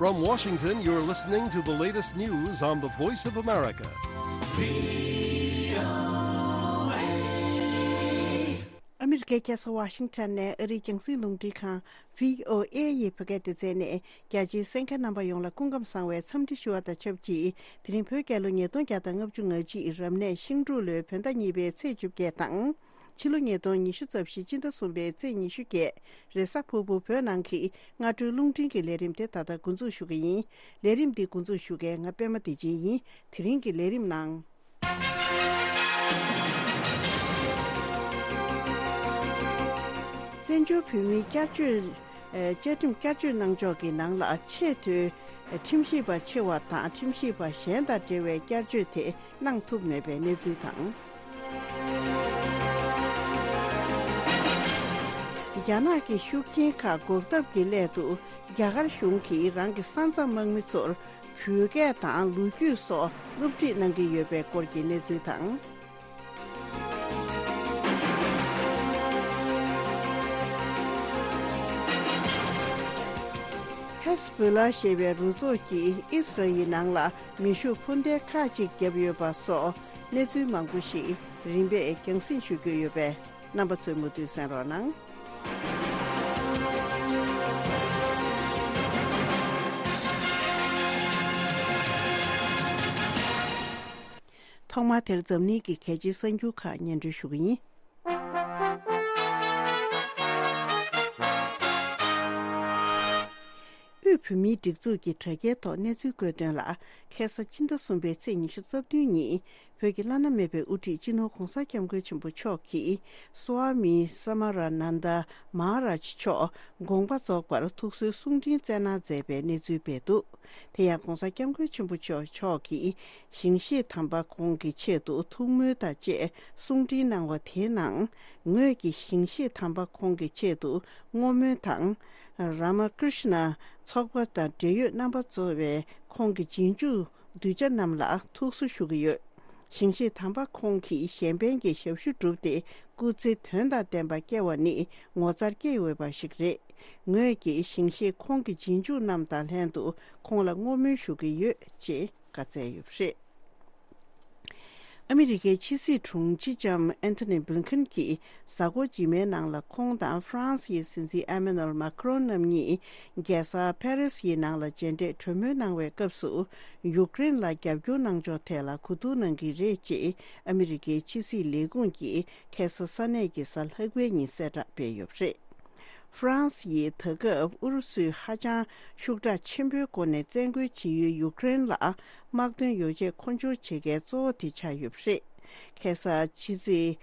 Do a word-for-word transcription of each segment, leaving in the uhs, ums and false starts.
From Washington, you're listening to the latest news on the Voice of America. ཨ་མི་རི་ཀའི་རྒྱལ་ས་ཝ་ཤིང་ཊོན་ནས་ཨ་རིའི་རྒྱང་སྲིང་རླུང་འཕྲིན་ཁང་བྷི་ཨོ་ཨེ་ཡི་བོད་སྐད་སྡེ་ཚན་ནས། རྒྱ་ཆེའི་གསན་མཁན་རྣམ་པ་ཡོངས་ལ་སྐུ་ཁམས་བཟང་བའི་འཚམས་འདྲི་ཞུ་བ་དང་ཆབས་ཅིག་དེ་རིང་བོད་རྒྱལ་ལོ་ཉིས་སྟོང་བརྒྱ་དང་ལྔ་བཅུ་ང་གཅིག་རབ་གནས་ཤིང་འབྲུག་ལོའི་བོད་ཟླ་གཉིས་པའི་ཚེས་བཅོ་བརྒྱད་དང་། ཕྱི་ལོ་ཉིས་སྟོང་ཉི་ཤུ་རྩ་བཞི་སྤྱི་ཟླ་གསུམ་པའི་ཚེས་ཉི་ཤུ་བརྒྱད། རེས་གཟའ་ཕུར་བུ་བོད་ནང་གི་སྔ་དྲོའི་རླུང་འཕྲིན་གྱི་ལས་རིམ་དེ་ད་ལྟ་འགོ་འཛུགས་ཞུ་གི་ཡིན། ལས་རིམ་འདི་འགོ་འཛུགས་ཞུ་མཁན་ང་པད་མ་བདེ་ཆེན་ཡིན། དེ་རིང་གི་ལས་རིམ་ནང་། བཙན་བྱོལ་བོད་མིའི་བསྐྱར་བཅོས། ཨ། བཅའ་ཁྲིམས་བསྐྱར་བཅོས་གནང་ཕྱོགས་ཀྱི་ནང་ལ་ཆེས་མཐོའི་ཁྲིམས་ཞིབ་པ་ཆེ་བ་དང་ཁྲིམས་ཞིབ་པ་གཞན་དང་འབྲེལ་བའི་བསྐྱར་བཅོས་དེ་གནང་ཐུབ་མེད་པའི་གནས་ཚུལ་དང་། རྒྱ་ནག་གི་ཤུགས་རྐྱེན་ཁག་འགོག་ཐབས་ཀྱི་སླད་དུ་རྒྱ་གར་གཞུང་གིས་རང་གི་ས་མཚམས་དམག་མི་ཚོར་བོད་སྐད་དང་ལོ་རྒྱུས་སོགས་སློབ་ཁྲིད་གནང་གི་ཡོད་པའི་སྐོར་གྱི་གནས་ཚུལ་དང་། ཧེ་སི་བྷོ་ལ་ཞེས་པའི་རུ་ཚོགས་ཀྱིས་ཨིས་ར་ཨེལ་ནང་ལ་མེ་ཤུགས་འཕུར་མདེལ་ཁག་ཅིག་བརྒྱབ་ཡོད་པ་སོགས་གནས་ཚུལ་མང་པོ་ཞིག་རིམ་པས་རྒྱང་སྲིང་ཞུ་རྒྱུ་ཡོད་པས། རྣམ་པ་ཚོས་མུ་མཐུད་གསན་རོགས་གནང་། ཐོག་མར་དེར་འཛམ་གླིང་གི་གལ་ཆེའི་གསར་འགྱུར་ཁག་སྙན་སྒྲོན་ཞུ་གི་ཡིན། དབུས་བོད་མིའི་སྒྲིག་འཛུགས་ཀྱི་དྲ་རྒྱའི་ཐོག་གནས་ཚུལ་བཀོད་དོན་ལ། ཁ་སང་ཕྱི་ཟླ་གསུམ་པའི་ཚེས་ཉི་ཤུ་རྩ་བདུན་ཉིན། བོད་ཀྱི་བླ་ན་མེད་པའི་དབུ་ཁྲིད་སྤྱི་ནོར་༧གོང་ས་༧སྐྱབས་མགོན་ཆེན་པོ་མཆོག་གིས་སྭ་མི་ས་མ་ར་ནན་ད་མ་ཧ་རཱཇ་མཆོག་དགོངས་པ་རྫོགས་པར་ཐུགས་གསོའི་གསུང་འཕྲིན་བསྩལ་གནང་མཛད་པའི་གནས་ཚུལ་སྤེལ་འདུག་དེ་ཡང་༧གོང་ས་༧སྐྱབས་མགོན་ཆེན་པོ་མཆོག་མཆོག་གིས་ཞིང་གཤེགས་དམ་པ་ཁོང་གི་ཆེད་དུ་ཐུགས་སྨོན་དང་བཅས་གསུང་འཕྲིན་གནང་བ་དེའི་ནང་། ངོས་ཀྱིས་ཞིང་གཤེགས་དམ་པ་ཁོང་གི་ཆེད་དུ་བསྔོ་སྨོན་དང་། རཱ་མ་ཀྲི་ཤི་ན་ཚོགས་པ་དང་འབྲེལ་ཡོད་རྣམ་པ་གཙོ་བའི་ཁོང་གི་རྗེས་འཇུག་གདུལ་བྱ་རྣམས་ལ་ཐུགས་གསོ་ཞུ་གི་ཡོད། ཞིང་གཤེགས་དམ་པ་ཁོང་གིས་གཞན་ཕན་གྱི་ཞབས་ཞུ་བསྒྲུབས་ཏེ་སྐུ་ཚེ་དོན་དང་ལྡན་པ་བསྐྱལ་བ་ནི་ངོ་མཚར་སྐྱེ་འོས་པ་ཞིག་རེད། ངོས་ཀྱིས་ཞིང་གཤེགས་ཁོང་གི་རྗེས་འཇུག་རྣམས་དང་ལྷན་དུ་ཁོང་ལ་བསྔོ་སྨོན་ཞུ་གི་ཡོད་ཅེས་བཀའ་སྩལ་ཡོད་པ་རེད། ཨ་མི་རི་ཀའི་ཕྱི་སྲིད་དྲུང་ཆེ་ལྕམ་ཨན་ཐོ་ནི་བྷི་ལིན་ཁན་གྱིས་གཟའ་འཁོར་རྗེས་མའི་ནང་ལ་ཁོང་དང་ཧྥ་རན་སིའི་སྲིད་འཛིན་ཨེ་མ་ནུ་ཨེལ་མཱ་ཁི་རོན་རྣམ་གཉིས་རྒྱལ་ས་ཕ་རི་སིའི་ནང་ལ་མཇལ་འཕྲད་གྲོས་མོལ་གནང་བའི་སྐབས་སུ། ཡུཀ་རེན་ལ་རྒྱབ་སྐྱོར་གནང་ཕྱོགས་ཐད་ལ་གོ་བསྡུར་གནང་གི་རེད་ཅེས་ཨ་མི་རི་ཀའི་ཕྱི་སྲིད་ལས་ཁུངས་ཀྱིས་ཁ་སང་ས་གནས་ཀྱི་གཟའ་ལྷག་པའི་ཉིན་གསལ་བསྒྲགས་སྤེལ་ཡོད་པ་རེད། ཧྥ་རན་སི་ཡིས་ད་སྐབས་ཨུ་རུ་སུས་ཧ་ཅང་ཤུགས་དྲག་ཆེན་པོའི་སྒོ་ནས་བཙན་རྒོལ་བྱེད་ཡུལ་ཡུཀ་རེན་ལ་དམག་དོན་ཡོ་བྱད་མཁོ་སྦྱོར་བྱེད་མཁན་གཙོ་བོ་དེ་ཆགས་ཡོད་པ་རེད། ཁ་སང་ཕྱི་སྲིད།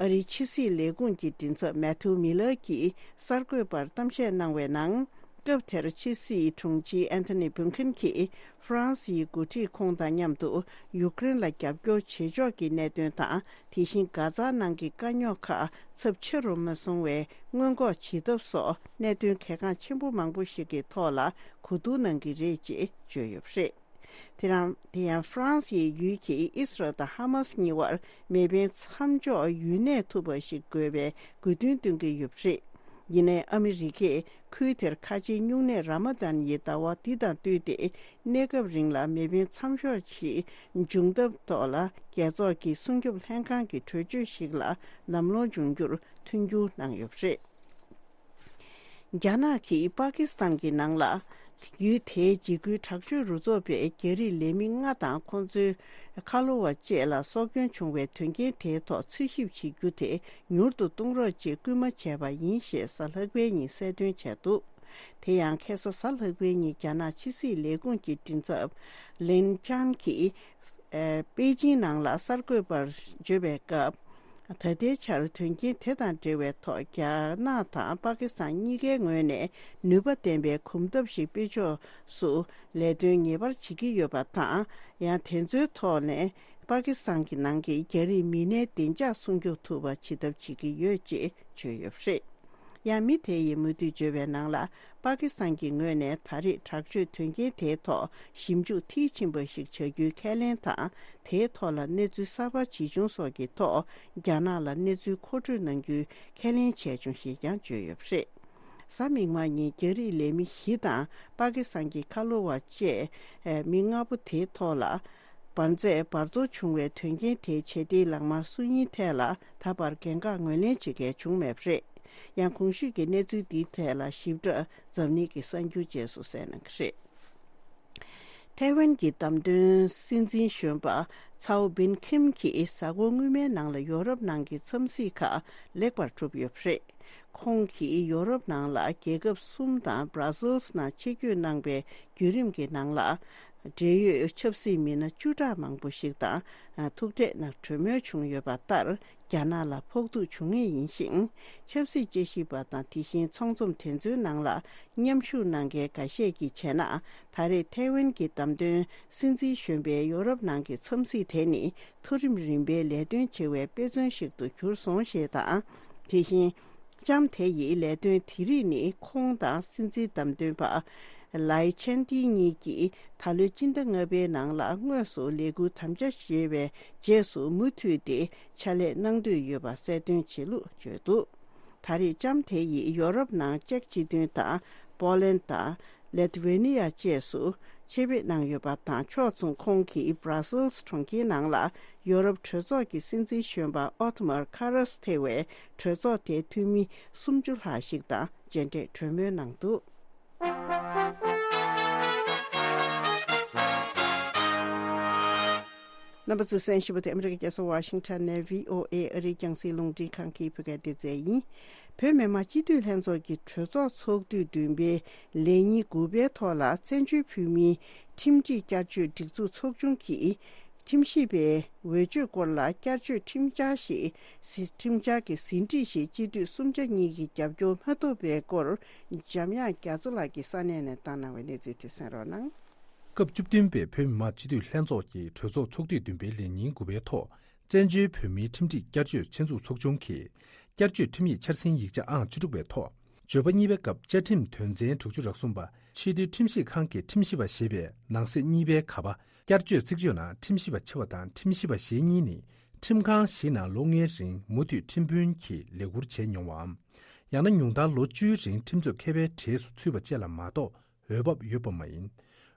ཨ་རིའི་ཕྱི་སྲིད་ལས་ཁུངས་ཀྱི་མགྲིན་ཚབ་མེ་ཐུ་མི་ལར་གྱིས་གསར་འགོད་པར་གཏམ་བཤད་གནང་བའི་ནང་། སྐབས་དེར་ཕྱི་སྲིད་དྲུང་ཆེ་ཨན་ཐོ་ནི་བྷིན་ཁིན་གྱིས་ཧྥ་རན་སིའི་འགོ་ཁྲིད་ཁོང་དང་མཉམ་དུ་ཡུཀ་རེན་ལ་རྒྱབ་སྐྱོར་བྱེད་ཕྱོགས་ཀྱི་གནད་དོན་དང་། དེ་བཞིན་གྷ་ཛ་ནང་གི་དཀའ་རྙོག་ཁག་ཚབས་ཆེ་རུ་མ་སོང་བའི་སྔོན་འགོག་བྱེད་ཐབས་སོགས་གནད་དོན་གལ་འགངས་ཆེན་པོ་མང་པོ་ཞིག་གི་ཐོག་ལ་གོ་བསྡུར་གནང་གི་རེད་ཅེས་བརྗོད་ཡོད་པ་རེད། དེ་རང་། དེ་ཡང་ཧྥ་རན་སིའི་ཡུལ་གྱིས་ཨིས་རལ་དང་ཧ་མ་སི་གཉིས་བར་མེ་འཕེན་མཚམས་འཇོག་ཡུན་གནས་ཐུབ་པ་ཞིག་དགོས་པའི་དགོས་འདུན་བཏོན་གྱི་ཡོད་པ་རེད། ཡིན་ནའི་ཨ་མི་རི་ཀས་ཁུལ་དེར་ཁ་ཆེའི་སྨྱུང་གནས་ར་མ་དན་ཡི་ཟླ་བ་འདི་དང་བསྟུན་ཏེ། གནས་སྐབས་རིང་ལ་མེ་འཕེན་མཚམས་འཇོག་ཞིག་འབྱུང་ཐབས་ཐོག་ལ་རྒྱལ་ཚོགས་ཀྱི་སྲུང་སྐྱོབ་ལྷན་ཁང་གི་གྲོས་ཆོད་ཞིག་ལ་ལམ་ལྷོང་འབྱུང་རྒྱུར་མཐུན་འགྱུར་གནང་ཡོད་པ་རེད། རྒྱ་ནག་གིས་པ་ཀི་སི་ཐན་གྱི་ནང་ལ། ཡུལ་དེའི་འཇིགས་སྐུལ་དྲག་སྤྱོད་རུ་ཚོགས་པས་རྒྱ་རིགས་ལས་མི་ལྔ་དང་ཁོང་ཚོའི་ཁ་ལོ་བ་བཅས་ལ་སྲོག་སྐྱོན་བྱུང་བའི་དོན་རྐྱེན་དེའི་ཐོག་འཚོལ་ཞིབ་བྱེད་རྒྱུ་དེ་མྱུར་དུ་གཏོང་རོགས་ཅེས་སྐུལ་མ་བྱས་པ་ཡིན་ཞེས་གཟའ་ལྷག་པའི་ཉིན་གསལ་སྟོན་བྱས་འདུག་དེ་ཡང་ཁ་སང་གཟའ་ལྷག་པའི་ཉིན་རྒྱ་ནག་ཕྱི་སྲིད་ལས་ཁུངས་ཀྱི་མགྲིན་ཚབ་ལིན་ཅང་གིས། ཨེ། པེ་ཅིང་ནང་ལ་གསར་འགོད་པར་བརྗོད་པའི་སྐབས། ད་ལྟའི་ཆར་དོན་རྐྱེན་དེ་དང་འབྲེལ་བའི་ཐོག་རྒྱ་ནག་དང་པ་ཀི་སི་ཐན་གཉིས་ཀའི་ངོས་ནས་ནུས་པ་ལྡན་པའི་གོམ་སྟབས་ཤིག་སྤེལ་ཕྱོགས་སུ་ལས་དོན་ངེས་པར་བྱེད་ཀྱི་ཡོད་པ་དང་། ཡང་དེ་ཚོའི་ཐོག་ནས་པ་ཀི་སི་ཐན་གྱི་ནང་གི་རྒྱ་རིགས་མི་སྣའི་བདེ་འཇགས་སྲུང་སྐྱོབ་ཐུབ་པ་བྱེད་ཐབས་བྱེད་ཀྱི་ཡོད་ཅེས་བརྗོད་ཡོད་པ་རེད། ཡང་མི་དེ་ཡིས་མུ་མཐུད་བརྗོད་པའི་ནང་ལ། པ་ཀི་སི་ཐན་གྱི་ངོས་ནས་ད་རེས་དྲག་སྤྱོད་དོན་རྐྱེན་དེའི་ཐོག་ཞིབ་འཇུག་མཐིལ་ཕྱིན་པ་ཞིག་བྱ་རྒྱུའི་ཁས་ལེན་དང་། དེའི་ཐོག་ལ་གནས་ཚུལ་གསར་པ་ཇི་བྱུང་སོགས་ཀྱི་ཐོག་རྒྱ་ནག་ལ་གནས་ཚུལ་མཁོ་སྤྲོད་གནང་རྒྱུའི་ཁས་ལེན་བྱས་བྱུང་ཞེས་ཀྱང་བརྗོད་ཡོད་པ་རེད། གཟའ་མིག་དམར་ཉིན་རྒྱ་རིགས་ལས་མི་བཞི་དང་པ་ཀི་སི་ཐན་གྱི་ཁ་ལོ་བ་བཅས་མི་ལྔ་པོ་དེའི་ཐོག་ལ་འབར་རྫས་འབར་གཏོར་བྱུང་བའི་དོན་རྐྱེན་དེའི་བྱེད་གཏེའི་ལག་དམར་སུ་ཡིན་ཐད་ལ་ད་བར་འགན་འཁུར་ངོས་ལེན་བྱེད་མཁན་བྱུང་མེད་པ་རེད། ཡང་གོང་ཞུས་ཀྱི་གནས་ཚུལ་འདིའི་ཐད་ལ་ཞིབ་ཕྲ་འཛམ་གླིང་གི་གསར་འགྱུར་རྗེས་སུ་གསན་གནང་གི་རེད། ཐའེ་ཝན་གྱི་བདམས་ཐོན་སྲིད་འཛིན་གཞོན་པ་ཚའོ་བིན་ཁིམ་གྱིས་གཟའ་འཁོར་སྔོན་མའི་ནང་ལ་ཡོ་རོབ་ནང་གི་འཚམས་གཟིགས་ཁག་ལེགས་པར་གྲུབ་ཡོད་པ་རེད། ཁོང་གིས་ཡོ་རོབ་ནང་ལ་རྒྱལ་ཁབ་གསུམ་དང་Brussels་ནང་ཆེད་བསྐྱོད་གནང་པའི་བརྒྱུད་རིམ་གྱི་ནང་ལ། འབྲེལ་ཡོད་ཆབ་སྲིད་མི་སྣ་བཅུ་ཕྲག་མང་པོ་ཞིག་དང་ཐུག་འཕྲད་གནང་གྲོས་མོལ་བྱུང་ཡོད་པ་ལྟར། རྒྱ་ནག་ལ་ཕོག་ཐུག་བྱུང་ངེས་ཡིན་ཞིང་། ཆབ་སྲིད་དཔྱད་ཞིབ་པ་དང་དེ་བཞིན་ཚོགས་འཛོམས་དེ་ཚོའི་ནང་ལ་མཉམ་ཞུགས་གནང་མཁན་འགའ་ཤས་ཀྱིས་བྱས་ན། ད་རེས་ཐའེ་ཝན་གྱི་བདམས་ཐོན་སྲིད་འཛིན་གཞོན་པའི་ཡོ་རོབ་ནང་གི་འཚམས་གཟིགས་དེ་ནི་མཐོ་རིམ་རིམ་པའི་ལས་དོན་བྱེད་པའི་དཔེ་མཚོན་ཞིག་ཏུ་གྱུར་སོང་ཞེས་དང་། དེ་བཞིན། ལྕམ་དེ་ཡི་ལས་དོན་དེ་རིགས་ནི་ཁོང་དང་སྲིད་འཛིན་བདམས་ཐོན་པ་ལའི་ཆན་ཏི་གཉིས་ཀྱིས་ད་ལོའི་སྤྱི་ཟླ་ལྔ་པའི་ནང་ལ་དངོས་སུ་ལས་འཁུར་དམ་བཅའ་བཞེས་པའི་རྗེས་སུ་མུ་མཐུད་དེ་ཕྱག་ལས་གནང་འདོད་ཡོད་པ་གསལ་སྟོན་བྱེད་ལུགས་བརྗོད་འདུག་ད་རེས་ལྕམ་དེ་ཡིས་ཡོ་རོབ་ནང་ཅེཀ་སྤྱི་མཐུན་དང་པོ་ལན་དང་། ལེ་ཐི་ཝེ་ནི་ཡ་བཅས་སུ་ཆེད་ཕེབས་གནང་ཡོད་པ་དང་ཕྱོགས་མཚུངས་ཁོང་གིས་Brussels་གྲོང་ཁྱེར་ནང་ལ་ཡོ་རོབ་གྲོས་ཚོགས་ཀྱི་སྲིད་འཛིན་གཞོན་པ་ཨོ་ཐི་མར་ཁ་རས་ཐེ་བའི་གྲོས་ཚོགས་དེའི་འཐུས་མི་སུམ་ཅུ་ལྷག་ཞིག་དང་མཇལ་འཕྲད་གྲོས་མོལ་གནང་འདུག་རྣམ་པ་ཚོས་གསན་བཞིན་པ་དེ་ཨ་མི་རི་ཀའི་རྒྱལ་ས་ཝ་ཤིང་ཊོན་ནས་བྷི་ཨོ་ཨེ་ཨ་རིའི་རྒྱང་སྲིང་རླུང་འཕྲིན་ཁང་གི་བོད་སྐད་སྡེ་ཚན་ཡིན། བོད་མི་མང་སྤྱི་འཐུས་ལྷན་ཚོགས་ཀྱི་གྲོས་ཚོགས་ཚོགས་དུས་བདུན་པའི་ལས་ཉིན་དགུ་པའི་ཐོག་ལ་བཙན་བྱོལ་བོད་མིའི་ཁྲིམས་སྒྲིག་བསྐྱར་བཅོས་སྒྲིག་འཛུགས་ཚོགས་ཆུང་གིས་ཁྲིམས་ཞིབ་པའི་འོས་ཆོས་སྐོར་ལ་བསྐྱར་བཅོས་ཁྲིམས་འཆར་ཞིག་ཁྲིམས་འཆར་གྱི་ཟིན་བྲིས་ཤིག་སྤྱི་འཐུས་གསུམ་ཆ་གཉིས་ཀྱི་རྒྱབ་སྐྱོར་མ་ཐོབ་པའི་སྐོར་འཇམ་དབྱངས་རྒྱ་མཚོ་ལགས་ཀྱིས་ས་གནས་ནས་བཏང་གནང་བའི་གནས་ཚུལ་དེ་གསན་རོགས་གནང་། སྐབས་བཅུ་བདུན་པའི་བོད་མི་མང་སྤྱི་འཐུས་ལྷན་ཚོགས་ཀྱི་གྲོས་ཚོགས་ཚོགས་དུས་བདུན་པའི་ལས་ཉིན་དགུ་པའི་ཐོག་བཙན་བྱོལ་བོད་མིའི་ཁྲིམས་སྒྲིག་བསྐྱར་བཅོས་ཆེད་འཛུགས་ཚོགས་ཆུང་གིས་བསྐྱར་བཅོས་ཁྲིམས་ཡིག་འཆར་ཟིན་ཡིག་ཆ་ཨང་བཅུ་དྲུག་པའི་ཐོག་བརྗོད་པ་གཉིས་པའི་སྐབས་བཅའ་ཁྲིམས་དོན་ཚན་དྲུག་ཅུ་རེ་གསུམ་པ་ཆེས་མཐོའི་ཁྲིམས་ཞིབ་ཁང་གི་ཁྲིམས་ཞིབ་པ་ཞེས་པའི་ནང་གསེས་གཉིས་པའི་ག་པ་བསྐྱར་བཅོས་ཚིག་བརྗོད་ནང་ཁྲིམས་ཞིབ་པ་ཆེ་བ་དང་ཁྲིམས་ཞིབ་པ་ཞེ་གཉིས་ནི་ཁྲིམས་ཁང་བཞི་ནང་ལོ་ལྔའི་རིང་མུ་མཐུད་ཁྲིམས་དཔོན་གྱི་ལས་ཁུར་བྱས་མྱོང་བའམ། ཡང་ན་ཉུང་མཐར་ལོ་བཅུའི་རིང་ཁྲིམས་རྩོད་མཁས་པའི་གྲས་སུ་ཚུད་པ་བཅས་ལ་མ་གཏོགས། འོས་བབ་ཡོད་པ་མ་ཡིན།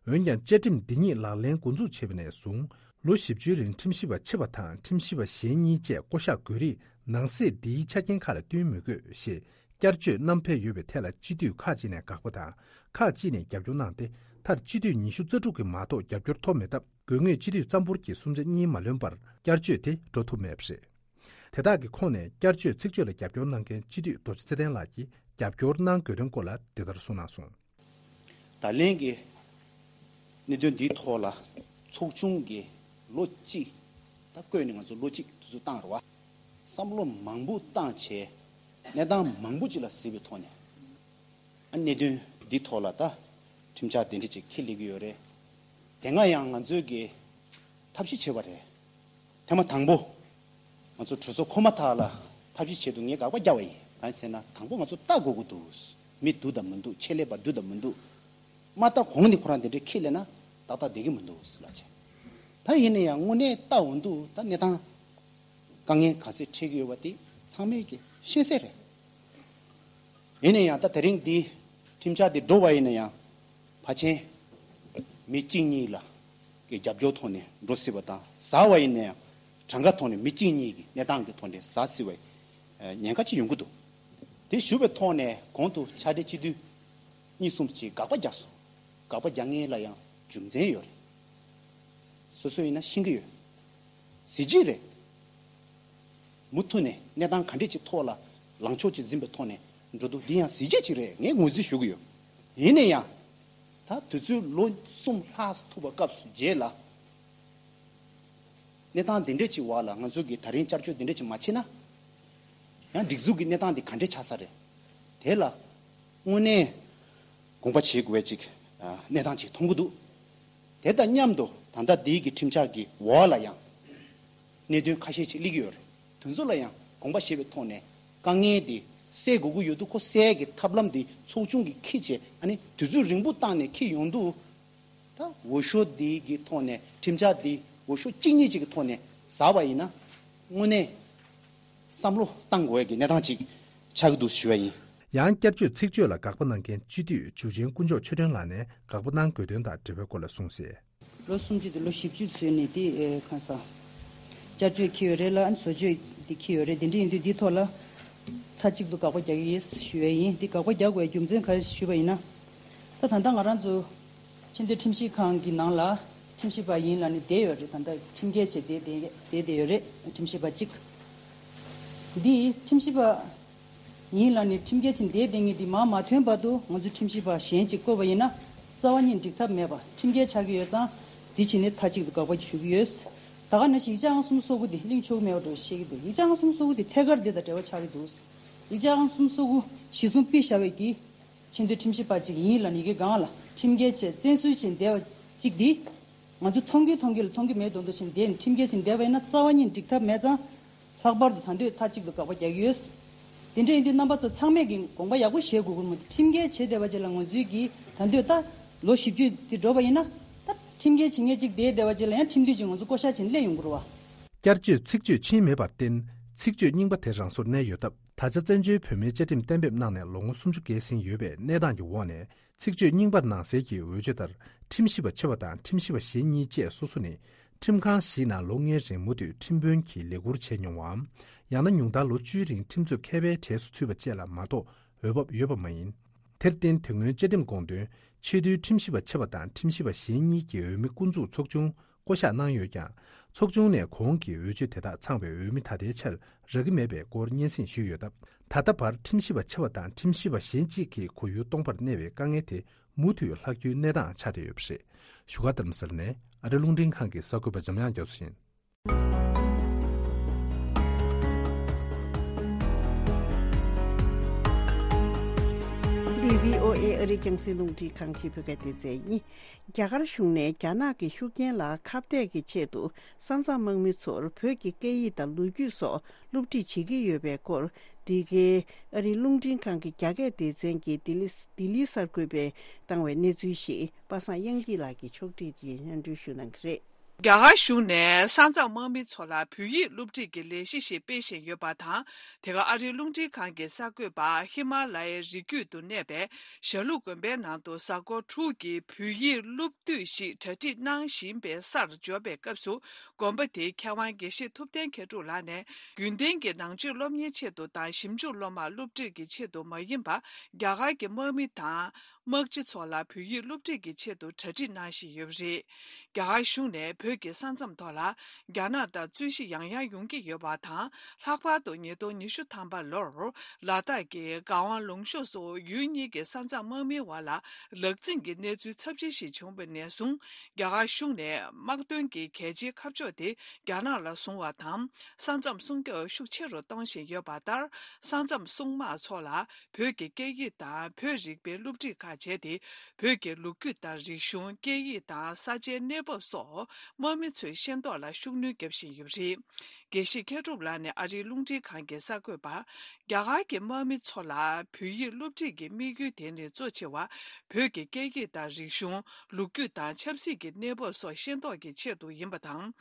འོན་ཀྱང་བཅའ་ཁྲིམས་འདི་ཉིད་ལག་ལེན་འགོ་འཛུགས་བྱས་པ་ནས་བཟུང་ལོ་བཞི་བཅུའི་རིང་ཁྲིམས་ཞིབ་པ་ཆེ་བ་དང་ཁྲིམས་ཞིབ་པ་གཞན་གཉིས་བཅས་བསྐོ་གཞག་དགོས་རིགས་ནང་གསེས་འདིའི་ཆ་རྐྱེན་ཁག་ལ་བསྟུན་མི་དགོས་ཞེས་བསྐྱར་བཅོས་བསྣམས་ཕེབས་ཡོད་པའི་ཐད་ལ་སྤྱི་འཐུས་ཁག་ཅིག་ནས་དགག་པ་དང་ཁག་ཅིག་ནས་རྒྱབ་སྐྱོར་གནང་སྟེ་མཐར་སྤྱི་འཐུས་ཉི་ཤུ་རྩ་དྲུག་གིས་མ་གཏོགས་རྒྱབ་སྐྱོར་ཐོབ་མེད་སྟབས་དགོས་ངེས་སྤྱི་འཐུས་ཙམ་པོར་གྱི་གསུམ་ཆ་གཉིས་མ་ལོན་པར་བསྐྱར་བཅོས་དེ་འགྲོ་ཐུབ་མེད་པ་རེད། དེ་དག་གི་ཁོངས་ནས་བསྐྱར་བཅོས་ཚིག་བརྗོད་ལ་རྒྱབ་སྐྱོར་གནང་མཁན་སྤྱི་འཐུས་རྡོ་རྗེ་ཚེ་བརྟན་ལགས་ཀྱིས་རྒྱབ་སྐྱོར་གནང་དགོས་དོན་སྐོར་ལ་འདི་ལྟར་གསུངས་གནང་སོང་། ད་ལན་གྱི་གནད་དོན་འདིའི་ཐོག་ལ་ཚོགས་ཆུང་གིས་ལོ་གཅིག་ད་བསྐོས་ནས་ང་ཚོ་ལོ་གཅིག་དུས་ཚོད་བཏང་རེད་བ། བསམ་བློ་མང་པོ་བཏང་བྱས་གནས་སྟངས་མང་པོ་ཅིག་ལ་གཟིགས་པའི་ཐོག་ནས་ཨ་གནད་དོན་འདིའི་ཐོག་ལ་ད་ཁྲིམས་འཆར་དེ་འདྲ་ཅིག་འཁྱེར་སླེབས་ཀྱི་ཡོད་རེད། དེ་སྔ་ཡང་ང་ཚོས་ཀྱི་ཐབས་ཤེས་བྱས་པ་རེད། ཐེངས་མ་དང་པོ། ང་ཚོ་གྲོས་ཚོགས་འཁོར་མ་ཐག་ལ་ཐབས་ཤེས་བྱེད་དུ་ངས་དགག་པ་བརྒྱབ་པ་ཡིན། གང་ཟེར་ན་དང་པོ་ང་ཚོ་ལྟ་དགོས་ཀྱི་འདུག་མི་འདུག་དང་མི་འདུག་ཆེད་ལས་པ་འདུག་དང་མི་འདུག་མ་ལྟ་གོང་ནས་ཁོ་རང་དེ་འདྲའི་ཁས་ལེན་ན་ཏག་ཏག་བསྡད་ཀྱི་མི་འདུག་ཟེར་ལབ་བྱས། ད་ཡིན་ན་ཡང་དངོས་གནས་ལྟ་འོང་དུས་ད་གནས་སྟངས་དཀའ་ངལ་ག་ཚད་འཕྲད་ཀྱི་ཡོད་པ་དེ་ཚང་མས་ཀྱི་ཤེས་གསལ་རེད། ཡིན་ན་ཡང་ད་དེ་རིང་འདི་ཁྲིམས་འཆར་འདི་འགྲོ་བ་ཡིན་ན་ཡང་ཕལ་ཆེར་མི་གཅིག་གཉིས་ལ་གི་རྒྱབ་སྐྱོར་ཐོག་ནས་འགྲོ་སྲིད་པ་དང་ཟ་བ་ཡིན་ན་ཡང་གྲངས་ཀ་ཐོག་ནས་མི་གཅིག་གཉིས་ཀྱི་གནས་སྟངས་ཀྱི་ཐོག་ནས་ཟ་སྲིད་པའི་ཉེན་ཁ་ཅིག་ཡོང་གི་འདུག་དེ་ཞུ་བའི་ཐོག་ནས་གོང་དུ་ཕྱག་སྦྲེལ་སྤྱི་འཐུས་གཉིས་གསུམ་ཞིག་དགག་པ་རྒྱག་སོང་། དགག་པ་རྒྱག་མཁན་ལ་ཡང་རྒྱུ་མཚན་ཡོད་རེད། སོ་སོ་ཡིན་ན་ཤེས་ཀྱི་ཡོད། གཟི་བརྗིད་རེད། མུ་མཐུད་ནས་གནས་སྟངས་ག་འདྲས་ཀྱི་ཐོག་ལ་ལངས་ཕྱོགས་ཅིག་འཛིན་པའི་ཐོག་ནས་འགྲོ་འདུག་འདི་ཡང་གཟི་བརྗིད་ཅིག་རེད། ངས་ངོས་འཛིན་ཞུ་གི་ཡོད། ཡིན་ན་ཡང་། ད་དུས་ཚོད་ལོ་གསུམ་ལྷག་ཐུབ་པ་སྐབས་སུ་རྗེས་ལ། གནས་སྟངས་འདི་འདྲས་ཀྱི་འོག་ལ་ང་ཚོ་གིས་ད་རིང་བསྐྱར་བཅོས་འདི་འདྲས་ཀྱི་མ་བྱས་ན། ཡང་སྒྲིག་འཛུགས་ཀྱི་གནས་སྟངས་འདི་ག་འདྲས་ཆགས་ས་རེད། དེ་ལ་དངོས་གནས་དགོངས་པ་བཞེས་དགོས་པའི་ཅིག་གནས་སྟངས་ཅིག་མཐོང་གི་འདུག་དེ་དང་མཉམ་དུ་ད་ལྟ་འདིའི་གི་ཁྲིམས་འཆར་གྱི་འོག་ལ་ཡང་གནད་དོན་ཁ་ཤས་ཅིག་སླེབས་ཀྱི་ཡོད་རེད། དེ་ཚོ་ལ་ཡང་དགོངས་པ་བཞེས་པའི་ཐོག་ནས་དཀའ་ངལ་འདི་སེལ་དགོས་ཀྱི་ཡོད་དུས་ཁོ་སེལ་གྱི་ཐབས་ལམ་འདི་ཚོགས་ཆུང་གིས་འཁྱེར་བྱས་ཨ་ནི་དུས་ཚོད་རིང་པོ་བཏང་ནས་འཁྱེར་ཡོང་དུས། ད་འོས་ཤོག་འདི་གི་ཐོག་ནས་ཁྲིམས་འཆར་འདི་འོས་ཤོག་གཅིག་གཉིས་ཅིག་གི་ཐོག་ནས་ཟ་བ་ཡིན་ན་དངོས་གནས་བསམ་བློ་བཏང་དགོས་ཀྱི་གནས་སྟངས་ཅིག་ཆགས་ཀྱི་འདུག་ཞུ་བ་ཡིན། ཡང་བསྐྱར་བཅོས་ཚིག་བརྗོད་ལ་དགག་པ་གནང་མཁན་སྤྱི་འཐུས་འཇུ་ཆེན་དཀོན་མཆོག་ཆོས་སྒྲོན་ལགས་ནས་དགག་པ་གནང་དགོས་དོན་དང་འབྲེལ་བའི་སྐོར་ལ་གསུངས་གསལ། ལོ་སུམ་ཅུ་དང་ལོ་བཞི་བཅུ་ཚུན་ནས་དེ་ཨེ་གང་ཟག་བསྐྱར་བཅོས་འཁྱེར་ཡོད་རེད་ལ་ཨ་ནི་བཟོ་བཅོས་དེ་འཁྱེར་ཡོད་རེད། དེ་འདྲ་ཡིན་དུས་འདིའི་ཐོག་ལ་མཐའ་གཅིག་ཏུ་དགག་པ་རྒྱག་གི་ཡིན་ཞུ་བ་ཡིན། དེ་དགག་པ་རྒྱག་དགོས་རྒྱུ་མཚན་ག་རེ་ཞུས་པ་ཡིན་ན། ད་ད་ལྟ་ང་རང་ཚོ་ཆེས་མཐོའི་ཁྲིམས་ཞིབ་ཁང་གི་ནང་ལ་ཁྲིམས་ཞིབ་པ་ཡིན་ལབ་ནས་བསྡད་ཡོད་རེད། ད་ལྟ་ཁྲིམས་འགལ་བྱས་བསྡད་བསྡད་བསྡད་བསྡད་ཡོད་རེད། ཁྲིམས་ཞིབ་པ་གཅིག་འདི་ཁྲིམས་ཞིབ་པ་ཡིན་ལབ་ནས་ཁྲིམས་འགལ་བྱས་བསྡད་བསྡད་མཁན་འདི་མར་མ་ཐོན་བར་དུ་ང་ཚོས་ཁྲིམས་ཞིབ་པ་གཞན་གཅིག་བསྐོས་པ་ཡིན་ན་རྩ་བ་ཉིད་འགྲིག་ཐབས་མེད་པ་ཁྲིམས་འགལ་ཆགས་ཀྱི་ཡོད་ཙང་འདི་བྱས་ནས་མཐའ་གཅིག་ཏུ་དགག་པ་ཞུ་གི་ཡོད། ད་ག་ནང་བཞིན་ཡིག་ཆ་ཨང་གསུམ་སོ་དགུ་འདི་གླེང་ཆོག་གི་མེད་པ་འདྲ་བཤད་ཀྱི་འདུག་ཡིག་ཆ་ཨང་གསུམ་སོ་དགུ་འདི་ཐད་ཀར་འདི་དང་འབྲེལ་བ་ཆགས་ཀྱི་འདུག་ཡིག་ཆ་ཨང་གསུམ་སོ་དགུ་གཞི་བཟུང་ཕུད་བཞག་པའི་གི་ཆེས་མཐོའི་ཁྲིམས་ཞིབ་པ་གཅིག་ཡིན་ལབ་ནས་ཡི་གེ་སྒང་ལ་ཁྲིམས་འགལ་བྱས་བཙན་འཛུལ་བྱས་བསྡད་པ་གཅིག་འདི་ང་ཚོ་མཐོང་གི་མཐོང་གི་ལ་མཐོང་གི་མེད་མདོག་མདོག་བྱས་བསྡད་ནས་ཁྲིམས་འགལ་བྱས་བསྡད་པ་ཡིན་ན་རྩ་བ་ཉིད་འགྲིག་ཐབས་མེད་ཙང་། ལྷག་པར་དུ་ད་འདོད་མཐའ་གཅིག་ཏུ་དགག་པ་རྒྱག་གི་ཡོད། དེ་འདྲ་ཡིན་དུས་རྣམ་པ་ཚོ་ཚང་མས་ཀྱི་དགོངས་པ་ཡག་པོ་བཞེས་དགོས་ཀྱི་རེད་མོད། ཁྲིམས་འགལ་བྱས་བསྡད་པ་ཅིག་ལ་ང་ཚོའི་གི་ད་འདོད་ད་ལོ་བཞི་བཅུ་དེ་འགྲོ་བ་ཡིན་ན་ད་ཁྲིམས་འགལ་བྱེད་མཁན་གཅིག་བསྡད་བསྡད་པ་ཅིག་ལ་ཡང་ཁྲིམས་མཐུན་གྱི་ང་ཚོ་བསྐོ་བཞག་བྱས་ནས་སླེབས་ཡོང་གི་རེད་བ། བསྐྱར་བཅོས་ཚིག་བརྗོད་ཕྱིན་མེད་པར་བརྟེན་ཚིག་བརྗོད་རྙིང་པ་དེ་རང་སོར་གནས་ཡོད་སྟབས། ད་ཆ་བཙན་བྱོལ་བོད་མིའི་བཅའ་ཁྲིམས་གཏན་འབེབས་གནང་ནས་ལོ་ངོ་སུམ་ཅུ་བརྒལ་ཟིན་ཡོད་པའི་གནས་སྟངས་ཀྱི་འོག་ནས་ཚིག་བརྗོད་རྙིང་པར་སྣང་གསལ་གྱི་འོས་ཆོས་ལྟར་ཁྲིམས་ཞིབ་པ་ཆེ་བ་དང་ཁྲིམས་ཞིབ་པ་གཞན་གཉིས་བཅས་སོ་སོ་ནི་ཁྲིམས་ཁང་བཞིའི་ནང་ལོ་ལྔའི་རིང་མུ་མཐུད་ཁྲིམས་དཔོན་གྱི་ལས་ཁུར་བྱས་མྱོང་བའམ། ཡང་ན་ཉུང་མཐར་ལོ་བཅུའི་རིང་ཁྲིམས་རྩོད་མཁས་པའི་གྲས་སུ་ཚུད་པ་བཅས་ལ་མ་གཏོགས་འོས་བབ་ཡོད་པ་མ་ཡིན། དེར་བརྟེན་དེ་སྔོན་བཅའ་ཁྲིམས་དགོངས་དོན་ཆེས་མཐོའི་ཁྲིམས་ཞིབ་པ་ཆེ་བ་དང་ཁྲིམས་ཞིབ་པ་གཞན་གཉིས་ཀྱི་འོས་མི་སྐུ་འཛུགས་ཚོགས་ཆུང་བསྐོ་གཞག་གནང་ཡོད་ཀྱང་། ཚོགས་ཆུང་ནས་གོང་གི་འོས་ཆོས་དེ་དག་ཚང་བའི་འོས་མི་ད་ལྟའི་ཆར་རག་གི་མེད་པའི་སྐོར་སྙན་སེང་ཞུས་ཡོད་སྟབས། ད་ལྟ་བར་ཁྲིམས་ཞིབ་པ་ཆེ་བ་དང་ཁྲིམས་ཞིབ་པ་གཞན་གཅིག་གི་གོ་ཡུལ་སྟོང་པར་གནས་པའི་དཀའ་ངལ་དེ་མུ་མཐུད་ལྷག་རྒྱུའི་གནས་སྟངས་ཆགས་བསྡད་ཡོད་པ་རེད། བཞུགས་སྒར་རྡ་རམ་ས་ལ་ནས་ཨ་རི་རླུང་འཕྲིན་ཁང་གི་གསར་འགོད་པ་འཇམ་དབྱངས་རྒྱ་མཚོ་ཡིན། འདི་བྷི་ཨོ་ཨེ་ཨ་རིའི་རྒྱང་སྲིང་རླུང་འཕྲིན་ཁང་གི་བོད་སྐད་སྡེ་ཚན་ཡིན། རྒྱ་གར་གཞུང་ནས་རྒྱ་ནག་གི་ཤུགས་རྐྱེན་ལ་ཁ་གཏད་ཀྱི་ཆེད་དུ་ས་མཚམས་དམག་མི་ཚོར་བོད་ཀྱི་སྐད་ཡིག་དང་ལོ་རྒྱུས་སོགས་སློབ་ཁྲིད་བྱེད་ཀྱི་ཡོད་པའི་སྐོར། འདི་གའི་ཨ་རིའི་རླུང་འཕྲིན་ཁང་གི་རྒྱ་སྐད་སྡེ་ཚན་གྱིས་ལྡི་ལི་ལྡི་ལིའི་གསར་འགོད་པས་བཏང་བའི་གནས་ཚུལ་ཞིག་པ་སངས་དབྱངས་སྐྱིད་ལགས་ཀྱིས་ཕྱོགས་སྒྲིག་གིས་སྙན་སྒྲོན་ཞུ་གནང་གི་རེད། རྒྱ་གར་གཞུང་ནས་ས་མཚམས་དམག་མི་ཚོ་ལ་བོད་ཡིག་སློབ་ཁྲིད་ཀྱི་ལས་གཞི་ཞིག་སྤེལ་བཞིན་ཡོད་པ་དང་། དེ་ག་ཨ་རིའི་རླུང་འཕྲིན་ཁང་གི་གསར་འགོད་པ་ཧི་མ་ལ་ཡའི་རི་རྒྱུད་དུ་གནས་པའི་ཞྭ་ལུ་དགོན་པའི་ནང་དུ་གཟའ་འཁོར་དྲུག་གི་བོད་ཡིག་སློབ་དུས་ཤིག་གྲ་སྒྲིག་གནང་བཞིན་པའི་སར་འབྱོར་བའི་སྐབས་སུ། དགོན་པ་དེའི་མཁས་དབང་དགེ་བཤེས་ཐུབ་བསྟན་མཁས་གྲུབ་ལགས་ནས། རྒྱུན་ལྡན་གྱི་ནང་ཆོས་སློབ་གཉེར་ཆེད་དུ་དང་ཞིབ་འཇུག་སློབ་མར་སློབ་ཁྲིད་ཀྱི་ཆེད་དུ་མ་ཡིན་པར། རྒྱ་གར་གྱི་དམག་མི་དང་། དམག་སྤྱི་ཚོ་ལ་བོད་ཡིག་སློབ་ཁྲིད་ཀྱི་ཆེད་དུ་གྲ་སྒྲིག་གནང་བཞིན་ཡོད་པ་རེད། རྒྱ་གར་གཞུང་ནས་བོད་ཀྱི་ས་མཚམས་ཐོག་ལ་རྒྱ་ནག་དང་རྩོད་གཞི་ཡང་ཡང་ཡོང་གི་ཡོད་པ་དང་། ལྷག་པར་དུ་ཉིས་སྟོང་ཉི་ཤུ་ཐམ་པ་ལོར་ལ་དྭགས་ཀྱི་གངས་དབང་ལུང་གཤོང་སོགས་ཡུལ་གཉིས་ཀྱི་ས་མཚམས་དམག་མིའི་བར་ལ་ལག་འཛིང་གི་གནས་ཚུལ་ཚབས་ཆེན་ཞིག་བྱུང་བ་ནས་བཟུང་། རྒྱ་གར་གཞུང་ནས་དམག་དོན་གྱི་གལ་ཆེའི་ཁ་ཕྱོགས་དེ་རྒྱ་ནག་ལ་བཟུང་བ་དང་། ས་མཚམས་སྲུང་སྐྱོབ་ཤུགས་ཆེ་རུ་གཏོང་བཞིན་ཡོད་པ་ལྟར། ས་མཚམས་སྲུང་དམག་ཚོ་ལ་བོད་ཀྱི་སྐད་ཡིག་དང་བོད་རིག་པའི་སློབ་ཁྲིད་ཁག་བྱས་ཏེ། བོད་ཀྱི་ལོ་རྒྱུས་དང་རིག་གཞུང་། སྐད་ཡིག་དང་ས་ཆའི་གནས་བབ་སོགས་དམག་མི་ཚོའི་ཤེས་རྟོགས་ལ་ཤུགས་སྣོན་བརྒྱབ་བཞིན་ཡོད་པ་རེད། དགེ་བཤེས་མཁས་གྲུབ་ལགས་ནས་ཨ་རིའི་རླུང་འཕྲིན་ཁང་གི་གསར་འགོད་པར། རྒྱ་གར་གྱི་དམག་མི་ཚོ་ལ་བོད་ཡིག་སློབ་ཁྲིད་ཀྱི་དམིགས་ཡུལ་དེ་ནི་གཙོ་ཆེ་བ་བོད་ཀྱི་སྐད་ཡིག་དང་རིག་གཞུང་། ལོ་རྒྱུས་དང་ཆབ་སྲིད་ཀྱི་གནས་བབ་སོགས་ཤེས་རྟོགས་ཀྱི་ཆེད་དུ་ཡིན་པ་དང་།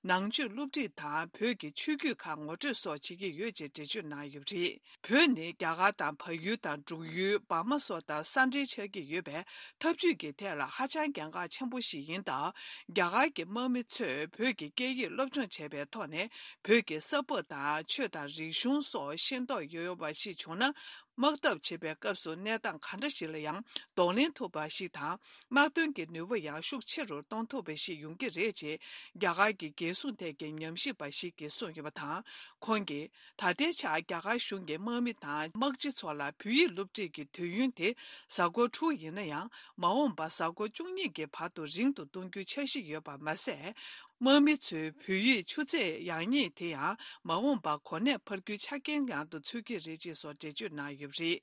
ནང་ཆོས་སློབ་ཁྲིད་དང་བོད་ཀྱི་ཆོས་བརྒྱུད་ཁག་ངོ་སྤྲོད་སོགས་བྱེད་ཀྱི་ཡོད་ཅེས་འགྲེལ་བརྗོད་གནང་ཡོད་པ་རེད། བོད་ནི་རྒྱ་གར་དང་བལ་ཡུལ་དང་འབྲུག་ཡུལ། འབར་མ་སོགས་དང་ས་འབྲེལ་ཆགས་ཀྱི་ཡོད་པས། འཐབ་ཇུས་ཀྱི་ཐད་ལ་ཧ་ཅང་གལ་འགངས་ཆེན་པོ་ཞིག་ཡིན་སྟབས། རྒྱ་གར་གྱི་དམག་མི་ཚོས་བོད་ཀྱི་སྐད་ཡིག་སློབ་སྦྱོང་བྱས་པའི་ཐོག་ནས། བོད་ཀྱི་ས་བབ་དང་ཆོས་དང་རིག་གཞུང་སོགས་ཤེས་རྟོགས་ཡོད་པ་ཞིག་བྱུང་ན། དམག་འཐབ་བྱེད་པའི་སྐབས་སུ་གནས་སྟངས་ག་འདྲ་ཞིག་ལ་ཡང་གདོང་ལེན་ཐུབ་པ་ཞིག་དང་། དམག་དོན་གྱི་ནུས་པ་ཡང་ཤུགས་ཆེ་རུ་གཏོང་ཐུབ་པ་ཞིག་ཡོང་གི་རེད་ཅེས། རྒྱ་གར་གྱི་རྒྱལ་སྲུང་ཐད་ཀྱི་ཉམས་ཞིབ་པ་ཞིག་གིས་གསུངས་ཡོད་པ་དང་། ཁོང་གིས། ད་ལྟའི་ཆར་རྒྱ་གར་གཞུང་གིས་དམག་མི་དང་དམག་སྤྱི་ཚོ་ལ་བོད་ཡིག་སློབ་ཁྲིད་ཀྱི་དུས་ཡུན་དེ་གཟའ་འཁོར་དྲུག་ཡིན་ན་ཡང་། མ་འོངས་པར་གཟའ་འཁོར་བཅུ་གཉིས་ཀྱི་བར་དུ་རིང་དུ་གཏོང་རྒྱུའི་འཆར་གཞི་ཡོད་པ་མ་ཟད། དམག་མི་ཚོའི་བོད་ཡིག་ཆུ་ཚད་ཡག་ཉེས་དེ་ཡང་མ་འོངས་པར་གོ་གནས་འཕར་རྒྱུའི་ཆ་རྐྱེན་ཡང་དུ་འཚོལ་གྱི་རེད་ཅེས་སོགས་འགྲེལ་བརྗོད་གནང་ཡོད་པ་རེད།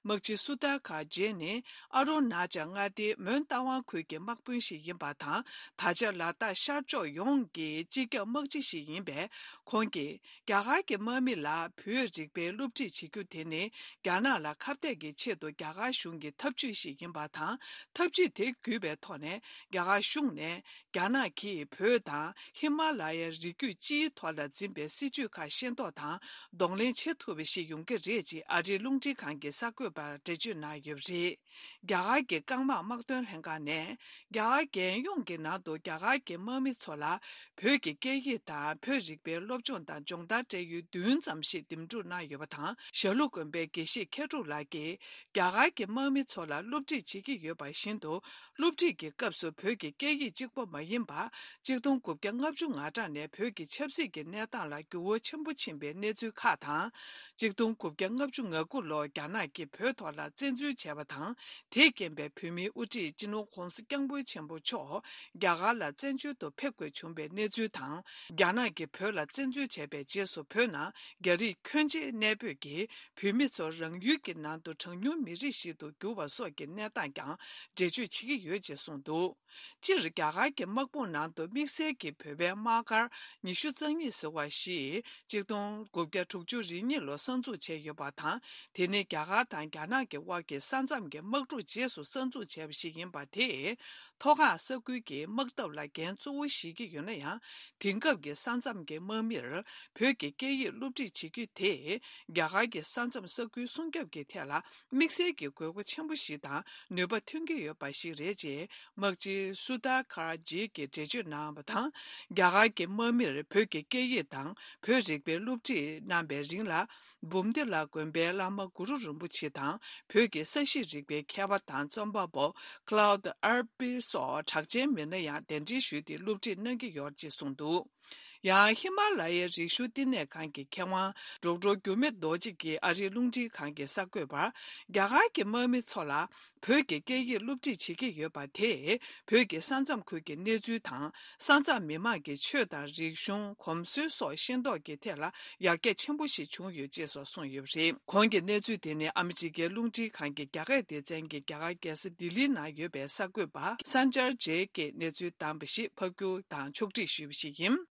དམག་སྤྱི་སུ་དར་ཁ་རྗེ་ནི་ཨ་རུ་ན་ཅལ་མངའ་སྡེའི་མོན་རྟ་དབང་ཁུལ་གྱི་དམག་དཔོན་ཞིག་ཡིན་པ་དང་། ད་ཆ་ལ་དྭགས་ཤར་ཕྱོགས་ཡོངས་ཀྱི་སྤྱི་ཁྱབ་དམག་སྤྱི་ཞིག་ཡིན་པས། ཁོང་གིས། རྒྱ་གར་གྱི་དམག་མི་ལ་བོད་རིག་པའི་སློབ་ཁྲིད་བྱེད་རྒྱུ་དེ་ནི་རྒྱ་ནག་ལ་ཁ་གཏད་ཀྱི་ཆེད་དུ་རྒྱ་གར་གཞུང་གི་ཐབས་ཇུས་ཤིག་ཡིན་པ་དང་། ཐབས་ཇུས་དེ་བརྒྱུད་པའི་ཐོག་ནས་རྒྱ་གར་གཞུང་ནས་རྒྱ་ནག་གིས་བོད་དང་ དང་ཧི་མ་ལ་ཡའི་རི་རྒྱུད་སྤྱིའི་ཐོག་ལ་འཛིན་པའི་སྲིད་ཇུས་ཁག་ཤེས་རྟོགས་དང་གདོང་ལེན་བྱེད་ཐུབ་པ་ཞིག་ཡོང་གི་རེད་ཅེས་ཨ་རིའི་རླུང་འཕྲིན་ཁང་གི་གསར་འགོད་པར་འགྲེལ་བརྗོད་གནང་ཡོད་པ་རེད། རྒྱ་གར་གྱི་རྐང་དམག་དམག་དོན་ལྷན་ཁང་ནས། རྒྱ་གར་རྒྱལ་ཡོངས་ཀྱི་ནང་དུ་རྒྱ་གར་གྱི་དམག་མི་ཚོ་ལ་བོད་ཀྱི་སྐད་ཡིག་དང་བོད་རིག་པའི་སློབ་སྦྱོང་དང་སྦྱོང་བརྡར་སྤྲད་ཡུལ་བདུན་ཙམ་ཞིག་འདེམས་སྒྲུག་གནང་ཡོད་པ་དང་། ཞྭ་ལུ་དགོན་པའི་དགེ་བཤེས་མཁས་གྲུབ་ལགས་ཀྱིས་རྒྱ་གར་གྱི་དམག་མི་ཚོ་ལ་སློབ་ཁྲིད་བྱེད་ཀྱི་ཡོད་པ་བཞིན་དུ། སློབ་ཁྲིད་ཀྱི་སྐབས་སུ་བོད་ཀྱི་སྐད་ཡིག་གཅིག་པོ་མ་ཡིན་པར། གཅིག་སྟོང་དགུ་བརྒྱ་ལྔ་བཅུ་ང་གྲངས་ནས་བོད་ཀྱི་ཆབ་སྲིད་ཀྱི་གནས་སྟངས་ལ་འགྱུར་བ་ཆེན་པོ་ཕྱིན་པའི་གནས་ཚུལ་ཁག་དང་། གཅིག་སྟོང་དགུ་བརྒྱ་ལྔ་བཅུ་ང་དགུ་ལོར་རྒྱ་ནག་གིས་བོད་ཐོག་ལ་བཙན་འཛུལ་བྱས་པ་དང་། དེས་རྐྱེན་པས་བོད་མིའི་དབུ་ཁྲིད་སྤྱི་ནོར་༧གོང་ས་༧སྐྱབས་མགོན་ཆེན་པོ་མཆོག་རྒྱ་གར་ལ་བཙན་བྱོལ་དུ་ཕེབས་དགོས་བྱུང་བའི་གནས་ཚུལ་དང་། རྒྱ་ནག་གིས་བོད་ལ་བཙན་འཛུལ་བྱས་པའི་རྗེས་སུ་བོད་ནང་རྒྱ་རིགས་ཁྱོན་ཆེ་གནས་སྤོས་ཀྱིས་བོད་མི་ཚོ་རང་ཡུལ་གྱི་ནང་དུ་གྲངས་ཉུང་མི་རིགས་ཤིག་ཏུ་གྱུར་བ་སོགས་ཀྱི་གནས་སྟངས་ཀྱང་འགྲེལ་བརྗོད་བྱེད་ཀྱི་ཡོད་ཅེས་གསུངས་འདུག་སྤྱིར་རྒྱ་གར་གྱི་དམག་དཔུང་ནང་དུ་དམིགས་བསལ་གྱི་བོད་པའི་དམག་སྒར་ཉི་ཤུ་རྩ་གཉིས་ཟེར་བ་ཞིག་གཅིག་སྟོང་དགུ་བརྒྱ་དྲུག་ཅུ་རེ་གཉིས་ལོར་གསར་འཛུགས་བྱས་ཡོད་པ་དང་། དེ་ནི་རྒྱ་གར་དང་རྒྱ་ནག་གི་དབར་གྱི་ས་མཚམས་ཀྱི་དམག་འཁྲུག་རྗེས་སུ་གསར་འཛུགས་བྱས་པ་ཞིག་ཡིན་པ་དེས། མཐོ་སྒང་ས་ཁུལ་གྱི་དམག་འཐབ་ལ་འགན་གཙོ་བོ་བཞེས་ཀྱི་ཡོད་ན་ཡང་། དེང་སྐབས་ཀྱི་ས་མཚམས་ཀྱི་དམག་མིར་བོད་ཀྱི་སྐད་ཡིག་སློབ་ཁྲིད་བྱེད་རྒྱུ་དེས། རྒྱ་གར་གྱི་ས་མཚམས་ས་ཁུལ་སྲུང་སྐྱོབ་ཀྱི་ཐད་ལ། དམིགས་བསལ་གྱི་དགོས་མཁོ་ཆེན་པོ་ཞིག་དང་ནུས་པ་ཐོན་གྱི་ཡོད་པ་ཞིག་རེད་ཅེས་དམག་སྤྱི་སུ་དར་ཁར་ཇི་གིས་འགྲེལ་བརྗོད་གནང་བ་དང་། རྒྱ་གར་གྱི་དམག་མིར་བོད་ཀྱི་སྐད་ཡིག་དང་བོད་རིག་པའི་སློབ་ཁྲིད་གནང་བའི་རིང་ལ། འབུམ་སྡེ་ལ་དགོན་པའི་བླ་མ་གུ་རུ་རིན་པོ་ཆེ་དང་བོད་ཀྱི་ས་གཤིས་རིག་པའི་མཁས་པ་དང་རྩོམ་པ་པོ་Claude Arpi་སོགས་གྲགས་ཅན་མི་སྣ་ཡང་གདན་འདྲེན་ཞུས་ཏེ་སློབ་ཁྲིད་གནང་གི་ཡོད་ཅེས་གསུངས་འདུག་ཡང་ཧི་མ་ལ་ཡའི་རི་ཤུལ་བསྟི་གནས་ཁང་གི་མཁས་དབང་ཌོག་ཊར་འགྱུར་མེད་རྡོ་རྗེ་གིས་ཨ་རིའི་རླུང་འཕྲིན་ཁང་གི་གསར་འགོད་པར། རྒྱ་གར་གྱི་དམག་མི་ཚོ་ལ་བོད་ཀྱི་སྐད་ཡིག་སློབ་ཁྲིད་བྱེད་ཀྱི་ཡོད་པ་དེས། བོད་ཀྱི་ས་མཚམས་ཁུལ་གྱི་གནས་ཚུལ་དང་། ས་མཚམས་མི་དམངས་ཀྱི་ཆོས་དང་རིག་གཞུང་། གོམས་སྲོལ་སོགས་ཤེས་རྟོགས་ཀྱི་ཐད་ལ་ཡར་རྒྱས་ཆེན་པོ་ཞིག་བྱུང་ཡོད་ཅེས་སོགས་གསུངས་ཡོད་པ་རེད། གོང་གི་གནས་ཚུལ་དེ་ནི་ཨ་མི་རི་ཀའི་རླུང་འཕྲིན་ཁང་གི་རྒྱ་སྐད་སྡེ་ཚན་གྱིས་རྒྱ་གར་རྒྱལ་ས་ལྡི་ལིའི་ནང་ཡོད་པའི་གསར་འགོད་པ་Sanjay Jay་གིས་གནས་ཚུལ་བདམས་པ་ཞིག་ཕབ་སྒྱུར་དང་ཕྱོགས་སྒྲིག་ཞུས་པ་ཞིག་ཡིན།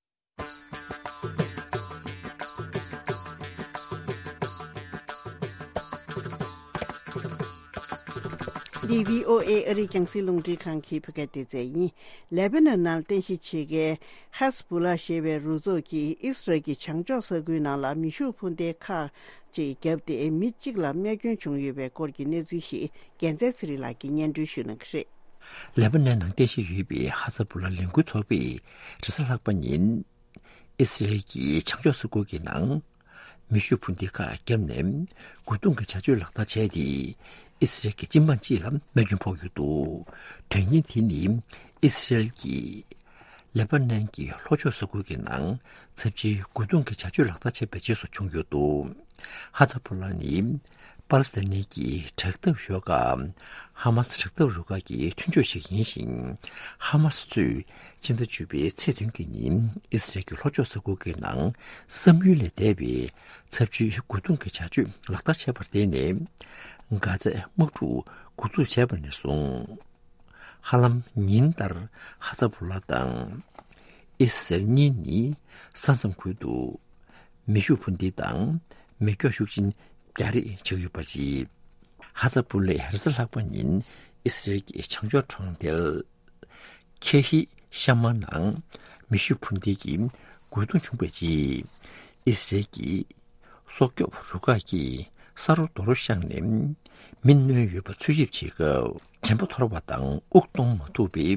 འདི་བྷི་ཨོ་ཨེ་ཨ་རིའི་རྒྱང་སྲིང་རླུང་འཕྲིན་ཁང་གི་བོད་སྐད་སྡེ་ཚན་ཡིན། ལེ་པ་ནན་ནང་རྟེན་གཞི་བྱེད་མཁན་ཧ་ཟ་བུ་ལ་ཞེས་པའི་རུ་ཚོགས་ཀྱིས་ཨི་སི་རལ་གྱི་བྱང་ཕྱོགས་ས་ཁུལ་ནང་ལ་མེ་ཤུགས་འཕུར་མདེལ་ཁག་ཅིག་བརྒྱབ་སྟེ་མི་གཅིག་ལ་རྨས་སྐྱོན་བྱུང་ཡོད་པའི་སྐོར་གྱི་གནས་ཚུལ་ཞིག་རྒྱལ་མཚན་ཚེ་རིང་ལགས་ཀྱིས་སྙན་སྒྲོན་ཞུ་གནང་གི་རེད། ལེ་པ་ནན་ནང་རྟེན་གཞི་ཡོད་པའི་ཧ་ཛ་བུ་ལ་ལས་འགུལ་ཚོགས་པས་རེས་གཟའ་ལྷག་པ་ཉིན། ཨི་སི་རལ་གྱི་བྱང་ཕྱོགས་ས་ཁུལ་གྱི་ནང་། མེ་ཤུགས་འཕུར་མདེལ་ཁག་བརྒྱབ་ནས། རྒོལ་རྡུང་གི་བྱ་སྤྱོད་ལག་བསྟར་བྱས་ཏེ། ཨི་སི་རལ་གྱི་སྤྱི་དམངས་གཅིག་ལ་རྨས་སྐྱོན་ཕོག་ཡོད་འདུག་དོན་རྐྱེན་དེ་ནི། ཨི་སི་རལ་གྱིས། ལེ་པ་ནན་གྱི་ལྷོ་ཕྱོགས་ས་ཁུལ་གྱི་ནང་། ཚབས་ཆེའི་རྒོལ་རྡུང་གི་བྱ་སྤྱོད་ལག་བསྟར་བྱས་པའི་རྗེས་སུ་བྱུང་ཡོད་འདུག་ཧ་ཛ་བྷོ་ལ་ནི། པ་ལི་སི་ཐན་གྱི་དྲག་འཐབ་ཤོག་ཁག་ཧ་མ་སི་དྲག་འཐབ་རུ་ཁག་གི་མཐུན་ཕྱོགས་ཤིག་ཡིན་ཞིང་། ཧ་མ་སི་ཚོས་སྤྱི་ཟླ་བཅུ་པའི་ཚེས་བདུན་གྱི་ཉིན་ཨི་སི་རལ་གྱི་ལྷོ་ཕྱོགས་ས་ཁུལ་གྱི་ནང་བསམ་ཡུལ་ལས་འདས་པའི་ཚབས་ཆེའི་རྒོལ་རྡུང་གི་བྱ་སྤྱོད་ལག་བསྟར་བྱས་པར་བརྟེན་ནས། གྷ་ཛའི་དམག་འཁྲུག་འགོ་འཛུགས་བྱས་པ་ནས་བཟུང་། ཧ་ལམ་ཉིན་ལྟར་ཧ་ཛ་བྷོ་ལ་དང་། ཨི་སི་རལ་གཉིས་ནི་ས་མཚམས་ཁུལ་དུ། མེ་ཤུགས་འཕུར་མདེལ་དང་མེ་སྒྱོགས་ཤུགས་ཆེན་རྒྱག་རེས་བྱེད་ཀྱི་ཡོད་པ་རེད། ཧ་ཛ་བྷོ་ལས་རེས་གཟའ་ལྷག་པ་ཉིན་ཨི་སི་རལ་གྱི་བྱང་ཕྱོགས་གྲོང་རྡལ་ཁེ་ཧི་ཤ་མ་ནང་མེ་ཤུགས་འཕུར་མདེལ་གྱི་རྒོལ་རྡུང་བྱུང་བའི་རྗེས། ཨི་སི་རལ་གྱི་སྲོག་སྐྱོབ་རུ་ཁག་གིས་ས་རོ་རྡོ་རོ་བཤངས་ནས་མི་གནོན་ཡོད་པ་འཚོལ་ཞིབ་བྱེད་སྐབས། དྲན་པ་འཐོར་བ་དང་དབུགས་གཏོང་མ་ཐུབ་པའི་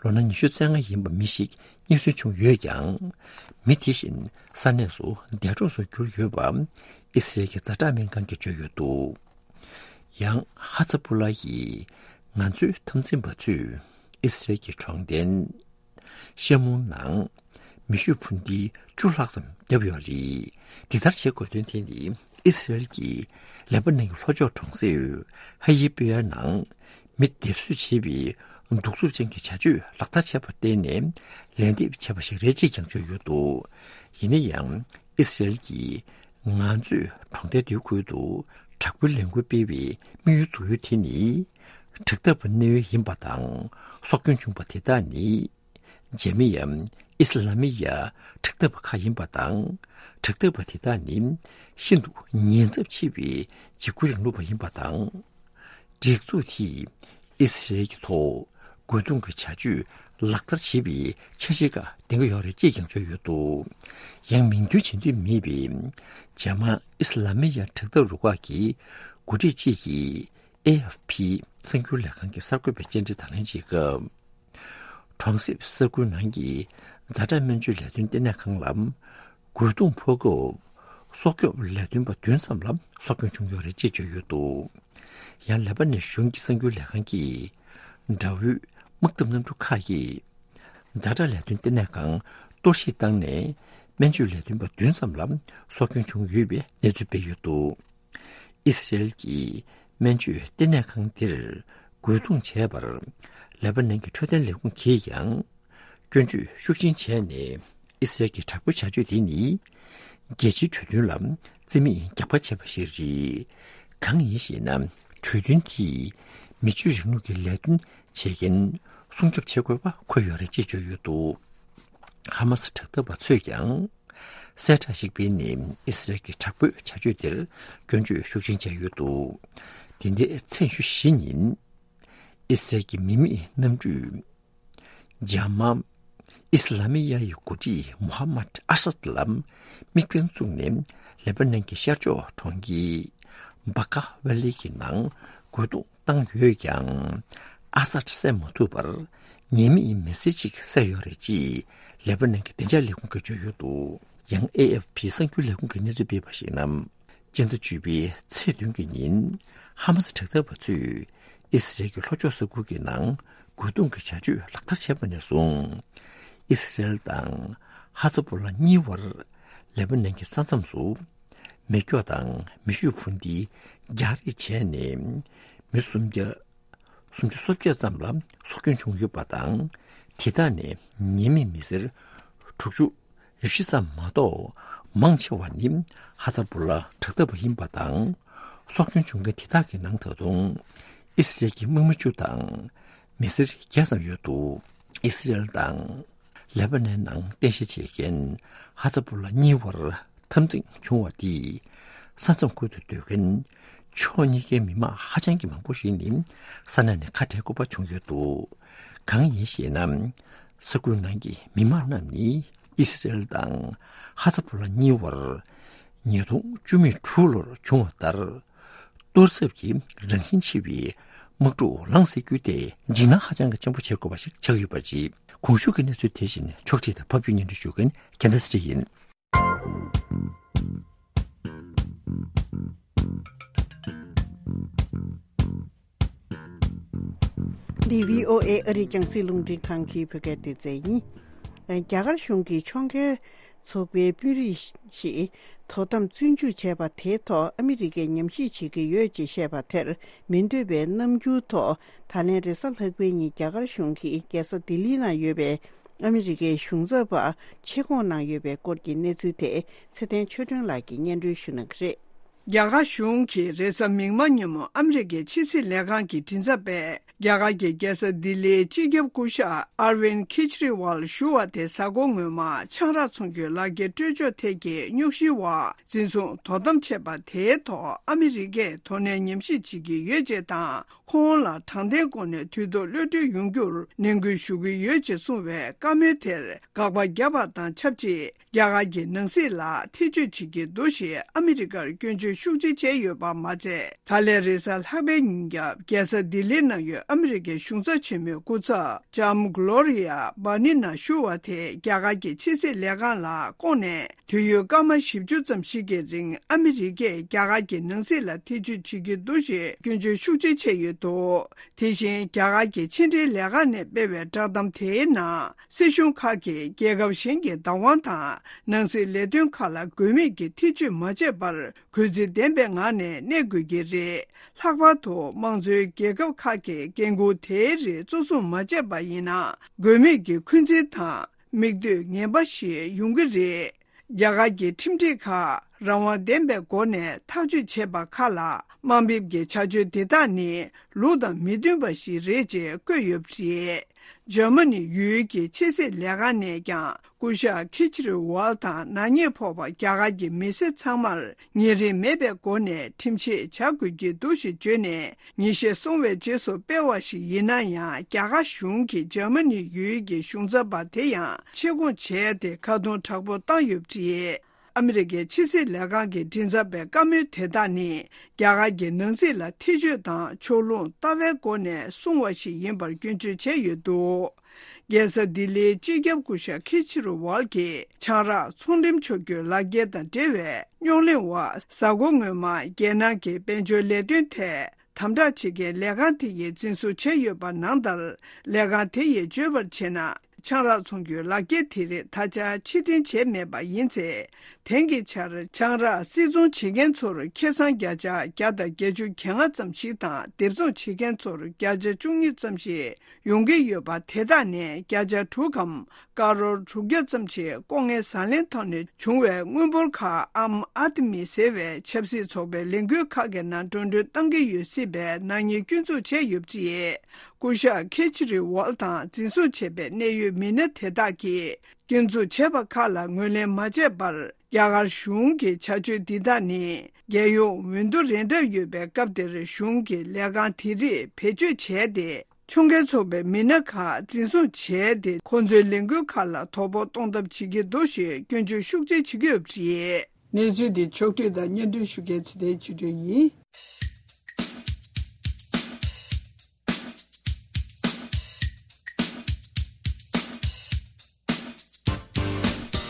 ལོ་ན་ཉི་ཤུ་རྩ་ལྔ་ཡིན་པ་མི་ཞིག་རྙེད་སོན་བྱུང་ཡོད་ཀྱང་། མི་དེ་བཞིན་ས་གནས་སུ་འདས་གྲོངས་སུ་གྱུར་ཡོད་པ་ཨི་སི་རལ་གྱི་ཛ་དྲག་སྨན་ཁང་གིས་བརྗོད་ཡོད་འདུག་ཡང་ཧ་ཛ་བྷོ་ལ་ཡིས། ང་ཚོའི་འཐབ་འཛིང་པ་ཚོས་ཨི་སི་རལ་གྱི་གྲོང་རྡལ་ཤ་མུ་ནང་མེ་ཤུགས་འཕུར་མདེལ་བཅུ་ལྷག་ཙམ་བརྒྱབ་ཡོད་རེད། འདི་ལྟར་བྱེད་དགོས་དོན་དེ་ནི་ཨི་སི་རལ་གྱིས་ལེ་པ་ནན་གྱི་ལྷོ་ཕྱོགས་གྲོང་གསེབ་ཧ་ཡི་པི་ཡ་ནང་མི་སྡེབ་གསོད་བྱེད་པའི་གདུག་རྩུབ་ཅན་གྱི་བྱ་སྤྱོད་ལག་བསྟར་བྱས་པར་བརྟེན་ནས་ལན་འདེབས་བྱས་པ་ཞིག་རེད་ཅེས་ཀྱང་བརྗོད་ཡོད་འདུག་ཡིན་ན་ཡང་ཨི་སི་རལ་གྱིས། ང་ཚོས་གྲོང་རྡལ་དེའི་ཁུལ་དུ་དྲག་པོའི་ལས་འགུལ་སྤེལ་བའི་དམིགས་ཡུལ་འཛུགས་ཡུལ་དེ་ནི། དྲག་འཐབ་པ་གནད་ཡོད་ཡིན་པ་དང་། སྲོག་སྐྱོན་བྱུང་བ་དེ་དག་ནི། འཇར་མི་ཡ། ཨི་སི་ལ་མི་ཡ། དྲག་འཐབ་པ་ཁག་ཡིན་པ་དང་། དྲག་འཐབ་པ་དེ་དག་ནི། ཤིན་ཏུ་ཉེན་ཚབས་ཆེ་བའི་འཇིགས་སྐུལ་རིང་ལུགས་པ་ཡིན་པ་དང་། སྒྲིག་འཛུགས་དེས་ཨི་སི་རལ་གྱི་ཐོག་ རྒོལ་རྡུང་གི་བྱ་སྤྱོད་ལག་བསྟར་བྱེད་པའི་འཆར་གཞི་ཁག་འདིང་གི་ཡོད་རེད་ཅེས་ཀྱང་བརྗོད་ཡོད་འདུག་ཡང་མིང་འདོན་བྱེད་འདོད་མེད་པའི་ཇར་མན་ཨི་སི་ལ་མི་ཡ་དྲག་འཐབ་རུ་ཁག་གི་འགོ་ཁྲིད་ཅིག་གིས་ཨེ་ཨེཕ་པི་གསར་འགྱུར་ལས་ཁང་གི་གསར་འགོད་པའི་བཅར་འདྲི་དང་ལེན་བྱེད་སྐབས། གྲོང་གསེབ་ས་ཁུལ་ནང་གི་ཛ་དྲག་སྨན་བཅོས་ལས་དོན་ལྟེ་གནས་ཁང་ལ་རྒོལ་རྡུང་ཕོག་སྐབས། སྲོག་སྐྱོབ་ལས་དོན་པ་བདུན་ཙམ་ལ་སྲོག་སྐྱོན་བྱུང་ཡོད་རེད་ཅེས་བརྗོད་ཡོད་འདུག་ཡང་ལེ་པ་ནན་གཞུང་གི་གསར་འགྱུར་ལས་ཁང་གིས་དགྲ་བོའི་དམག་འཐབ་གནམ་གྲུ་ཁག་གིས་ཛ་དྲག་ལས་དོན་ལྟེ་གནས་ཁང་གཏོར་བཤིག་བཏང་ནས། སྨན་བཅོས་ལས་དོན་པ་བདུན་ཙམ་ལ་སྲོག་སྐྱོན་བྱུང་ཡོད་པའི་གནས་ཚུལ་སྤེལ་ཡོད་འདུག་ཨི་སི་རེལ་གྱིས་སྨན་བཅོས་ལྟེ་གནས་ཁང་དེར་རྒོལ་རྡུང་བྱས་པར། ལེ་པ་ནན་གྱི་འཕྲོད་བསྟེན་ལས་ཁུངས་ཀྱིས་ཀྱང་སྐྱོན་བརྗོད་ཤུགས་ཆེན་བྱས་ནས། ཨི་སི་རེལ་གྱི་དྲག་པོའི་བྱ་སྤྱོད་དེ་ནི། རྒྱལ་སྤྱིའི་གྲོས་མཐུན་ལ་རྩིས་མེད་རྒྱག་པ་བྱས་པ་ཞིག་རེད། གང་ཡིན་ཞེ་ན། གྲོས་མཐུན་དེས་མི་ཆོས་རིང་ལུགས་ཀྱི་ལས་དོན་བྱེད་མཁན་སྲུང་སྐྱོབ་བྱེད་དགོས་པ་འཁོད་ཡོད་རེད་ཅེས་བརྗོད་ཡོད་འདུག་ཧ་མ་སི་དྲག་འཐབ་པ་ཚོས་ཀྱང་། གསལ་བསྒྲགས་ཤིག་སྤེལ་ནས་ཨི་སི་རལ་གྱི་དྲག་པོའི་བྱ་སྤྱོད་དེར་སྐྱོན་བརྗོད་ཤུགས་ཆེན་བྱས་ཡོད་འདུག་དེ་འདྲའི་མཚན་ཞུ་བཞི་ཉིན། ཨི་སི་རལ་གྱི་མི་མེད་གནམ་གྲུས། ཇ་མ་ཨི་སི་ལ་མི་ཡ་ཡི་འགོ་ཁྲིད་མུ་ཧམ་མད་ཨ་སད་ལ་དམིགས་འབེན་བཙུགས་ནས། ལེ་པ་ནན་གྱི་ཤར་ཕྱོགས་གྲོང་ཁྱེར་བ་ཀ་ཝེ་ལི་གི་ནང་རྒོལ་རྡུང་བཏང་ཡོད་ཀྱང་། ཨ་སད་བསད་མ་ཐུབ་པར། ཉེས་མེད་མི་སེར་གཅིག་བསད་ཡོད་རེད་ཅེས་ལེ་པ་ནན་གྱི་བདེ་འཇགས་ལས་ཁུངས་ཀྱིས་བརྗོད་ཡོད་འདུག་ཡང་ཨེ་ཨེཕ་པི་གསར་འགྱུར་ལས་ཁུངས་ཀྱིས་གནས་ཚུལ་སྤེལ་བར་གཞིགས་ན། སྤྱི་ཟླ་བཅུ་པའི་ཚེས་བདུན་གྱི་ཉིན། ཧ་མ་སི་དྲག་འཐབ་པ་ཚོས་ཨི་སི་རལ་གྱི་ལྷོ་ཕྱོགས་ས་ཁུལ་གྱི་ནང་རྒོལ་རྡུང་གི་བྱ་སྤྱོད་ལག་བསྟར་བྱས་པ་ནས་བཟུང་། ཨི་སི་རལ་དང་ཧ་ཛ་བོ་ལ་གཉིས་བར་ལེ་པ་ནན་གྱི་ས་མཚམས་སུ། མེ་སྒྱོགས་དང་མེ་ཤུགས་འཕུར་མདེལ་རྒྱག་རེས་བྱས་ནས། མི་སུམ་བརྒྱ། སུམ་ཅུ་སོ་བརྒྱད་ཙམ་ལ་སྲོག་སྐྱོན་བྱུང་ཡོད་པ་དང་། དེ་དག་ནས་ཉེས་མེད་མི་སེར་དྲུག་ཅུ་རེ་བཞི་ཙམ་མ་གཏོགས། མང་ཆེ་བ་ནི་ཧ་ཛ་བོ་ལ་དྲག་འཐབ་པ་ཡིན་པ་དང་། སྲོག་སྐྱོན་བྱུང་མཁན་དེ་དག་གི་ནང་ད་དུང་ཨི་སི་རལ་གྱི་དམག་མི་བཅུ་དང་མི་སེར་བརྒྱད་ཙམ་ཡོད་འདུག་ཨི་སི་རལ་དང་ལེ་པ་ནན་ནང་རྟེན་གཞི་བྱེད་མཁན་ཧ་ཛ་བོ་ལ་གཉིས་བར་འཐབ་འཛིང་བྱུང་བ་དེས། ས་མཚམས་ཁུལ་དུ་སྡོད་མཁན་ཕྱོགས་གཉིས་ཀའི་མི་མང་ཧ་ཅང་གི་མང་པོ་ཞིག་ནི་ས་གནས་ནས་ཁ་བྲལ་དགོས་པ་བྱུང་ཡོད་འདུག་གང་ཡིན་ཞེ་ན། ས་ཁུལ་ནང་གི་མི་མང་རྣམས་ནི་ཨི་སི་རལ་དང་ཧ་ཛ་བོ་ལ་གཉིས་བར་ཉིས་སྟོང་བཅུ་མེད་དྲུག་ལོར་བྱུང་བ་ལྟར། གཏོར་ཚབ་ཀྱི་རང་བཞིན་ཆེ་བའི་དམག་འཁྲུག་ལངས་སྲིད་རྒྱུ་དེ་འཇིགས་སྣང་ཧ་ཅང་གི་ཆེན་པོ་བྱེད་དགོས་པ་ཞིག་ཆགས་ཡོད་པ་རེད། གོང་ཞུས་ཀྱི་གནས་ཚུལ་དེ་བཞིན་ཕྱོགས་སྒྲིག་དང་ཕབ་སྒྱུར་སྙན་སྒྲོན་ཞུ་མཁན་རྒྱལ་མཚན་ཚེ་རིང་ཡིན། འདི་བྷི་ཨོ་ཨེ་ཨ་རིའི་རྒྱང་སྲིང་རླུང་འཕྲིན་ཁང་གི་བོད་སྐད་སྡེ་ཚན་ཡིན། རྒྱ་གར་གཞུང་གིས་ཕྱོགས་འགལ་ཚོགས་པའི་དཔོན་རིགས་ཤིག་དོ་དམ་བཙོན་འཇུག་བྱས་པ་དེའི་ཐོག་ཨ་མི་རི་ཀས་ཉམས་ཞིབ་བྱེད་ཀྱི་ཡོད་ཅེས་བཤད་པ་དེར་མི་འདོད་པའི་རྣམ་འགྱུར་ཐོག་ད་ལན་རེས་གཟའ་ལྷག་པའི་ཉིན་རྒྱ་གར་གཞུང་གིས་རྒྱལ་ས་ལྡི་ལིའི་ནང་ཡོད་པའི་ཨ་མི་རི་ཀའི་གཞུང་ཚབ་པ་ཆེད་བསྐོང་གནང་ཡོད་པའི་སྐོར་གྱི་གནས་ཚུལ་དེ་ཚེ་བརྟན་ཆོས་སྒྲོན་ལགས་ཀྱིས་སྙན་སྒྲོན་ཞུ་གནང་གི་རེད། རྒྱ་གར་གཞུང་གིས་རེས་གཟའ་མིག་དམར་ཉིན་མོ་ཨ་མི་རི་ཀའི་ཕྱི་སྲིད་ལས་ཁང་གི་མགྲིན་ཚབ་པས་རྒྱ་གར་གྱི་རྒྱལ་ས་ལྡི་ལིའི་སྤྱི་ཁྱབ་སྐུ་ཞབས་ཨར་ཝིན་ཁེ་ཇི་རི་ཝལ་ཞུ་བ་དེ་གཟའ་འཁོར་སྔོན་མ་ཆང་རག་འཚོང་རྒྱུའི་ལག་འཁྱེར་སྤྲོད་འཇོག་ཐད་ཀྱི་རྙོག་གཞིའི་འོག་འཛིན་བཟུང་དོ་དམ་བྱས་པ་དེའི་ཐོག་ཨ་མི་རི་ཀས་དོ་ནན་ཉམས་ཞིབ་བྱེད་ཀྱི་ཡོད་ཅེས་དང་། ཁོང་ལ་དྲང་བདེན་སྒོ་ནས་དུས་ཐོག་གློད་གྲོལ་ཡོང་རྒྱུར་ནན་སྐུལ་ཞུ་གི་ཡོད་ཅེས་གསུངས་པའི་བཀའ་མོལ་དེར་དགག་པ་བརྒྱབ་པ་དང་ཆབས་ཅིག་རྒྱ་གར་གྱི་ནང་སྲིད་ལ་ཐེ་བྱུས་བྱེད་ཀྱི་འདུག་ཞེས་ཨ་མི་རི་ཀར་སྐྱོན་བརྗོད་ཤུགས་ཆེ་བྱས་ཡོད་པ་མ་ཚད། ད་ལན་རེས་གཟའ་ལྷག་པའི་ཉིན་རྒྱབ་རྒྱལ་ས་ལྡི་ལིའི་ནང་ཡོད་ཨ་མི་རི་ཀའི་གཞུང་ཚབ་ཆེན་མོའི་སྐུ་ཚབ་ལྕམ་གྷི་ལོ་རི་ཡ་བྷར་ནི་ན་ཞུ་བ་དེ་རྒྱ་གར་གྱི་ཕྱི་སྲིད་ལས་ཁང་ལ་བསྐོངས་ནས། དུས་ཡུན་སྐར་མ་བཞི་བཅུ་ཙམ་ཞིག་གི་རིང་ཨ་མི་རི་ཀས་རྒྱ་གར་གྱི་ནང་སྲིད་ལ་ཐེ་བྱུས་བྱེད་ཀྱི་འདུག་ཞེས་སྐྱོན་བརྗོད་ཤུགས་ཆེ་བྱས་ཡོད་འདུག་དེ་བཞིན་རྒྱ་གར་གྱི་ཕྱི་འབྲེལ་ལས་ཁང་ནས་སྤེལ་བའི་བསྒྲགས་གཏམ་དེའི་ནང་། སྲིད་གཞུང་ཁག་གིས་རྒྱལ་ཁབ་གཞན་གྱི་བདག་དབང་དང་ནང་སྲིད་ལས་དོན་ཁག་ལ་དགོས་མེད་ཀྱི་ཐེ་བྱུས་མ་བྱས་པར་གུས་བརྩི་ལྡན་པའི་ངང་ནས་གནས་དགོས་ཀྱི་རེད། ལྷག་པར་དུ་དམངས་གཙོའི་རྒྱལ་ཁབ་ཁག་གིས་འགན་འཁུར་དེའི་རིགས་གཙོ་བཟུང་མ་བྱས་པ་ཡིན་ན། དགོས་མེད་ཀྱི་འཁོན་འཛིན་དང་། མིག་ལྟོས་ངན་པ་ཞིག་ཡོང་གི་རེད། རྒྱ་གར་གྱི་ཁྲིམས་སྒྲིག་ཁག་རང་དབང་ལྡན་པའི་སྒོ་ནས་ཐག་གཅོད་བྱས་པ་ཁག་ལ་དམའ་འབེབས་ཀྱི་བྱ་སྤྱོད་དེ་དག་ནི་ལུགས་དང་མི་མཐུན་པ་ཞིག་རེད་ཅེས་བཀོད་ཡོད་པ་རེད། འཇར་མ་ནི་ཡུལ་གྱི་ཕྱི་སྲིད་ལས་ཁང་ནས་ཀྱང་སྐུ་ཞབས་ཁི་ཆི་རི་ཝལ་དང་ནག་ཉེས་ཕོག་པ་རྒྱ་གར་གྱི་མི་སེར་ཚང་མར་ཉེ་རིང་མེད་པའི་སྒོ་ནས་ཁྲིམས་ཆད་བཅག་དགོས་ཀྱི་འདུག་ཞེས་བརྗོད་ནས། ཉིན་ཤས་སོང་བའི་རྗེས་སུ་སྤེལ་བ་ཞིག་ཡིན་ན་ཡང་། རྒྱ་གར་གཞུང་གིས་འཇར་མ་ནི་ཡུལ་གྱི་གཞུང་ཚབ་པ་དེ་ཡང་ཕྱིར་འགོང་བྱས་ཏེ། ཁ་རྡུང་དྲག་པོ་བཏང་ཡོད་པ་རེད། ཨ་མི་རི་ཀའི་ཕྱི་སྲིད་ལས་ཁང་གི་མགྲིན་ཚབ་པས་བཀའ་མོལ་དེ་དག་ནི། རྒྱ་གར་གྱི་ནང་སྲིད་ལ་ཐེ་བྱུས་དང་ཕྱོགས་ལྷུང་ལྟ་བའི་སྒོ་ནས་གསུངས་པ་ཞིག་ཡིན་པར་སྐྱོན་བརྗོད་བྱས་ཡོད་འདུག། རྒྱལ་ས་ལྡི་ལིའི་སྤྱི་ཁྱབ་སྐུ་ཞབས་ཁི་ཆི་རུ་ཝལ་གྱིས་ཆང་རག་ཚོང་འགྲེམས་ཕྱོགས་བསྐྱོད་ལག་འཁྱེར་དང་འབྲེལ་བའི་རྙོག་གླེང་འོག་གཟའ་འཁོར་སྔོན་མ་རྒྱལ་ནང་གི་དཔལ་འབྱོར་ལས་དོན་ཐད་དམ་དྲག་བྱེད་མཁན་ལས་ཁང་དེ་ཡིས་འཛིན་བཟུང་བྱས་ཡོད་པ་ནང་ལྟར། ལས་ཁང་དེ་ཡིས་བརྗོད་པར་བྱས་ན། ཆང་རག་ཚོང་གི་ལག་འཁྱེར་དེ་རིགས་ད་ཆ་ཕྱིར་འཐེན་བྱས་མེད་པ་ཡིན་ཚེ། དེང་གི་ཆར་ཆང་རག་སིལ་ཚོང་བྱེད་མཁན་ཚོར་ཁེ་བཟང་བརྒྱ་ཆ་བརྒྱ་དང་བརྒྱད་ཅུ་གྱ་ལྔ་ཙམ་ཞིག་དང་། སྡེབ་ཚོང་བྱེད་མཁན་ཚོར་བརྒྱ་ཆ་བཅུ་གཉིས་ཙམ་ཞིག་ཡོང་གི་ཡོད་པ། དེ་དག་ནས་བརྒྱ་ཆ་དྲུག་གམ་ཀ་རོར་དྲུག་བརྒྱ་ཙམ་ཞིག་ལྐོག་རྔན་ཟ་ལེན་ཐོག་ནས་བྱུང་བའི་དངུལ་འབོར་ཁག་ཨམ་ཨ་དི་མི་ཟེར་བའི་ཆབ་སྲིད་ཚོགས་པའི་ལས་འགུལ་ཁག་གི་ནང་འགྲོ་གྲོན་གཏང་གི་ཡོད་སྲིད་པའི་ནག་ཉེས་སྐྱོན་འཛུགས་བྱས་ཡོད་པ་རེད། སྐུ་ཞབས་ཁེ་ཆི་རི་ཝལ་དང་འཛིན་བཟུང་བྱས་པའི་གནད་ཡོད་མི་སྣ་དེ་དག་གིས་སྐྱོན་འཛུགས་བྱས་པ་ཁག་ལ་ངོས་ལེན་མ་བྱས་པར། རྒྱ་གར་གཞུང་གི་བྱ་སྤྱོད་འདི་དག་ནི། རྒྱལ་ཡོངས་འོས་བསྡུ་རན་གྲབས་ཡོད་པའི་སྐབས་དེར་གཞུང་གིས་ལས་ཁང་དེ་རིགས་བེད་སྤྱོད་བྱས་ཏེ། ཕྱོགས་འགལ་ཚོགས་པའི་མི་སྣ་ཁག་འཛིན་བཟུང་བྱས་ཏེ། ཁོང་ཚོའི་ལས་འགུལ་ཁག་ལ་དོ་ཕོག་གཏོང་ཐབས་བྱེད་ཀྱི་འདུག་ཞེས་སྐྱོན་བརྗོད་ཤུགས་ཆེ་བྱེད་ཀྱི་ཡོད་པ་རེད། གནས་ཚུལ་འདི་ཕྱོགས་བསྒྲིགས་དང་སྙན་སྒྲོན་ཞུ་མཁན་ཚེ་བརྟན་ཆོས་སྒྲོན་ཡིན།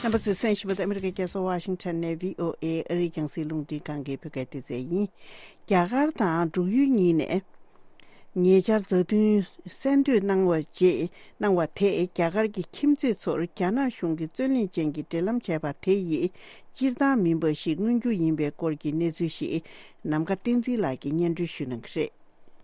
རྣམ་པ་ཚོས་གསན་བཞིན་པ་ཨ་མི་རི་ཀའི་རྒྱལ་ས་ཝ་ཤིང་ཊོན་ནས་བྷི་ཨོ་ཨེ་ཨ་རིའི་རྒྱང་སྲིང་རླུང་འཕྲིན་ཁང་གི་བོད་སྐད་སྡེ་ཚན་ཡིན། རྒྱ་གར་དང་འབྲུག་ཡུལ་གཉིས་ནས་ཉེ་ཆར་མཛའ་མཐུན་གསལ་འདོན་གནང་བ་རྗེས་གནང་བ་དེས་རྒྱ་གར་གྱི་ཁྱིམ་མཚེས་ཚོར་རྒྱ་ནག་གཞུང་གིས་རྩོད་གླེང་ཅན་གྱི་འབྲེལ་ལམ་བྱས་པ་དེ་ཡིས་སྤྱིར་བཏང་མིན་པ་ཞིག་མངོན་རྒྱུ་ཡིན་པའི་སྐོར་གྱི་གནས་ཚུལ་ཞིག་ནམ་མཁའ་བསྟན་འཛིན་ལགས་ཀྱིས་སྙན་སྒྲོན་ཞུ་གནང་གི་རེད།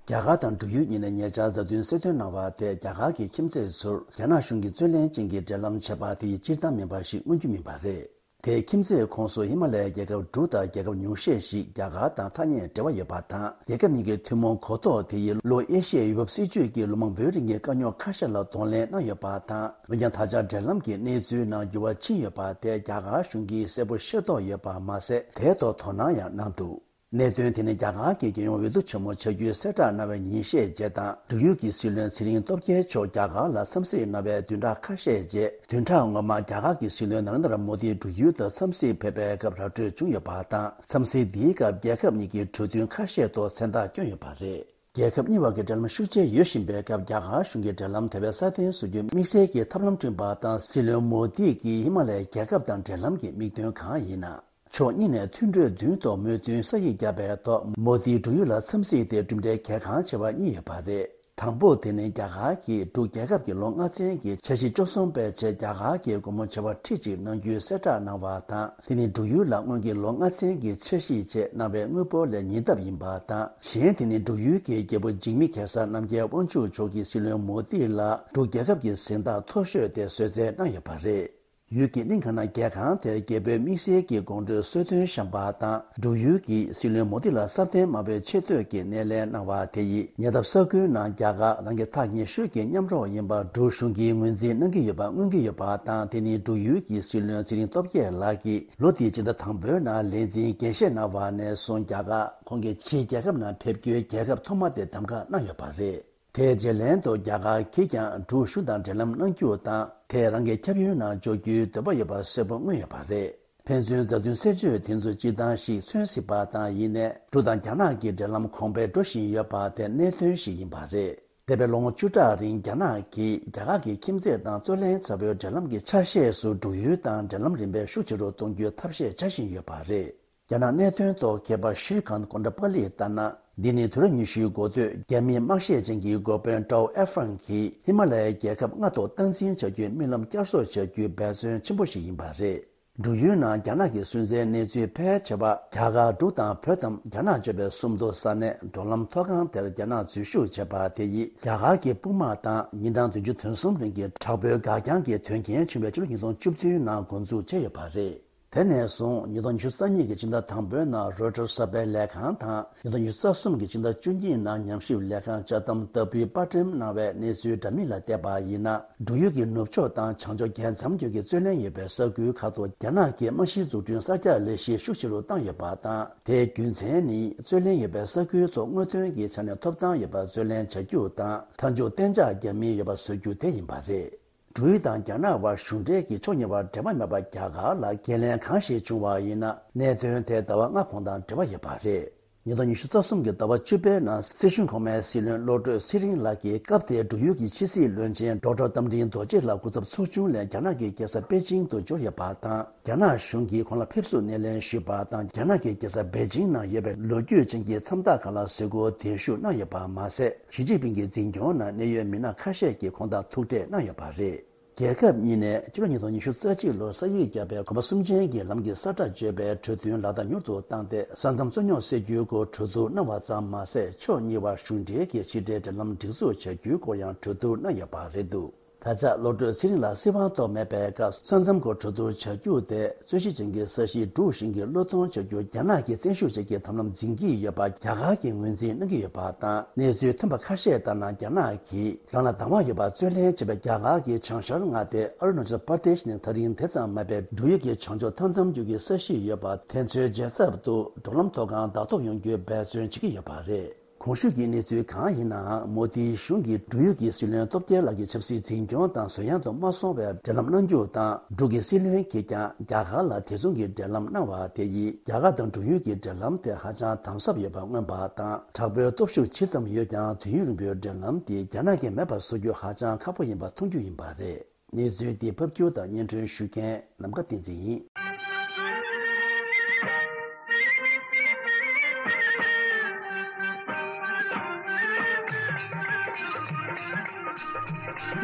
རྒྱ་གར་དང་འབྲུག་ཡུལ་གཉིས་ནས་ཉེ་ཆར་མཛའ་མཐུན་གསལ་སྟོན་གནང་བ་དེས་རྒྱ་གར་གྱི་ཁྱིམ་མཚེས་ཚོར་རྒྱ་ནག་གཞུང་གིས་རྩོད་གླེང་ཅན་གྱི་འབྲེལ་ལམ་བྱས་པ་དེ་ཡིས་སྤྱིར་བཏང་མིན་པ་ཞིག་མངོན་རྒྱུ་མིན་པ་རེད། དེས་ཁྱིམ་མཚེས་ཁོངས་སུ་ཧི་མ་ལ་ཡའི་རྒྱལ་ཁབ་དྲུག་དང་རྒྱལ་ཁབ་ཉུང་ཤས་ཤིག་རྒྱ་གར་དང་ཐག་ཉེ་འབྲེལ་བ་ཡོད་པ་དང་། རྒྱལ་ཁབ་གཉིས་ཀྱི་ཐུན་མོང་གོ་རྟོགས་དེ་ཡིས་ལྷོ་ཨེ་ཤི་ཡའི་ཡུལ་བབ་སྲིད་ཇུས་ཀྱི་ལོ་མང་པོའི་རིང་གི་དཀའ་རྙོག་ཁ་ཤས་ལ་གདོང་ལེན་གནང་ཡོད་པ་དང་། འོན་ཀྱང་ད་ཆ་འབྲེལ་ལམ་གྱི་གནས་ཚུལ་ནང་འགྱུར་བ་ཕྱིན་ཡོད་པ་དེ་རྒྱ་གར་གཞུང་གིས་གསལ་པོ་ཤེས་རྟོགས་ཡོད་པ་མ་ཟད། དེའི་ཐོག་དོ་སྣང་ཡང་གནང་འདུག། གནད་དོན་དེ་ནི་རྒྱ་གར་གྱི་རྒྱལ་ཡོངས་འོས་བསྡུ་ཆེན་མོ་བྱ་རྒྱུའི་གསལ་བསྒྲགས་གནང་བའི་ཉིན་ཤས་རྗེས་དང་། འབྲུག་ཡུལ་གྱི་སྲིད་བློན་ཚེ་རིང་སྟོབས་རྒྱལ་མཆོག་རྒྱ་གར་ལ་འཚམས་གཟིགས་གནང་བའི་བདུན་ཕྲག་ཁ་ཤས་རྗེས། བདུན་ཕྲག་སྔོན་མ་རྒྱ་གར་གྱི་སྲིད་བློན་ན་རེན་དྲ་མོ་དིས་འབྲུག་ཡུལ་དུ་འཚམས་གཟིགས་ཕེབས་པའི་སྐབས་ར་སྤྲོད་བྱུང་ཡོད་པ་དང་། འཚམས་གཟིགས་འདིའི་སྐབས་རྒྱལ་ཁབ་གཉིས་ཀྱི་གྲོས་མཐུན་ཁ་ཤས་ཐོག་མཚན་རྟགས་བསྐྱོན་ཡོད་པ་རེད། རྒྱལ་ཁབ་གཉིས་བར་གྱི་འབྲེལ་ལམ་ཤུགས་ཆེ་ཡོད་བཞིན་པའི་སྐབས། རྒྱ་གར་གཞུང་གིས་འབྲེལ་ལམ་དེ་བས་སྲ་བརྟན་བཟོ་རྒྱུའི་དམིགས་བསལ་གྱི་ཐབས་ལམ་བསྐྲུན་པ་དང་། སྲིད་བློན་མོ་དིས་ཀྱིས་ཧི་མ་ལ་ཡའི་རྒྱལ་ཁབ་དང་འབྲེལ་ལམ་གྱི་དམིགས་དོན་གང་ཡིན་ན། ཕྱོགས་གཉིས་ནས་མཐུན་གྲོས་བདུན་ཐོག་མོས་མཐུན་ས་ཡིག་བརྒྱབ་པའི་ཐོག་མོ་དིས་འབྲུག་ཡུལ་ལ་འཚམས་གཟིགས་དེ་གྲུབ་འབྲས་གལ་འགངས་ཆེ་བ་གཉིས་ཡོད་པ་རེད། དང་པོ་དེ་ནི་རྒྱ་གར་གྱིས་འབྲུག་རྒྱལ་ཁབ་ཀྱི་ལོ་ལྔ་ཚན་གྱི་འཆར་གཞི་བཅུ་གསུམ་པའི་ཆེད་རྒྱ་གར་གྱི་སྒོ་མོ་ཆེ་བ་ཁྲི་གཅིག་གནང་རྒྱུའི་གསལ་བསྒྲགས་གནང་བ་དང་། དེ་ནི་འབྲུག་ཡུལ་ལ་སྔོན་གྱི་ལོ་ལྔ་ཚན་གྱི་འཆར་གཞིའི་ཆེད་གནང་བའི་དངུལ་འབོར་ལས་ཉེ་ལྡབ་ཡིན་པ་དང་། གཞན་དེ་ནི་འབྲུག་ཡུལ་གྱི་རྒྱལ་པོ་འཇིགས་མེད་གེ་སར་རྣམ་རྒྱལ་དབང་ཕྱུག་མཆོག་གིས་སྲིད་བློན་མོ་དི་ལ་འབྲུག་རྒྱལ་ཁབ་ཀྱི་གཟེངས་རྟགས་མཐོ་ཤོས་དེ་བཟོད་བསྲན་གནང་ཡོད་པ་རེད། ཡུལ་གྱི་གླིང་ག་ནང་རྒྱལ་ཁང་དེར་རྒྱལ་པོའི་དམིགས་བསལ་གྱི་དགོང་དྲོའི་གསོལ་སྟོན་བཤམས་པ་དང་། འབྲུག་ཡུལ་གྱིས་སྲིད་བློན་མོ་དི་ལ་སྲ་བརྟན་དམའ་བའི་ཆེ་བསྟོད་ཀྱི་སྣེ་ལེན་གནང་བ་དེ་ཡིས། ཉེ་འདབས་ས་ཁུལ་ནང་རྒྱ་གར་རང་གི་ཐག་ཉེ་ཤོས་ཀྱི་མཉམ་རོགས་ཡིན་པར་འབྲུག་གཞུང་གིས་ངོས་འཛིན་གནང་གི་ཡོད་པ་མངོན་གྱི་ཡོད་པ་དང་། དེ་ནི་འབྲུག་ཡུལ་གྱི་སྲིད་བློན་ཚེ་རིང་སྟོབས་རྒྱས་ལགས་ཀྱིས་ལོ་འདིའི་སྤྱི་ཟླ་དང་པོའི་ནང་ལས་འཛིན་འགན་བཞེས་གནང་བ་ནས་བཟུང་། རྒྱ་གར་ཁོང་གི་ཕྱིའི་རྒྱལ་ཁབ་ནང་ཕེབས་རྒྱུའི་རྒྱལ་ཁབ་ཐོག་མ་དེ་གདམ་ག་གནང་ཡོད་པ་རེད། དེའི་རྗེས་ལན་དུ་རྒྱ་གར་གྱིས་ཀྱང་འབྲུག་གཞུང་དང་འབྲེལ་ལམ་གནང་རྒྱུ་དང་། དེས་རང་གི་ཁྱབ་ཡུལ་ནང་འཇོག་རྒྱུའི་འདོད་པ་ཡོད་པ་གསལ་པོ་མངོན་ཡོད་པ་རེད། ཕན་ཚུན་མཛའ་མཐུན་གསལ་བརྗོད་དེ་ཚོ་སྤྱིར་བཏང་ཞིག་མཚོན་སྲིད་པ་དང་། ཡིན་ནའི་འབྲུག་དང་རྒྱ་ནག་གི་འབྲེལ་ལམ་གོང་འཕེལ་འགྲོ་བཞིན་ཡོད་པ་དེ་གནད་དོན་ཞིག་ཡིན་པ་རེད། འདས་པའི་ལོ་ངོ་བཅུ་ཕྲག་རིང་རྒྱ་ནག་གིས་རྒྱ་གར་གྱི་ཁྱིམ་མཚེས་དང་རྩོད་ལེན་ཚ་བོའི་འབྲེལ་ལམ་གྱི་ཆ་ཤས་སུ་འབྲུག་ཡུལ་དང་འབྲེལ་ལམ་རིམ་པས་ཤུགས་ཆེ་རུ་གཏོང་རྒྱུའི་ཐབས་ཤེས་བྱ་བཞིན་ཡོད་པ་རེད། རྒྱ་ནག་གནད་དོན་ཐོག་མཁས་པ་ཤྲི་ཁཱན་ཀོན་ཏྲ་པ་ལིས་ལྟར་ན། འདི་ནི་དུས་རབས་ཉི་ཤུའི་འགོ་སྟོད་རྒྱ་མིའི་དམག་བཤད་ཅན་གྱི་འགོ་དཔོན་ཀྲའོ་ཨེར་ཧྥང་གིས་ཧི་མ་ལ་ཡའི་རྒྱལ་ཁབ་ལྔ་ཐོག་སྟངས་འཛིན་བྱ་རྒྱུའི་རྨི་ལམ་བསྐྱར་གསོ་བྱ་རྒྱུའི་འབད་བརྩོན་ཆེན་པོ་ཞིག་ཡིན་པ་རེད། འབྲུག་ཡུལ་ནང་རྒྱ་ནག་གི་སུན་གཙེར་གནས་ཚུལ་ཕལ་ཆེ་བ་རྒྱ་གར་འབྲུག་དང་བོད་དམ་རྒྱ་ནག་གཅོད་པའི་སུམ་མདོ་ས་གནས་འགྲོ་ལམ་མཐོ་སྒང་དེར་རྒྱ་ནག་འཛུལ་ཞུགས་བྱས་པ་དེ་ཡིས་རྒྱ་གར་གྱི་དཔུང་དམག་དང་ཉིན་གྲངས་བདུན་ཅུ་དོན་གསུམ་རིང་གི་དྲག་པོའི་འགག་རྐྱང་གི་དོན་རྐྱེན་བྱུང་བའི་ཕྱི་ལོ་ཉིས་སྟོང་བཅུ་བདུན་ནང་འགོ་འཛུགས་བྱས་ཡོད་པ་རེད། དེ་ནས་བཟུང་ཉིས་སྟོང་ཉི་ཤུ་རྩ་གཉིས་ཀྱི་སྤྱི་ཟླ་དང་པོའི་ནང་རོའི་ཊར་གསར་པའི་ལས་ཁང་དང་། ཉིས་སྟོང་ཉི་ཤུ་རྩ་གསུམ་གྱི་སྤྱི་ཟླ་བཅུ་གཉིས་ནང་ཉམས་ཞིབ་ལས་ཁང་ཅཱ་ཏམ་ཏ་པུའི་པར་སྐྲུན་གནང་བའི་གནས་ཚུལ་འདྲ་མིན་ལ་བལྟས་པ་ཡིན་ན། འབྲུག་ཡུལ་གྱི་ནུབ་ཕྱོགས་དང་བྱང་ཕྱོགས་རྒྱལ་མཚམས་རྒྱུད་ཀྱི་རྩོད་གླེང་ཡོད་པའི་ས་ཁུལ་ཁག་ཏུ་རྒྱ་ནག་གིས་རྨང་གཞིའི་འཛུགས་སྐྲུན་གསར་རྒྱག་ལས་གཞི་ཤུགས་ཆེ་རུ་བཏང་ཡོད་པ་དང་། དེའི་རྒྱུ་མཚན་ནི་རྩོད་གླེང་ཡོད་པའི་ས་ཁུལ་ཐོག་དངོས་དོན་གྱི་ཆ་ནས་ཐོབ་ཐང་ཡོད་པར་རྩོད་ལེན་བྱ་རྒྱུ་དང་། མཐའ་མཇུག་གཏན་འཇགས་རྒྱག་མིན་ཡོད་པ་བཟོ་རྒྱུ་དེ་ཡིན་པ་རེད། འབྲུག་ཡུལ་དང་རྒྱ་ནག་དབར་གཞུང་འབྲེལ་གྱི་ཕྱོགས་གཉིས་དབར་འབྲེལ་བ་མེད་པར་རྒྱ་གར་ལ་འགན་ལེན་གང་ཞིག་བྱུང་བ་ཡིན་ན། གནད་དོན་དེ་ཟླ་བ་ལྔ་གོང་དང་འབྲེལ་བ་ཡོད་པ་རེད། ཉིས་སྟོང་ཉི་ཤུ་རྩ་གསུམ་གྱི་ཟླ་བ་བཅུ་པའི་ནང་སྲིད་གཞུང་གོང་མའི་སྲིད་བློན་བློ་གྲོས་ཚེ་རིང་ལགས་ཀྱིས་སྐབས་དེའི་འབྲུག་ཡུལ་གྱི་ཕྱི་སྲིད་བློན་ཆེན་ཌོག་ཊར་རྟ་མགྲིན་རྡོ་རྗེ་ལགས་སྐུ་ཚབ་ཚོགས་ཆུང་ལས་རྒྱ་ནག་གི་རྒྱལ་ས་པེ་ཅིང་དུ་འབྱོར་ཡོད་པ་དང་། རྒྱ་ནག་གཞུང་གིས་ཁོང་ལ་ཕེབས་བསུ་སྣེ་ལེན་ཞུས་པ་དང་། རྒྱ་ནག་གི་རྒྱལ་ས་པེ་ཅིང་ནང་ཡོད་པའི་ལོ་རྒྱུས་ཅན་གྱི་མཚམས་རྟགས་ཁག་ལ་གཟིགས་སྐོར་གདན་ཞུ་གནང་ཡོད་པ་མ་ཟད། ཞི་ཅིན་ཕིང་གི་འཛིན་སྐྱོང་ནང་གནད་ཡོད་མི་སྣ་ཁ་ཤས་ཀྱིས་ཁོང་དང་ཐུག་འཕྲད་གནང་ཡོད་པ་རེད། རྒྱལ་ཁབ་གཉིས་ནས་སྤྱི་ལོ་ཉིས་སྟོང་ཉི་ཤུ་རྩ་གཅིག་ལོར་ས་ཡིག་བརྒྱབ་པའི་གོམ་པ་གསུམ་ཅན་གྱི་ལམ་གྱི་ས་ཁྲ་གཅོད་པའི་གྲོས་མཐུན་ལག་བསྟར་མྱུར་དུ་བཏང་སྟེ། ས་མཚམས་རྩོད་རྙོག་སེལ་རྒྱུའི་སྐོར་གྲོས་བསྡུར་གནང་བ་ཙམ་མ་ཟད། ཕྱོགས་གཉིས་དབར་གཞུང་འབྲེལ་གྱི་ཕྱི་འབྲེལ་འབྲེལ་ལམ་སྒྲིག་འཛུགས་བྱ་རྒྱུའི་སྐོར་ཡང་གྲོས་བསྡུར་གནང་ཡོད་པ་རེད་འདུག་ད་ཆ་བློ་གྲོས་ཚེ་རིང་ལགས་སྲིད་དབང་ཐོབ་མེད་པའི་སྐབས། ས་མཚམས་སྐོར་གྲོས་བསྡུར་བྱ་རྒྱུ་དེ་རྩོད་གཞི་ཅན་གྱི་ས་གཞི་འབྲུག་གཞུང་གིས་བློས་གཏོང་བྱ་རྒྱུར་རྒྱ་ནག་གིས་བཙན་ཤུགས་བྱེད་ཀྱི་ཐབས་ལམ་འཛིན་གྱི་ཡོད་པ་རྒྱ་གར་གྱིས་ངོས་འཛིན་གནང་གི་ཡོད་པ་དང་། གནས་ཚུལ་ཐོན་པ་ཁ་ཤས་ལྟར་ན། རྒྱ་ནག་གིས་རང་ལ་དང་བ་ཡོད་པར་རྩོད་ལེན་བྱས་པའི་རྒྱ་གར་གྱི་བྱང་ཤར་མངའ་སྡེ་ཨ་རུ་ན་ཅལ་པར་དེཤ་ནི་ད་རིང་དེ་ཙམ་མ་སྦས། འབྲུག་ཡུལ་གྱི་བྱང་ཕྱོགས་མཐའ་མཚམས་རྒྱུད་ཀྱི་ས་གཞི་ཡོད་པ་དེ་ཚོའི་རྒྱལ་ཚབ་ཏུ་འགྲོ་ལམ་ཐོག་ཁང་བདག་ཐོབ་ཡོང་རྒྱུའི་འབད་བརྩོན་བྱེད་ཀྱི་ཡོད་པ་རེད། གོང་ཞུས་ཀྱི་གནས་ཚུལ་གང་ཡིན་ནའང་། མོ་དིའི་གཞུང་གིས་འབྲུག་ཡུལ་གྱི་སྲིད་བློན་སྟོབས་རྒྱལ་ལགས་ཀྱི་ཆབ་སྲིད་འཛིན་སྐྱོང་དང་ཟོལ་ཡང་དུ་མ་སོང་བའི་འབྲེལ་ལམ་གནང་རྒྱུ་དང་། འབྲུག་གི་སྲིད་བློན་གྱིས་ཀྱང་རྒྱ་གར་ལ་དེ་མཚུངས་ཀྱི་འབྲེལ་ལམ་གནང་བ་དེ་ཡིས། རྒྱ་གར་དང་འབྲུག་ཡུལ་གྱི་འབྲེལ་ལམ་དེ་ཧ་ཅང་དམ་ཟབ་ཡོད་པར་མངོན་པ་དང་། དྲག་པོའི་སྟོབས་ཤུགས་ཇི་ཙམ་ཡོད་ཀྱང་། དུས་ཡུན་རིང་པོའི་འབྲེལ་ལམ་དེ་རྒྱ་ནག་གིས་མེད་པར་བཟོ་རྒྱུ་ཧ་ཅང་ཁག་པོ་ཡིན་པ་མཐོང་རྒྱུ་ཡིན་པ་རེད། གནས་ཚུལ་འདི་ཕབ་སྒྱུར་དང་སྙན་སྒྲོན་ཞུ་མཁན་ནམ་མཁའ་བསྟན་འཛིན་ཡིན།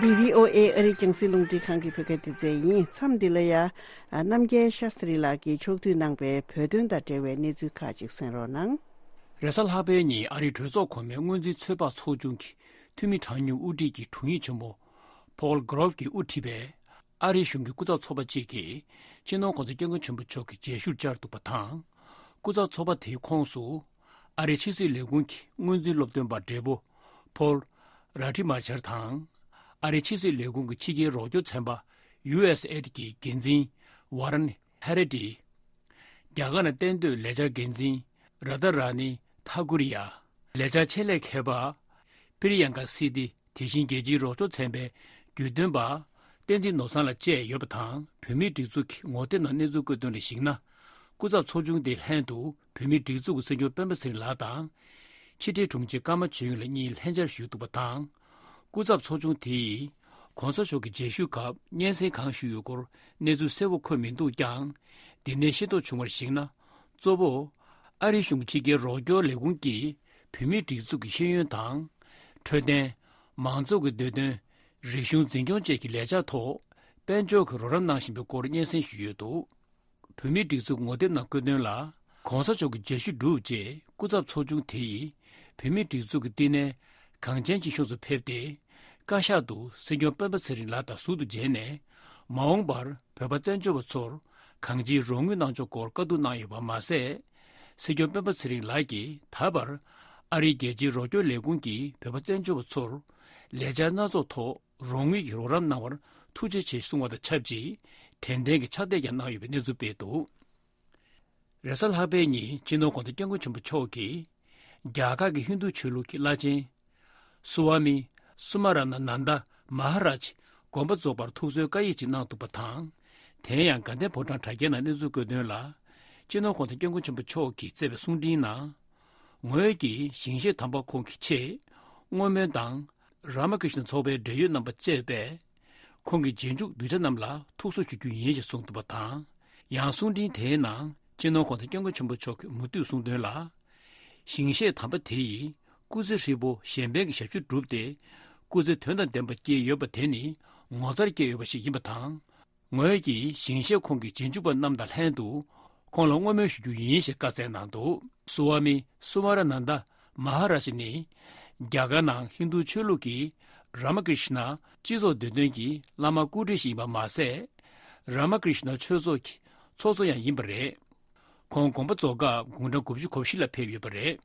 འདི་བྷི་ཨོ་ཨེ་ཨ་རིའི་རྒྱང་སྲིང་རླུང་འཕྲིན་ཁང་གི་བོད་སྐད་སྡེ་ཚན་ཡིན། མཚམས་འདི་ལ་ཡ། རྣམ་རྒྱལ་ཤཱ་སྟྲི་ལགས་ཀྱིས་ཕྱོགས་བསྡུས་གནང་པའི་བོད་དོན་དང་འབྲེལ་བའི་གནས་ཚུལ་ཁག་ཅིག་གསན་རོགས་གནང་། རེས་གཟའ་ལྷག་པའི་ཉིན་ཨ་རིའི་གྲོས་ཚོགས་གོང་མའི་སྔོན་འཛིན་ཚོད་དཔག་ཚོགས་ཆུང་གི་འཐུས་མི་གྲངས་ཉུང་དབུ་ཁྲིད་ཀྱི་དྲུང་ཡིག་ཆེན་པོ་Paul Grove གྱིས་དབུ་ཁྲིད་པའི་ཨ་རིའི་གཞུང་གི་སྐུ་ཚབ་ཚོགས་པ་གཅིག་གིས་སྤྱི་ནོར་༧གོང་ས་༧སྐྱབས་མགོན་ཆེན་པོ་མཆོག་གི་མཇལ་ཞུར་བཅར་འདུག་པ་དང་། སྐུ་ཚབ་ཚོགས་པ་དེའི་ཁོངས་སུ་ཨ་རིའི་ཕྱི་སྲིད་ལས་ཁུངས་ཀྱི་སྔོན་འཛིན་སློབ་སྟོན་པ་བགྲེས་པོ་Paul Rohrabacher དང་། ཨ་རིའི་ཕྱི་སྲིད་ལས་ཁུངས་ཀྱི་ཕྱི་རྒྱལ་རོགས་སྐྱོར་ཚན་པ་ཡུ་ཨེས་ཨེ་ཌི་གྱི་འགན་འཛིན་Warren Haggerty། རྒྱ་གར་ནང་གཏན་སྡོད་ལས་འཆར་འགན་འཛིན་Radharani Thakuria། ལས་འཆར་ཆེད་ལས་མཁས་པ་Priyanka Siti། དེ་བཞིན་རྒྱལ་སྤྱིའི་རོགས་སྐྱོར་ཚན་པའི་རྒྱུས་སྟོན་པ་བསྟན་འཛིན་ནོར་བཟང་ལགས་བཅས་ཡོད་པ་དང་། བོད་མིའི་སྒྲིག་འཛུགས་ཀྱི་ངོ་དེབ་ནང་གནས་ཚུལ་བཀོད་དོན་ལ་གཞིགས་ན། སྐུ་ཚབ་ཚོགས་ཆུང་དེའི་ལྷན་དུ་བོད་མིའི་སྒྲིག་འཛུགས་ཀྱི་སྲིད་སྐྱོང་སྤེན་པ་ཚེ་རིང་ལགས་དང་། ཕྱི་དྲིལ་དྲུང་ཆེ་ཀརྨ་ཆོས་དབྱིངས་ལགས་གཉིས་ལྷན་བཅར་ཞུས་འདུག་པ་དང་། སྐུ་ཚབ་ཚོགས་ཆུང་དེ་ཡིས་༧གོང་ས་མཆོག་གི་མཇལ་ཞུ་སྐབས་སྙན་སེང་གང་ཞུས་ཡོད་སྐོར་གནས་ཚུལ་གསལ་བོ་འཁོད་མི་འདུག་ཀྱང་། འདི་ནས་ཤེས་རྟོགས་བྱུང་བར་གཞིགས་ན། གཙོ་བོ་ཨ་རིའི་གཞུང་གི་ཕྱི་རྒྱལ་རོགས་སྐྱོར་ལས་ཁུངས་ཀྱིས་བོད་མིའི་སྒྲིག་འཛུགས་ཀྱི་ཤེས་ཡོན་དང་། འཕྲོད་བསྟེན། མང་གཙོ་གི་འདོད་དོན། རིག་གཞུང་འཛིན་སྐྱོང་བཅས་ཀྱི་ལས་འཆར་ཐོག་དཔལ་འབྱོར་གྱི་རོགས་རམ་གནང་བཞིན་པའི་སྐོར་སྙན་སེང་ཞུས་ཡོད་འདུག་བོད་མིའི་སྒྲིག་འཛུགས་ངོ་དེབ་ནང་བཀོད་དོན་ལ། ༧གོང་ས་མཆོག་གི་མཇལ་ཞུ་གྲུབ་རྗེས། སྐུ་ཚབ་ཚོགས་ཆུང་དེ་ཡིས་བོད་མིའི་སྒྲིག་འཛུགས་ཀྱི་བསྟི་གནས་གངས་ཅན་སྐྱིད་གཤོངས་སུ་ཕེབས་ཏེ། བཀའ་ཤག་ཏུ་སྲིད་སྐྱོང་སྤེན་པ་ཚེ་རིང་ལགས་དང་ཟུར་དུ་མཇལ་ནས། མ་འོངས་པར་བོད་པ་བཙན་བྱོལ་བ་ཚོར་གང་ཅིའི་རོགས་དངུལ་གནང་ཕྱོགས་སྐོར་བཀའ་བསྡུར་གནང་ཡོད་པ་མ་ཟད། སྲིད་སྐྱོང་སྤེན་པ་ཚེ་རིང་ལགས་ཀྱིས་ད་བར་ཨ་རིའི་རྒྱལ་སྤྱིའི་རོགས་སྐྱོར་ལས་ཁུངས་ཀྱིས་བོད་པ་བཙན་བྱོལ་བ་ཚོར་ལས་འཆར་སྣ་ཚོགས་ཐོག་རོགས་དངུལ་གྱི་རོགས་རམ་གནང་བར་ཐུགས་རྗེ་ཆེ་གསུང་བ་དང་ཆབས་ཅིག་དྲན་རྟེན་གྱི་ཕྱག་དེབ་ཀྱང་གནང་ཡོད་པའི་གནས་ཚུལ་སྤེལ་འདུག་རེས་གཟའ་ལྷག་པའི་ཉིན་སྤྱི་ནོར་༧གོང་ས་༧སྐྱབས་མགོན་ཆེན་པོ་མཆོག་གིས་རྒྱ་གར་གྱི་ཧིན་རྡུ་ཆོས་ལུགས་ཀྱི་བླ་ཆེན་སུ་ཝཱ་མི་སུ་མ་ར་ན་ནན་ད་མ་ཧ་རཱཇ་དགོངས་པ་རྫོགས་པར་ཐུགས་གསོའི་བཀའ་ཡིག་ཅིག་གནང་འདུག་པ་དང་། དེ་ཡང་དགའ་ལྡན་ཕོ་བྲང་དྲ་རྒྱའི་ནང་གནས་ཚུལ་བཀོད་དོན་ལ། སྤྱི་ནོར་༧གོང་ས་༧སྐྱབས་མགོན་ཆེན་པོ་མཆོག་གིས་བསྩལ་བའི་གསུང་འཕྲིན་ནང་། ངོས་ཀྱིས་ཞིང་གཤེགས་དམ་པ་ཁོང་གི་ཆེད་བསྔོ་སྨོན་དང་། རཱ་མ་ཀྲིཤ་ན་ཚོགས་པའི་འབྲེལ་ཡོད་རྣམ་པ་བཅས་པས་ཁོང་གི་རྗེས་འཇུག་གདུལ་བྱ་རྣམས་ལ་ཐུགས་གསོ་ཞུ་རྒྱུ་ཡིན་ཞེས་གསུངས་འདུག་པ་དང་། ཡང་གསུང་འཕྲིན་དེའི་ནང་སྤྱི་ནོར་༧གོང་ས་༧སྐྱབས་མགོན་ཆེན་པོ་མཆོག་གིས་མུ་མཐུད་གསུངས་དོན་ལ། ཞིང་གཤེགས་དམ་པ་དེ་ཡིས་སྐུ་ཚེ་ཧྲིལ་པོ་གཞན་ཕན་གྱི་ཞབས་ཞུ་བསྒྲུབས་ཏེ། སྐུ་ཚེ་དོན་དང་ལྡན་པ་བསྐྱལ་ཡོད་པ་དེ་ནི་ངོ་མཚར་སྐྱེས་ཡོད་པ་ཞིག་ཡིན་པ་དང་། ངོས་ཀྱིས་ཞིང་གཤེགས་ཁོང་གི་རྗེས་འཇུག་པ་རྣམས་དང་ལྷན་དུ་ཁོང་ལ་བསྔོ་སྨོན་ཞུ་རྒྱུ་ཡིན་ཞེས་བཀའ་སྩལ་གནང་འདུག་སུ་ཝཱ་མི་སུ་མ་ར་ནན་ད་མ་ཧ་རཱ་ཇ་ནི་རྒྱ་གར་ནང་ཧིན་རྡུ་ཆོས་ལུགས་ཀྱི་རཱ་མ་ཀྲིཤ་ན་སྤྱི་ཚོགས་འདོད་དོན་གྱི་བླ་མ་སྐུ་བགྲེས་ཤིག་ཡིན་པ་མ་ཟད། རཱ་མ་ཀྲིཤ་ན་ཆོས་ཚོགས་ཀྱི་ ཚོགས་གཙོ་ཡང་ཡིན་པ་རེད། ཁོང་དགོངས་པ་རྫོགས་སྐབས་དགུང་གྲངས་དགུ་བཅུ་གོ་བཞི་ལ་ཕེབས་ཡོད་པ་རེད།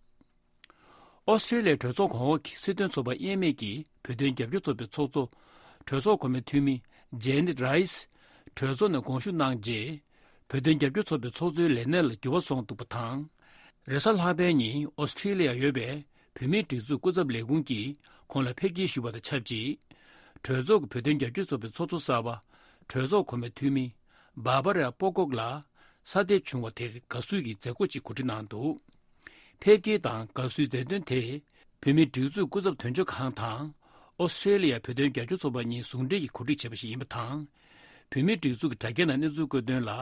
ཨོ་སི་ཀྲེ་ལི་ཡའི་གྲོས་ཚོགས་གོང་འོག་གི་སྲིད་དོན་ཚོགས་པ་དབྱེར་མེད་ཀྱི་བོད་དོན་རྒྱབ་སྐྱོར་ཚོགས་པའི་ཚོགས་གཙོ། གྲོས་ཚོགས་གོང་མའི་འཐུས་མི་ཇེ་ནེད་རའི་སི་གྲོས་ཚོགས་ནས་དགོངས་ཞུ་གནང་རྗེས། བོད་དོན་རྒྱབ་སྐྱོར་ཚོགས་པའི་ཚོགས་གཙོའི་ལས་གནས་ལ་འགྱུར་བ་སོང་འདུག་པ་དང་། རེས་གཟའ་ལྷག་པའི་ཉིན་ཨོ་སི་ཀྲེ་ལི་ཡར་ཡོད་པའི་བོད་མིའི་སྒྲིག་འཛུགས་སྐུ་ཚབ་ལས་ཁུངས་ཀྱིས་ཁོང་ལ་ཕེབས་སྐྱེལ་ཞུས་པ་དང་ཆབས་ཅིག་གྲོས་ཚོགས་ཀྱི་བོད་དོན་རྒྱབ་སྐྱོར་ཚོགས་པའི་ཚོགས་གཙོ་གསར་པ། གྲོས་ཚོགས་གོང་མའི་འཐུས་མི་བྷར་བྷ་ར་པོ་ཀོག་ལ་གསར་འདེབས་བྱུང་བ་དེར་དགའ་བསུ་ཡི་མཛད་སྒོ་ཅིག་གོ་སྒྲིག་གནང་འདུག་ཕེབས་སྐྱེལ་དང་དགའ་བསུའི་མཛད་དོན་དེ། བོད་མིའི་སྒྲིག་འཛུགས་སྐུ་ཚབ་དོན་གཅོད་ཁང་དང་། ཨོ་སི་ཀྲེ་ལི་ཡ་བོད་དོན་རྒྱབ་སྐྱོར་ཚོགས་པ་གཉིས་ཟུང་འབྲེལ་གྱིས་གོ་སྒྲིག་བྱས་པ་ཞིག་ཡིན་པ་དང་། བོད་མིའི་སྒྲིག་འཛུགས་ཀྱི་དྲ་རྒྱའི་ནང་གནས་ཚུལ་བཀོད་དོན་ལ།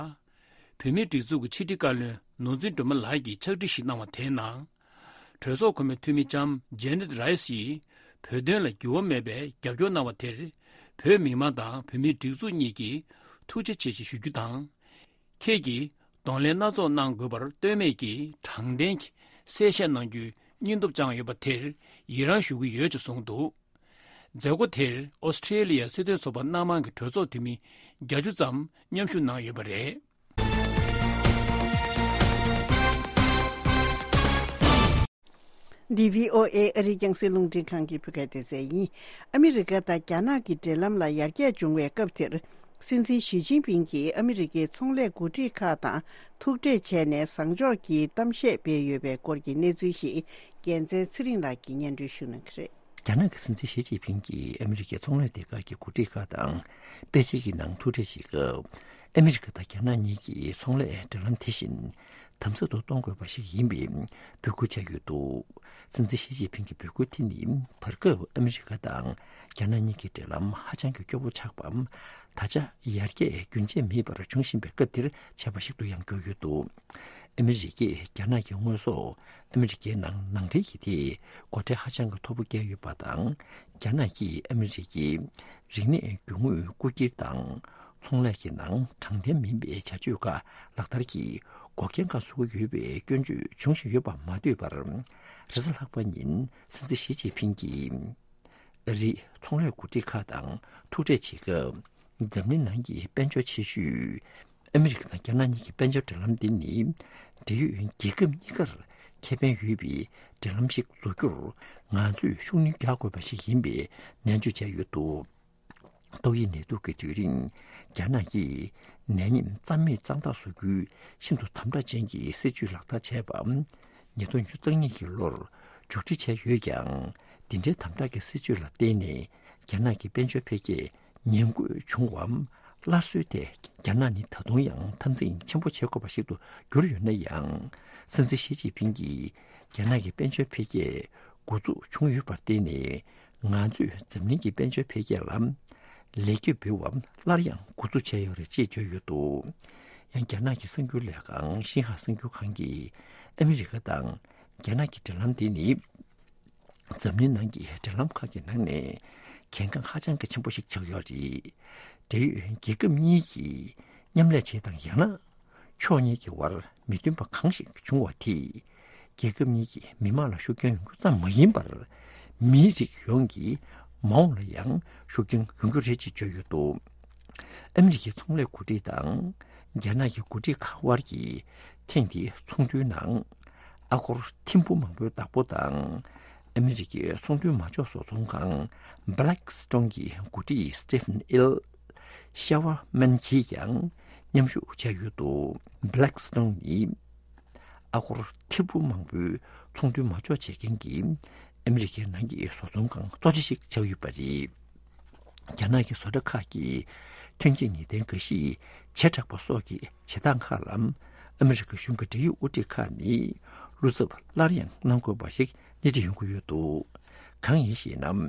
བོད་མིའི་སྒྲིག་འཛུགས་ཀྱི་ཕྱི་དྲིལ་བཀའ་བློན་ནོར་འཛིན་སྒྲོལ་མ་ལགས་ཀྱིས་ཕྱག་བྲིས་ཤིག་གནང་བ་དེའི་ནང་། གྲོས་ཚོགས་གོང་མའི་འཐུས་མི་ལྕམ་ཇེ་ནེད་རའི་སི་ཡིས་བོད་དོན་ལ་འགྱུར་བ་མེད་པའི་རྒྱབ་སྐྱོར་གནང་བ་དེར། བོད་མི་མང་དང་བོད་མིའི་སྒྲིག་འཛུགས་གཉིས་ཀྱིས་ཐུགས་རྗེ་ཆེ་ཞེས་ཞུ་རྒྱུ་དང་། ཁྱེད་ཀྱིས་གདོང་ལེན་སྣ་ཚོགས་གནང་དགོས་པར་ལྟོས་མེད་ཀྱིས་དྲང་བདེན་གྱིས་གསལ་བཤད་གནང་རྒྱུའི་སྙིང་སྟོབས་བཅངས་ཡོད་པ་དེར་ཡི་རང་ཞུ་གི་ཡོད་ཅེས་གསུངས་འདུག་མཛད་སྒོ་དེར་ཨོ་སི་ཀྲེ་ལི་ཡའི་སྲིད་དོན་ཚོགས་པ་སྣ་མང་གི་གྲོས་ཚོགས་འཐུས་མི་བརྒྱད་ཅུ་ཙམ་མཉམ་ཞུགས་གནང་ཡོད་པ་རེད། འདི་བྷི་ཨོ་ཨེ་ཨ་རིའི་རྒྱང་སྲིང་རླུང་འཕྲིན་ཁང་གི་བོད་སྐད་སྡེ་ཚན་ཡིན། ཨ་མི་རི་ཀ་དང་རྒྱ་ནག་གི་འབྲེལ་ལམ་ལ་ཡར་རྒྱས་བྱུང་བའི་སྐབས་དེར། སྲིད་འཛིན་ཞི་ཅིན་ཕིང་གིས་ཨ་མི་རི་ཀའི་ཚོང་ལས་འགོ་ཁྲིད་ཁག་དང་ཐུག་འཕྲད་བྱས་ནས་བཟང་ཕྱོགས་ཀྱི་གཏམ་བཤད་སྤེལ་ཡོད་པའི་སྐོར་གྱི་གནས་ཚུལ་ཞིག་རྒྱལ་མཚན་ཚེ་རིང་ལགས་ཀྱིས་སྙན་སྒྲོན་ཞུ་གནང་གི་རེད། རྒྱ་ནག་གི་སྲིད་འཛིན་ཞི་ཅིན་ཕིང་གིས་ཨ་མི་རི་ཀའི་ཚོང་ལས་སྡེ་ཁག་གི་འགོ་ཁྲིད་ཁག་དང་པེ་ཅིང་གི་ནང་ཐུག་འཕྲད་བྱེད་སྐབས། ཨ་མི་རི་ཀ་དང་རྒྱ་ནག་གཉིས་ཀྱི་ཚོང་ལས་འབྲེལ་ལམ་དེ་བཞིན་དམ་ཟབ་ཏུ་གཏོང་དགོས་པ་ཞིག་ཡིན་པའི་འབོད་སྐུལ་བྱས་ཡོད་འདུག་སྲིད་འཛིན་ཞི་ཅིན་ཕིང་གི་འབོད་སྐུལ་དེ་ནི་བར་སྐབས་ཨ་མི་རི་ཀ་དང་རྒྱ་ནག་གཉིས་ཀྱི་འབྲེལ་ལམ་ཧ་ཅང་གི་སྐྱོ་བོ་ཆགས་པ། ད་ཆ་ཡར་རྒྱས་རྒྱུན་ཆད་མེད་པར་འབྱུང་བཞིན་པའི་སྐབས་འདིར་བྱས་པ་ཞིག་ཏུ་ཡང་གྱུར་ཡོད་འདུག་ཨ་མི་རི་ཀས་རྒྱ་ནག་གི་དངོས་ཟོག་ཨ་མི་རི་ཀའི་ནང་ནང་འདྲེན་གྱི་ཐད་སྒོ་ཁྲལ་ཧ་ཅང་གི་མཐོ་པོ་བཀལ་ཡོད་པ་དང་། རྒྱ་ནག་གིས་ཨ་མི་རི་ཀའི་རིག་གནས་རྒྱུ་དངོས་རྐུ་འཁྱེར་དང་། ཚོང་ལས་ཀྱི་ནང་དྲང་བདེན་མིན་པའི་བྱ་སྤྱོད་ཁག་ལག་བསྟར་གྱིས་འགོག་རྐྱེན་ཁག་བཟོ་གི་ཡོད་པའི་སྐྱོན་བརྗོད་འབྱུང་བཞིན་ཡོད་པ་མ་ཟད་པར། རེས་གཟའ་ལྷག་པ་ཉིན་སྲིད་འཛིན་ཞི་ཅིན་ཕིང་གིས། ཨ་རིའི་ཚོང་ལས་འགོ་ཁྲིད་ཁག་དང་ཐུག་འཕྲད་བྱེད་སྐབས། འཛམ་གླིང་ནང་གི་དཔལ་འབྱོར་ཆེ་ཤོས་ཨ་མི་རི་ཀ་དང་རྒྱ་ནག་གཉིས་ཀྱི་དཔལ་འབྱོར་འབྲེལ་ལམ་འདི་ནི། འབྲེལ་ཡོད་རྒྱལ་ཁབ་གཉིས་ཀར་ཁེ་ཕན་ཡོད་པའི་འབྲེལ་ལམ་ཞིག་བཟོ་རྒྱུར་ང་ཚོས་ཤུགས་སྣོན་རྒྱག་དགོས་པ་ཞིག་ཡིན་པའི་ནན་བརྗོད་བྱས་ཡོད་འདུག་ཏོག་དབྱིབས་ནད་དུག་གི་དུས་རིང་རྒྱ་ནག་གིས་ནད་ཉེན་རྩ་མེད་གཙང་དག་བཟོ་རྒྱུའི་ཤིན་ཏུ་དམ་དྲག་ཅན་གྱི་སྲིད་ཇུས་ལག་བསྟར་བྱས་པ། ཉིས་སྟོང་ཉི་ཤུ་རྩ་གཉིས་ཀྱི་ལོར་མཇུག་སྒྲིལ་བྱས་ཡོད་ཀྱང་། འདི་འདྲའི་དམ་དྲག་གི་སྲིད་ཇུས་ལ་བརྟེན་ནས་རྒྱ་ནག་གི་དཔལ་འབྱོར་འཕེལ་རྒྱས་ཉམས་རྒུད་བྱུང་བའམ་སླར་གསོའི་ཐད་རྒྱ་ནག་ནི་ད་དུང་ཡང་འཐབ་འཛིང་ཆེན་པོ་བྱེད་དགོས་པ་ཞིག་ཏུ་གྱུར་ཡོད་ན་ཡང་། སྲིད་འཛིན་ཞི་ཅིན་ཕིང་གིས་རྒྱ་ནག་གི་དཔལ་འབྱོར་འཕེལ་རྒྱས་འགོ་འཛུགས་བྱུང་ཡོད་པར་བརྟེན་ནས། ང་ཚོས་འཛམ་གླིང་གི་དཔལ་འབྱོར་འཕེལ་རྒྱས་ལ་ལེགས་སྐྱེས་འབུལ་བ་སླར་ཡང་འགོ་འཛུགས་བྱས་ཡོད་རེད་ཅེས་བརྗོད་ཡོད་འདུག་ཡང་རྒྱ་ནག་གི་གསར་འགྱུར་ལས་ཁང་ཤིན་ཧྭ་གསར་འགྱུར་ཁང་གིས་ཨ་མི་རི་ཀ་དང་རྒྱ་ནག་གི་འབྲེལ་ལམ་འདི་ནི་འཛམ་གླིང་ནང་གི་འབྲེལ་ལམ་ཁག་གི་ནང་ནས་གལ་འགངས་ཧ་ཅང་གི་ཆེན་པོ་ཞིག་ཆགས་ཡོད་རེད། འབྲེལ་ཡོད་རྒྱལ་ཁབ་གཉིས་ཀྱིས་མཉམ་ལས་བྱེད་དང་ཡང་ན། ཕྱོགས་གཉིས་ཀྱི་དབར་མི་མཐུན་པ་གང་ཞིག་བྱུང་བ་དེས་རྒྱལ་ཁབ་གཉིས་ཀྱི་མི་དམངས་ལ་ཤུགས་རྐྱེན་ཡོང་རྒྱུ་ཙམ་མ་ཡིན་པར། མིའི་རིགས་ཡོངས་ཀྱི་མ་འོངས་ལ་ཡང་ཤུགས་རྐྱེན་ཡོང་རྒྱུ་རེད་ཅེས་བརྗོད་ཡོད་འདུག་ཨ་མི་རི་ཀའི་ཚོང་ལས་འགོ་ཁྲིད་དང་རྒྱ་ནག་གི་འགོ་ཁྲིད་ཁག་དབར་གྱི་ཐེངས་འདིའི་ཚོགས་འདུའི་ནང་། ཨ་སྒོར་ཐེར་འབུམ་མང་པོའི་བདག་པོ་དང་། ཨ་མི་རི་ཀའི་ཚོང་དོན་མ་འཇོག་བཟོ་ཚོང་ཁང་Blackstone་གྱི་འགོ་ཁྲིད་Stephen L. Shiverman་གྱིས་ཀྱང་མཉམ་ཞུགས་བྱས་ཡོད་འདུག Blackstone་ནི་ཨ་སྒོར་ཐེར་འབུམ་མང་པོའི་ཚོང་དོན་མ་འཇོག་བྱེད་མཁན་གྱི་ཨ་མི་རི་ཀའི་ནང་གི་བཟོ་ཚོང་ཁང་གཙོ་ཆེ་ཞིག་ཆགས་ཡོད་པ་རེད། རྒྱ་ནག་གི་བཟོ་གྲྭ་ཁག་གིས་ཐོན་སྐྱེད་ངེས་གཏན་འགའ་ཤས་བྱེ་བྲག་པ་སོགས་ཀྱི་བྱེད་སྟངས་ཁག་ལ་ཨ་མི་རི་ཀ་གཞུང་གི་འབྲེལ་ཡོད་དབུ་ཁྲིད་ཁག་ནས་བློ་འཚབ་སླར་ཡང་གནང་དགོས་པ་ཞིག་སྣེ་ཁྲིད་ཡོང་གི་ཡོད་འདུག་གང་ཡིན་ཞེ་ན།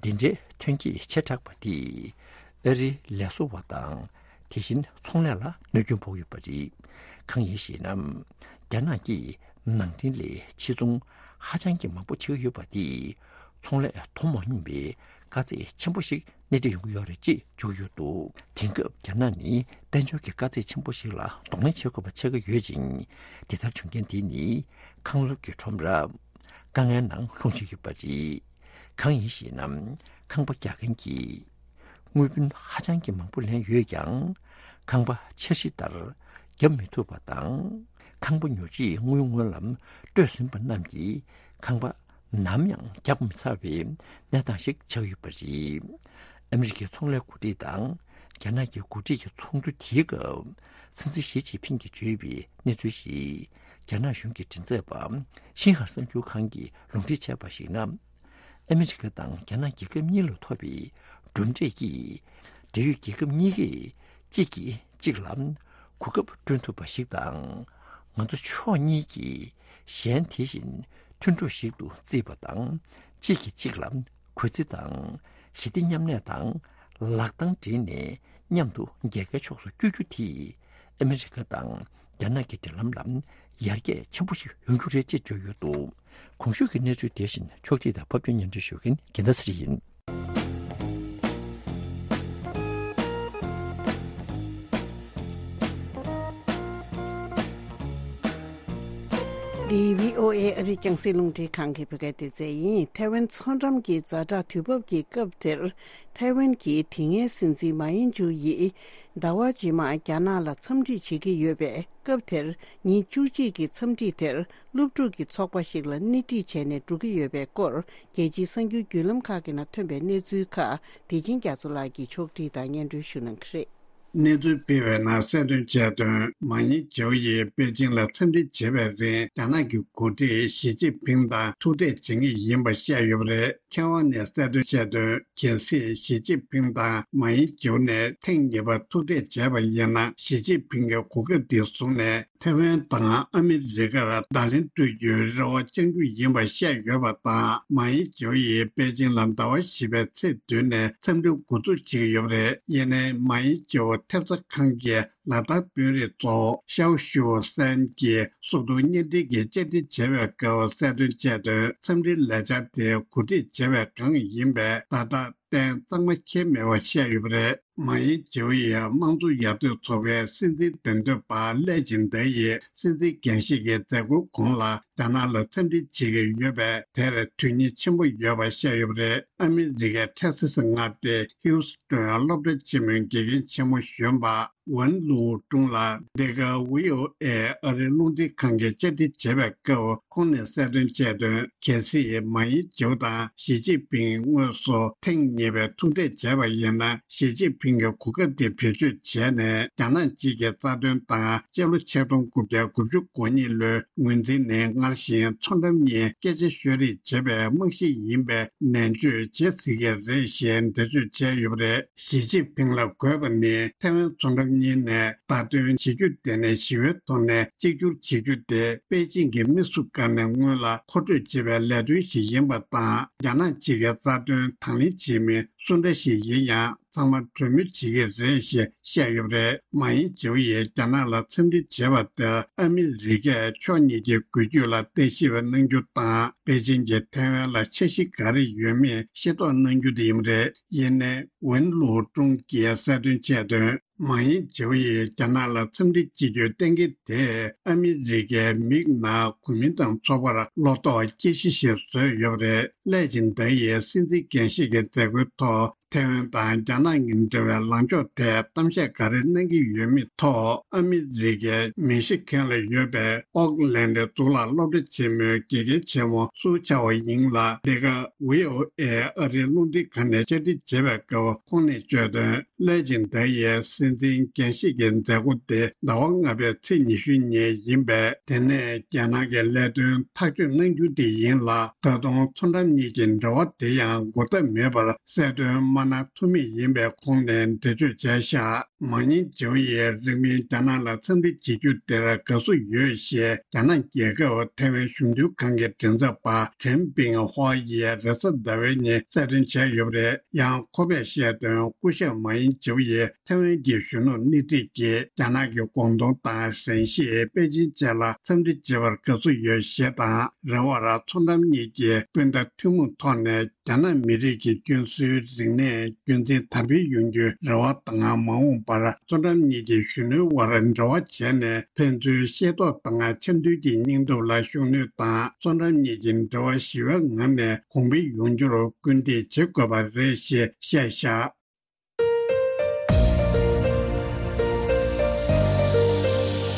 འདི་འདྲའི་ཐོན་སྐྱེད་བྱེ་བྲག་པ་དེས་ཨ་རིའི་ལས་བཟོ་བ་དང་དེ་བཞིན་ཚོང་ལས་ལ་གནོད་སྐྱོན་ཕོག་ཡོད་པ་རེད། གང་ཡིན་ཞེ་ན། རྒྱ་ནག་གིས་ནང་འདྲེན་ལས་ཕྱིར་ཚོང་ཧ་ཅང་གི་མང་པོ་བྱེད་ཀྱི་ཡོད་པ་དེས་ཚོང་ལས་མཐོང་མ་མྱོང་པའི་དཀའ་ཚེགས་ཆེན་པོ་ཞིག་སྣེ་ཁྲིད་ཡོང་གི་ཡོད་རེད་ཅེས་བརྗོད་ཡོད་འདུག་དེང་སྐབས་རྒྱ་ནག་ནི་དཔལ་འབྱོར་གྱི་དཀའ་ཚེགས་ཆེན་པོ་ཞིག་ལ་གདོང་ལེན་བྱེད་དགོས་པ་ཆགས་ཀྱི་ཡོད་ཅིང་། དེ་ལྟར་བྱུང་རྐྱེན་དེ་ནི་ཁང་བཟོ་གི་ཁྲོམ་ར་དཀའ་ངལ་ནང་ལྷུང་བཞིན་ཡོད་པ་རེད། གང་ཡིན་ཞེ་ན། ཁང་པ་རྒྱག་མཁན་གྱིས་དངུལ་བུན་ཧ་ཅང་གི་མང་པོ་ལེན་ཡོད་ཀྱང་། ཁང་པ་འཆར་གཞི་ལྟར་ བརྒྱབ་མི་ཐུབ་པ་དང་། ཁང་པ་ཉོ་ཆེད་དངུལ་སྔོན་ལ་སྤྲོད་ཟིན་པ་རྣམས་ཀྱིས་ཁང་པ་ནམ་ཡང་བརྒྱབ་མི་ཚར་བའི་གནས་སྟངས་ཤིག་ཆགས་ཡོད་པ་རེད། ཨ་མི་རི་ཀའི་ཚོང་ལས་འགོ་ཁྲིད་དང་རྒྱ་ནག་གི་འགོ་ཁྲིད་ཀྱི་ཚོགས་འདུ་དེའི་སྐབས། སྲིད་འཛིན་ཞི་ཅིན་ཕིང་གིས་བརྗོད་པའི་གནས་ཚུལ་ཞིག་རྒྱ་ནག་གཞུང་གི་མགྲིན་ཚབ་པ་ཤིན་ཧྭ་གསར་འགྱུར་ཁང་གིས་ལུང་འདྲེན་བྱས་པར་གཞིགས་ན། ཨ་མི་རི་ཀ་དང་རྒྱ་ནག་རྒྱལ་ཁབ་གཉིས་ལ་ཐོབ་པའི་གྲུབ་འབྲས་ཀྱིས། འབྲེལ་ཡོད་རྒྱལ་ཁབ་གཉིས་ཀས་གཅིག་གིས་གཅིག་ལ་གོ་སྐབས་བསྐྲུན་ཐུབ་པ་ཞིག་དང་། ང་ཚོ་ཕྱོགས་གཉིས་ཀྱིས་གཞན་དེ་བཞིན་མཐུན་གྲོགས་ཤིག་ཏུ་བརྩིས་པ་དང་། གཅིག་གིས་གཅིག་ལ་གུས་བརྩི་དང་། ཞི་བདེ་མཉམ་གནས་དང་ལག་གདང་སྦྲེལ་ནས་མཉམ་དུ་རྒྱལ་ཁའི་ཕྱོགས་སུ་བསྐྱོད་རྒྱུ་དེས། ཨ་མི་རི་ཀ་དང་རྒྱ་ནག་གི་འབྲེལ་ལམ་ལ་ཡར་རྒྱས་ཆེན་པོ་ཞིག་ཡོང་རྒྱུ་རེད་ཅེས་བརྗོད་ཡོད་འདུག་གོང་ཞུས་ཀྱི་གནས་ཚུལ་དེ་བཞིན་ཕྱོགས་སྒྲིག་དང་ཕབ་སྒྱུར་སྙན་སྒྲོན་ཞུ་མཁན་རྒྱལ་མཚན་ཚེ་རིང་ཡིན། འདི་བྷི་ཨོ་ཨེ་ཨ་རིའི་རྒྱང་སྲིང་རླུང་འཕྲིན་ཁང་གི་བོད་སྐད་སྡེ་ཚན་ཡིན། ཐའེ་ཝན་མཚོ་འགྲམ་གྱི་ཛ་དྲག་དུས་བབ་ཀྱི་སྐབས་དེར། ཐའེ་ཝན་གྱི་དེ་སྔའི་སྲིད་འཛིན་མཱ་ཡིན་ཇུ་ཡིས་ཟླ་བ་རྗེས་མར་རྒྱ་ནག་ལ་འཚམས་འདྲི་བྱེད་ཀྱི་ཡོད་པའི་སྐབས་དེར། ཉིན་བཅུ་གཅིག་གི་འཚམས་འདྲི་དེར་སློབ་ཕྲུག་གི་ཚོགས་པ་ཞིག་ལ་སྣེ་ཁྲིད་བྱས་ནས་འགྲོ་གི་ཡོད་པའི་སྐོར། རྒྱལ་སྤྱིའི་གསར་འགྱུར་བརྒྱུད་ལམ་ཁག་གི་ནང་ཐོན་པའི་གནས་ཚུལ་ཁག་བདེ་ཆེན་རྒྱ་མཚོ་ལགས་ཀྱིས་ཕྱོགས་སྒྲིག་དང་སྙན་སྒྲོན་ཞུ་གནང་གི་རེད། གནས་ཚུལ་སྤེལ་བའི་ནང་གསལ་སྟོན་བྱས་དོན། མཱ་ཡིན་ཇོ་ཡིས་པེ་ཅིང་ལ་འཚམས་འདྲི་བྱེད་པའི་རིང་། རྒྱ་ནག་གི་འགོ་ཁྲིད་ཞི་ཅིན་ཕིང་དང་ཐུག་འཕྲད་བྱེད་ངེས་ཡིན་པ་བཤད་ཡོད་པ་རེད། མཁས་དབང་ནས་གསལ་སྟོན་བྱས་དོན། གལ་སྲིད་ཞི་ཅིན་ཕིང་དང་མཱ་ཡིན་ཇོ་ནས་ཐེངས་གཉིས་པ་ཐུག་འཕྲད་བྱས་པ་ཡིན་ན། ཞི་ཅིན་ཕིང་གི་གོ་སྐབས་འདི་བཟུང་ནས། ཐའེ་ཝན་དང་ཨ་མི་རི་ཀར་བརྡ་ལན་སྤྲོད་རྒྱུའི་རེ་བ་བཅང་རྒྱུ་ཡིན་པ་བཤད་ཡོད་པ་དང་། མཱ་ཡིན་ཇོ་ཡིས་པེ་ཅིང་ལ་ཟླ་བ་བཞི་པའི་ཚེས་བདུན་ནས་འཚམས་འདྲི་འགོ་འཛུགས་བྱེད་ཀྱི་ཡོད་པ་རེད། ཡིན་ནའི་མཱ་ཡིན་ཇོ་ཐེབས་རྩ་ཁང་གིས་ལ་དྭགས་དཔོན་རིགས་ཚོ་ཤའོ་ཞུའོ་སན་གྱི་གསོལ་སྟོན་བརྙན་འཕྲིན་གྱི་བཅར་འདྲི་བྱས་པའི་སྐབས་གསལ་སྟོན་བྱས་དོན། འཚམས་འདྲིའི་ལས་འཆར་དེ་གོ་སྒྲིག་བྱས་པའི་སྒང་ཡིན་པས། ད་ལྟ་གཏན་གཙང་མ་འཁེལ་མེད་པ་བཤད་ཡོད་པ་རེད། མཱ་ཡིན་ཇོ་ཡིས་དམངས་གཙོ་ཡར་ཐོན་ཚོགས་པའི་སྲིད་འཛིན་འདེམས་ཐོན་པ་ལེ་ཅིང་ཏེ་ཡིས་སྲིད་འཛིན་འགན་བཞེས་ཀྱི་མཛད་སྒོའི་གོང་ལ་རྒྱ་ནག་ལ་འཚམས་འདྲི་བྱེད་ཀྱི་ཡོད་པས། དེར་དོན་སྙིང་ཆེན་པོ་ཡོད་པ་བཤད་ཡོད་པ་རེད། ཨ་མི་རི་ཀའི་ཐེག་སི་སི་མངའ་སྡེ་ཧིའུ་སི་ཏོན་སློབ་གྲྭ་ཆེན་མོའི་དགེ་རྒན་ཆེན་མོ་གཞོན་པ་ཝན་ལུའུ་ཀྲུང་ལ་འདི་ག་བྷི་ཨོ་ཨེ་ཨ་རིའི་རླུང་འཕྲིན་ཁང་གིས་བཅར་འདྲི་བྱས་པའི་སྐབས། ཁོང་ནས་གསལ་སྟོན་བྱས་དོན། གལ་སྲིད་མཱ་ཡིན་ཇོ་དང་ཞི་ཅིན་ཕིང་དངོས་སུ་ཐེངས་གཉིས་པའི་ཐུག་འཕྲད་བྱས་པ་ཡིན་ན། ཞི་ཅིན་ཕིང་གི་གོ་སྐབས་དེ་བེད་སྤྱོད་བྱས་ནས། རྒྱ་ནག་གཅིག་གི་རྩ་དོན་དང་། སྤྱི་ལོ་ཆིག་སྟོང་དགུ་བརྒྱ་དགུ་བཅུ་གོ་གཉིས་ལོའི་ངོས་འཛིན་ནི་སྔར་བཞིན་མཚོ་འགྲམ་གཉིས་སྐད་ཆ་ཤོད་རེས་བྱེད་པའི་རྨང་གཞི་ཡིན་པའི་ནན་བརྗོད་བྱེད་སྲིད་ཀྱི་རེད་ཞེས་འགྲེལ་བརྗོད་བྱས་ཡོད་པ་རེད། ཞི་ཅིན་ཕིང་ལ་དགོས་པ་ནི། ཐའེ་ཝན་མཚོ་འགྲམ་གཉིས་ནས་བརྡ་སྟོན་བྱེད་རྒྱུ་དེ་ནས་ཞི་བའི་ཐོག་ནས་གཅིག་གྱུར་བྱེད་རྒྱུ་དེ། པེ་ཅིང་གི་མི་སུ་དགར་ནས་སྔོན་ལ་མཁོ་སྤྲོད་བྱེད་པའི་ལས་དོན་ཞིག་ཡིན་པ་དང་། རྒྱ་ནག་གཅིག་གི་རྩ་དོན་དང་ལེན་བྱེད་མི་སུ་འདྲ་ཞིག་ཡིན་ཡང་། ཚང་མ་གྲོས་མོལ་བྱེད་ཀྱི་རེད་ཞེས་བཤད་ཡོད་པ་རེད། མཱ་ཡིན་ཇོ་ཡིས་རྒྱ་ནག་ལ་འཚམས་འདྲི་བྱས་པ་དེར། ཨ་མི་རི་ཀས་ཕྱོགས་གཉིས་ཀྱི་འགུལ་སྐྱོད་ལ་བརྟག་ཞིབ་གནང་རྒྱུ་དང་། པེ་ཅིང་གིས་ཐའེ་ཝན་ལ་འཆར་གཞི་ག་རེ་ཡོད་མེད་ཤེས་རྟོགས་གནང་རྒྱུ་དེ་ཡིན་པ་རེད། ཡིན་ནའི། ཝུན་ལུའུ་ཀྲུང་གིས་གསལ་སྟོན་བྱས་དོན། མཱ་ཡིན་ཇོ་ཡིས་རྒྱ་ནག་ལ་འཚམས་འདྲི་བྱེད་རྒྱུའི་གཏན་འཁེལ་དེས། ཨ་མི་རི་ཀའི་མིག་ནང་གོ་མིན་ཏང་ཚོགས་པར་བློ་དོགས་སྐྱེ་གཞི་ཞིག་བཟོས་ཡོད་པ་རེད། ལེ་ཅིང་ཏེ་ཡིས་སྲིད་འཛིན་འགན་བཞེས་ཀྱི་མཛད་སྒོའི་ཐོག་ཐའེ་ཝན་དང་རྒྱ་ནག་གི་འབྲེལ་བའི་ལངས་ཕྱོགས་ཐད་གཏམ་བཤད་ག་རེ་གནང་གི་ཡོད་མེད་ཐོག་ཨ་མི་རི་ཀའི་མེ་ཤི་ཁན་ལ་ཡོད་པའི་ཨོག་ལན་ཌི་གཙུག་ལག་སློབ་གྲྭ་ཆེན་མོའི་དགེ་རྒན་ཆེན་མོ་སུའུ་ཆའོ་ཡིང་ལ་འདི་ག་བྷི་ཨོ་ཨེ་ཨ་རིའི་རླུང་འཕྲིན་ཁང་ནས་བཅར་འདྲི་བྱས་པའི་སྐབས། ཁོང་ནས་བརྗོད་དོན། ལེ་ཅིང་ཏེ་ཡིས་སྲིད་འཛིན་འགན་བཞེས་ཀྱི་མཛད་སྒོ་དེ་ཟླ་བ་ལྔ་པའི་ཚེས་ཉི་ཤུ་ཉིན་ཡིན་པས། དེ་ནས་རྒྱ་ནག་གི་ལས་དོན་ཐག་གཅོད་གནང་རྒྱུ་དེ་ཡིན་ལ། ད་དུང་མཚོ་འགྲམ་གཉིས་ཀྱི་འབྲེལ་བ་དེ་ཡང་འགོག་ཐབས་མེད་པར་གསལ་སྟོན་མ་གནང་ཐུབ་མེད་ཡིན་པའི་ཁོང་ནས་འགྲེལ་བརྗོད་བྱས་བཞག་མཱ་ཡིན་ཇོ་ཡིས་རིང་མིན་རྒྱ་ནག་ལ་འཚམས་འདྲི་བྱེད་རྒྱུ་དེར་དགའ་བསུ་ཡོད་ཞེས། རྒྱ་ནག་རྒྱལ་ཁབ་ཐའེ་ཝན་གཞུང་དོན་ཁང་གི་མགྲིན་ཚབ་པ་ཁྲེན་པིང་ཧོ་ཡིས་རེས་གཟའ་ཟླ་བའི་ཉིན་གསལ་སྟོན་བྱས་ཡོད་པ་རེད། ཡང་ཁོ་པས་བཤད་དོན། སྐུ་ཞབས་མཱ་ཡིན་ཇོ་ཡིས་ཐའེ་ཝན་གྱི་གཞོན་ནུ་སྣེ་ཁྲིད་ཀྱིས་རྒྱ་ནག་གི་གོང་དོན་དང་། ཧྲན་ཞི། པེ་ཅིན་བཅས་ལ་འཚམས་འདྲི་བྱེད་པར་དགའ་བསུ་ཡོད་ཞེས་དང་། རེ་བར་མཚོ་འགྲམ་གཉིས་ཀྱི་སྤུན་ཟླ་ཐུན་མོང་ཐོག་ནས་རྒྱ་ནག་མི་རིགས་ཀྱི་སྐྱོན་སྲོལ་རིག་གནས། རྒྱུན་འཛིན་དམ་སྤེལ་ཡོང་རྒྱུའི་རེ་བ་དང་། མ་འོངས་པར་མཚོ་འགྲམ་གཉིས་ཀྱི་གཞོན་ནུའི་དབར་འབྲེལ་བ་བྱས་ནས། ཕན་ཚུན་ཤེས་རྟོགས་དང་། ཆ་མཐུན་གྱི་སྙིང་སྟོབས་ལ་ཤུགས་སྣོན་དང་། མཚོ་འགྲམ་གཉིས་ཀྱི་འབྲེལ་བ་ཞི་བའི་ངང་ནས་གོང་འཕེལ་ཡོང་རྒྱུར་སྐུལ་འདེད་བྱེད་དགོས་པ་རེད་ཞེས་བཤད་བཞག་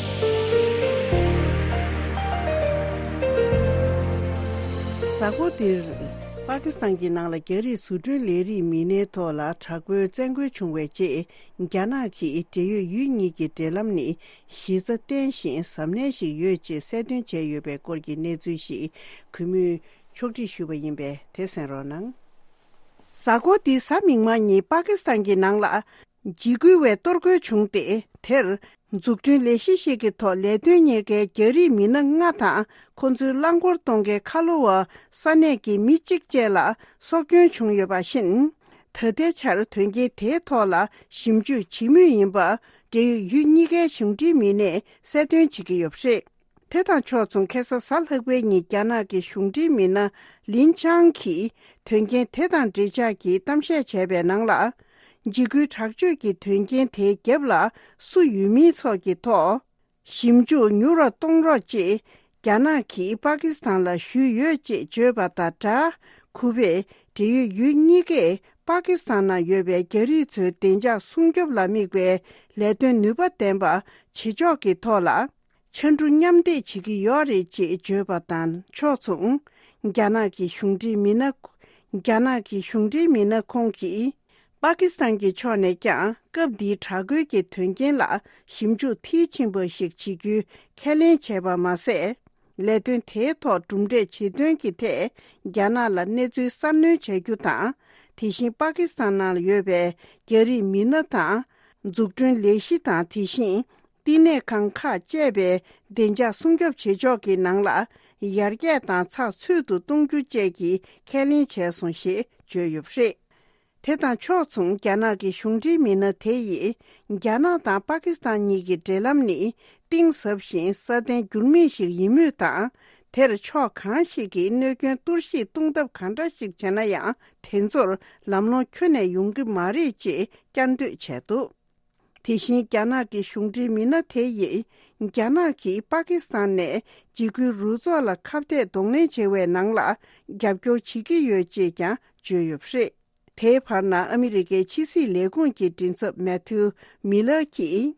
གཟའ་འཁོར་འདིར། པ་ཀི་སི་ཐན་གྱི་ནང་ལ་རྒྱ་རིགས་བཟོ་སྐྲུན་ལས་རིགས་མི་སྣའི་ཐོག་ལ་དྲག་པོའི་བཙན་རྒོལ་བྱུང་བའི་རྗེས། རྒྱ་ནག་གིས་འབྲེལ་ཡོད་ཡུལ་གཉིས་ཀྱི་འབྲེལ་ལམ་ནི་གཞི་རྩ་བརྟན་ཞིང་གཟབ་ནན་ཞིག་ཡོད་ཅེས་གསལ་སྟོན་བྱས་ཡོད་པའི་སྐོར་གྱི་གནས་ཚུལ་ཞིག་གུས་མོས་ཕྱོགས་སྒྲིག་ཞུས་པ་ཡིན་པས་དེ་གསན་རོགས་གནང་། གཟའ་འཁོར་འདིའི་གཟའ་མིག་དམར་ཉིན་པ་ཀི་སི་ཐན་གྱི་ནང་ལ། འཇིགས་སྐུལ་བའི་གཏོར་རྒོལ་བྱུང་སྟེ། དེར་འཛུགས་སྐྲུན་ལས་གཞི་ཞིག་གི་ཐོག་ལས་དོན་གཉེར་མཁན་རྒྱ་རིགས་མི་སྣ་ལྔ་དང་། ཁོ་ཚོའི་རླངས་འཁོར་གཏོང་མཁན་ཁ་ལོ་བ་ས་གནས་ཀྱི་མི་གཅིག་བཅས་ལ་སྲོག་སྐྱོན་བྱུང་ཡོད་པ་བཞིན། ད་ལྟའི་ཆར་དོན་རྐྱེན་དེའི་ཐོག་ལ་ཞིབ་འཇུག་བྱེད་མུས་ཡིན་པ། འབྲེལ་ཡོད་ཡུལ་གཉིས་ཀའི་གཞུང་འབྲེལ་མི་སྣས་གསལ་སྟོན་བྱེད་ཀྱི་ཡོད་པ་རེད། དེ་དང་ཕྱོགས་མཚུངས། ཁ་སང་གཟའ་ལྷག་པའི་ཉིན་རྒྱ་ནག་གི་གཞུང་འབྲེལ་མི་སྣ་ལིན་ཆང་གིས་དོན་རྐྱེན་དེ་དང་འབྲེལ་ཆགས་ཀྱི་གཏམ་བཤད་བྱས་པའི་ནང་ལ། འཇིགས་སྐུལ་དྲག་སྤྱོད་ཀྱི་དོན་རྐྱེན་དེའི་རྒྱབ་ལ་སུ་ཡོད་མིན་སོགས་ཀྱི་ཐོག་ཞིབ་འཇུག་མྱུར་བ་གཏོང་རོགས་ཅེས་རྒྱ་ནག་གིས་པ་ཀི་སི་ཐན་ལ་ཞུས་ཡོད་ཅེས་བརྗོད་པ་དང་སྦྲགས། གུས་པས་འབྲེལ་ཡོད་ཡུལ་གཉིས་ཀས་པ་ཀི་སི་ཐན་ནང་ཡོད་པའི་རྒྱ་རིགས་ཚོའི་བདེ་འཇགས་སྲུང་སྐྱོབ་ལ་དམིགས་པའི་ལས་དོན་ནུས་པ་ལྡན་པ་བྱེད་ཕྱོགས་ཀྱི་ཐོག་ལ། ཕྱར་གྲུ་མཉམ་འདེགས་བྱེད་ཀྱི་ཡོད་རེད་ཅེས་བརྗོད་པ་དང་ཕྱོགས་མཚུངས། རྒྱ་ནག་གི་གཞུང་འབྲེལ་མི་སྣ། རྒྱ་ནག་གི་གཞུང་འབྲེལ་མི་སྣ་ཁོང་གིས། པ་ཀི་སི་ཐན་གྱི་ཕྱོགས་ནས་ཀྱང་སྐབས་འདིའི་དྲག་རྒོལ་གྱི་དོན་རྐྱེན་ལ་ཞིབ་འཇུག་མཐིལ་ཕྱིན་པ་ཞིག་བྱེད་རྒྱུའི་ཁས་ལེན་བྱས་པ་མ་ཟད། ལས་དོན་དེའི་ཐོག་གྲུབ་འབྲས་ཇེ་ཐོན་གྱི་ཐད་རྒྱ་ནག་ལ་གནས་ཚུལ་གསར་སྣོན་བྱ་རྒྱུ་དང་། དེ་བཞིན་པ་ཀི་སི་ཐན་ནང་ཡོད་པའི་རྒྱ་རིགས་མི་སྣ་དང་། འཛུགས་སྐྲུན་ལས་གཞི་དང་དེ་བཞིན། བསྟི་གནས་ཁང་ཁག་བཅས་པའི་བདེ་འཇགས་སྲུང་སྐྱོབ་བྱེད་ཕྱོགས་ཀྱི་ནང་ལ་ཡར་རྒྱས་དང་ཚགས་ཚུད་དུ་གཏོང་རྒྱུ་བཅས་ཀྱི་ཁས་ལེན་བྱས་སོང་ཞེས་བརྗོད་ཡོད་པ་རེད། དེ་དང་ཕྱོགས་མཚུངས། རྒྱ་ནག་གི་གཞུང་འབྲེལ་མི་སྣ་དེ་ཡིས་རྒྱ་ནག་དང་པ་ཀི་སི་ཐན་གཉིས་ཀྱི་འབྲེལ་ལམ་ནི་གཏིང་ཟབ་ཞིང་སྲ་བརྟན་འགྱུར་མེད་ཞིག་ཡིན་མུས་དང་། དེར་ཕྱོགས་གང་ཞིག་གིས་གནོད་སྐྱོན་གཏོར་བཤིག་གཏོང་ཐབས་གང་འདྲ་ཞིག་བྱས་ན་ཡང་། དེ་ཚོར་ལམ་ལྷོང་ཁྱོན་ནས་ཡོང་གི་མ་རེད་ཅེས་བསྐྱར་ཟློས་བྱས་འདུག་དེ་བཞིན་རྒྱ་ནག་གི་གཞུང་འབྲེལ་མི་སྣ་དེ་ཡིས་རྒྱ་ནག་གིས་པ་ཀི་སི་ཐན་ནས་འཇིགས་སྐུལ་རུ་ཚོགས་ལ་ཁ་གཏད་གདོང་ལེན་བྱེད་པའི་ནང་ལ་རྒྱབ་སྐྱོར་བྱེད་ཀྱི་ཡོད་ཅེས་ཀྱང་བརྗོད་ཡོད་པ་རེད། དེའི་བར་ན་ཨ་མི་རི་ཀའི་ཕྱི་སྲིད་ལས་ཁུངས་ཀྱི་མགྲིན་ཚབ་མེ་ཐིའུ་མི་ལར་གྱིས།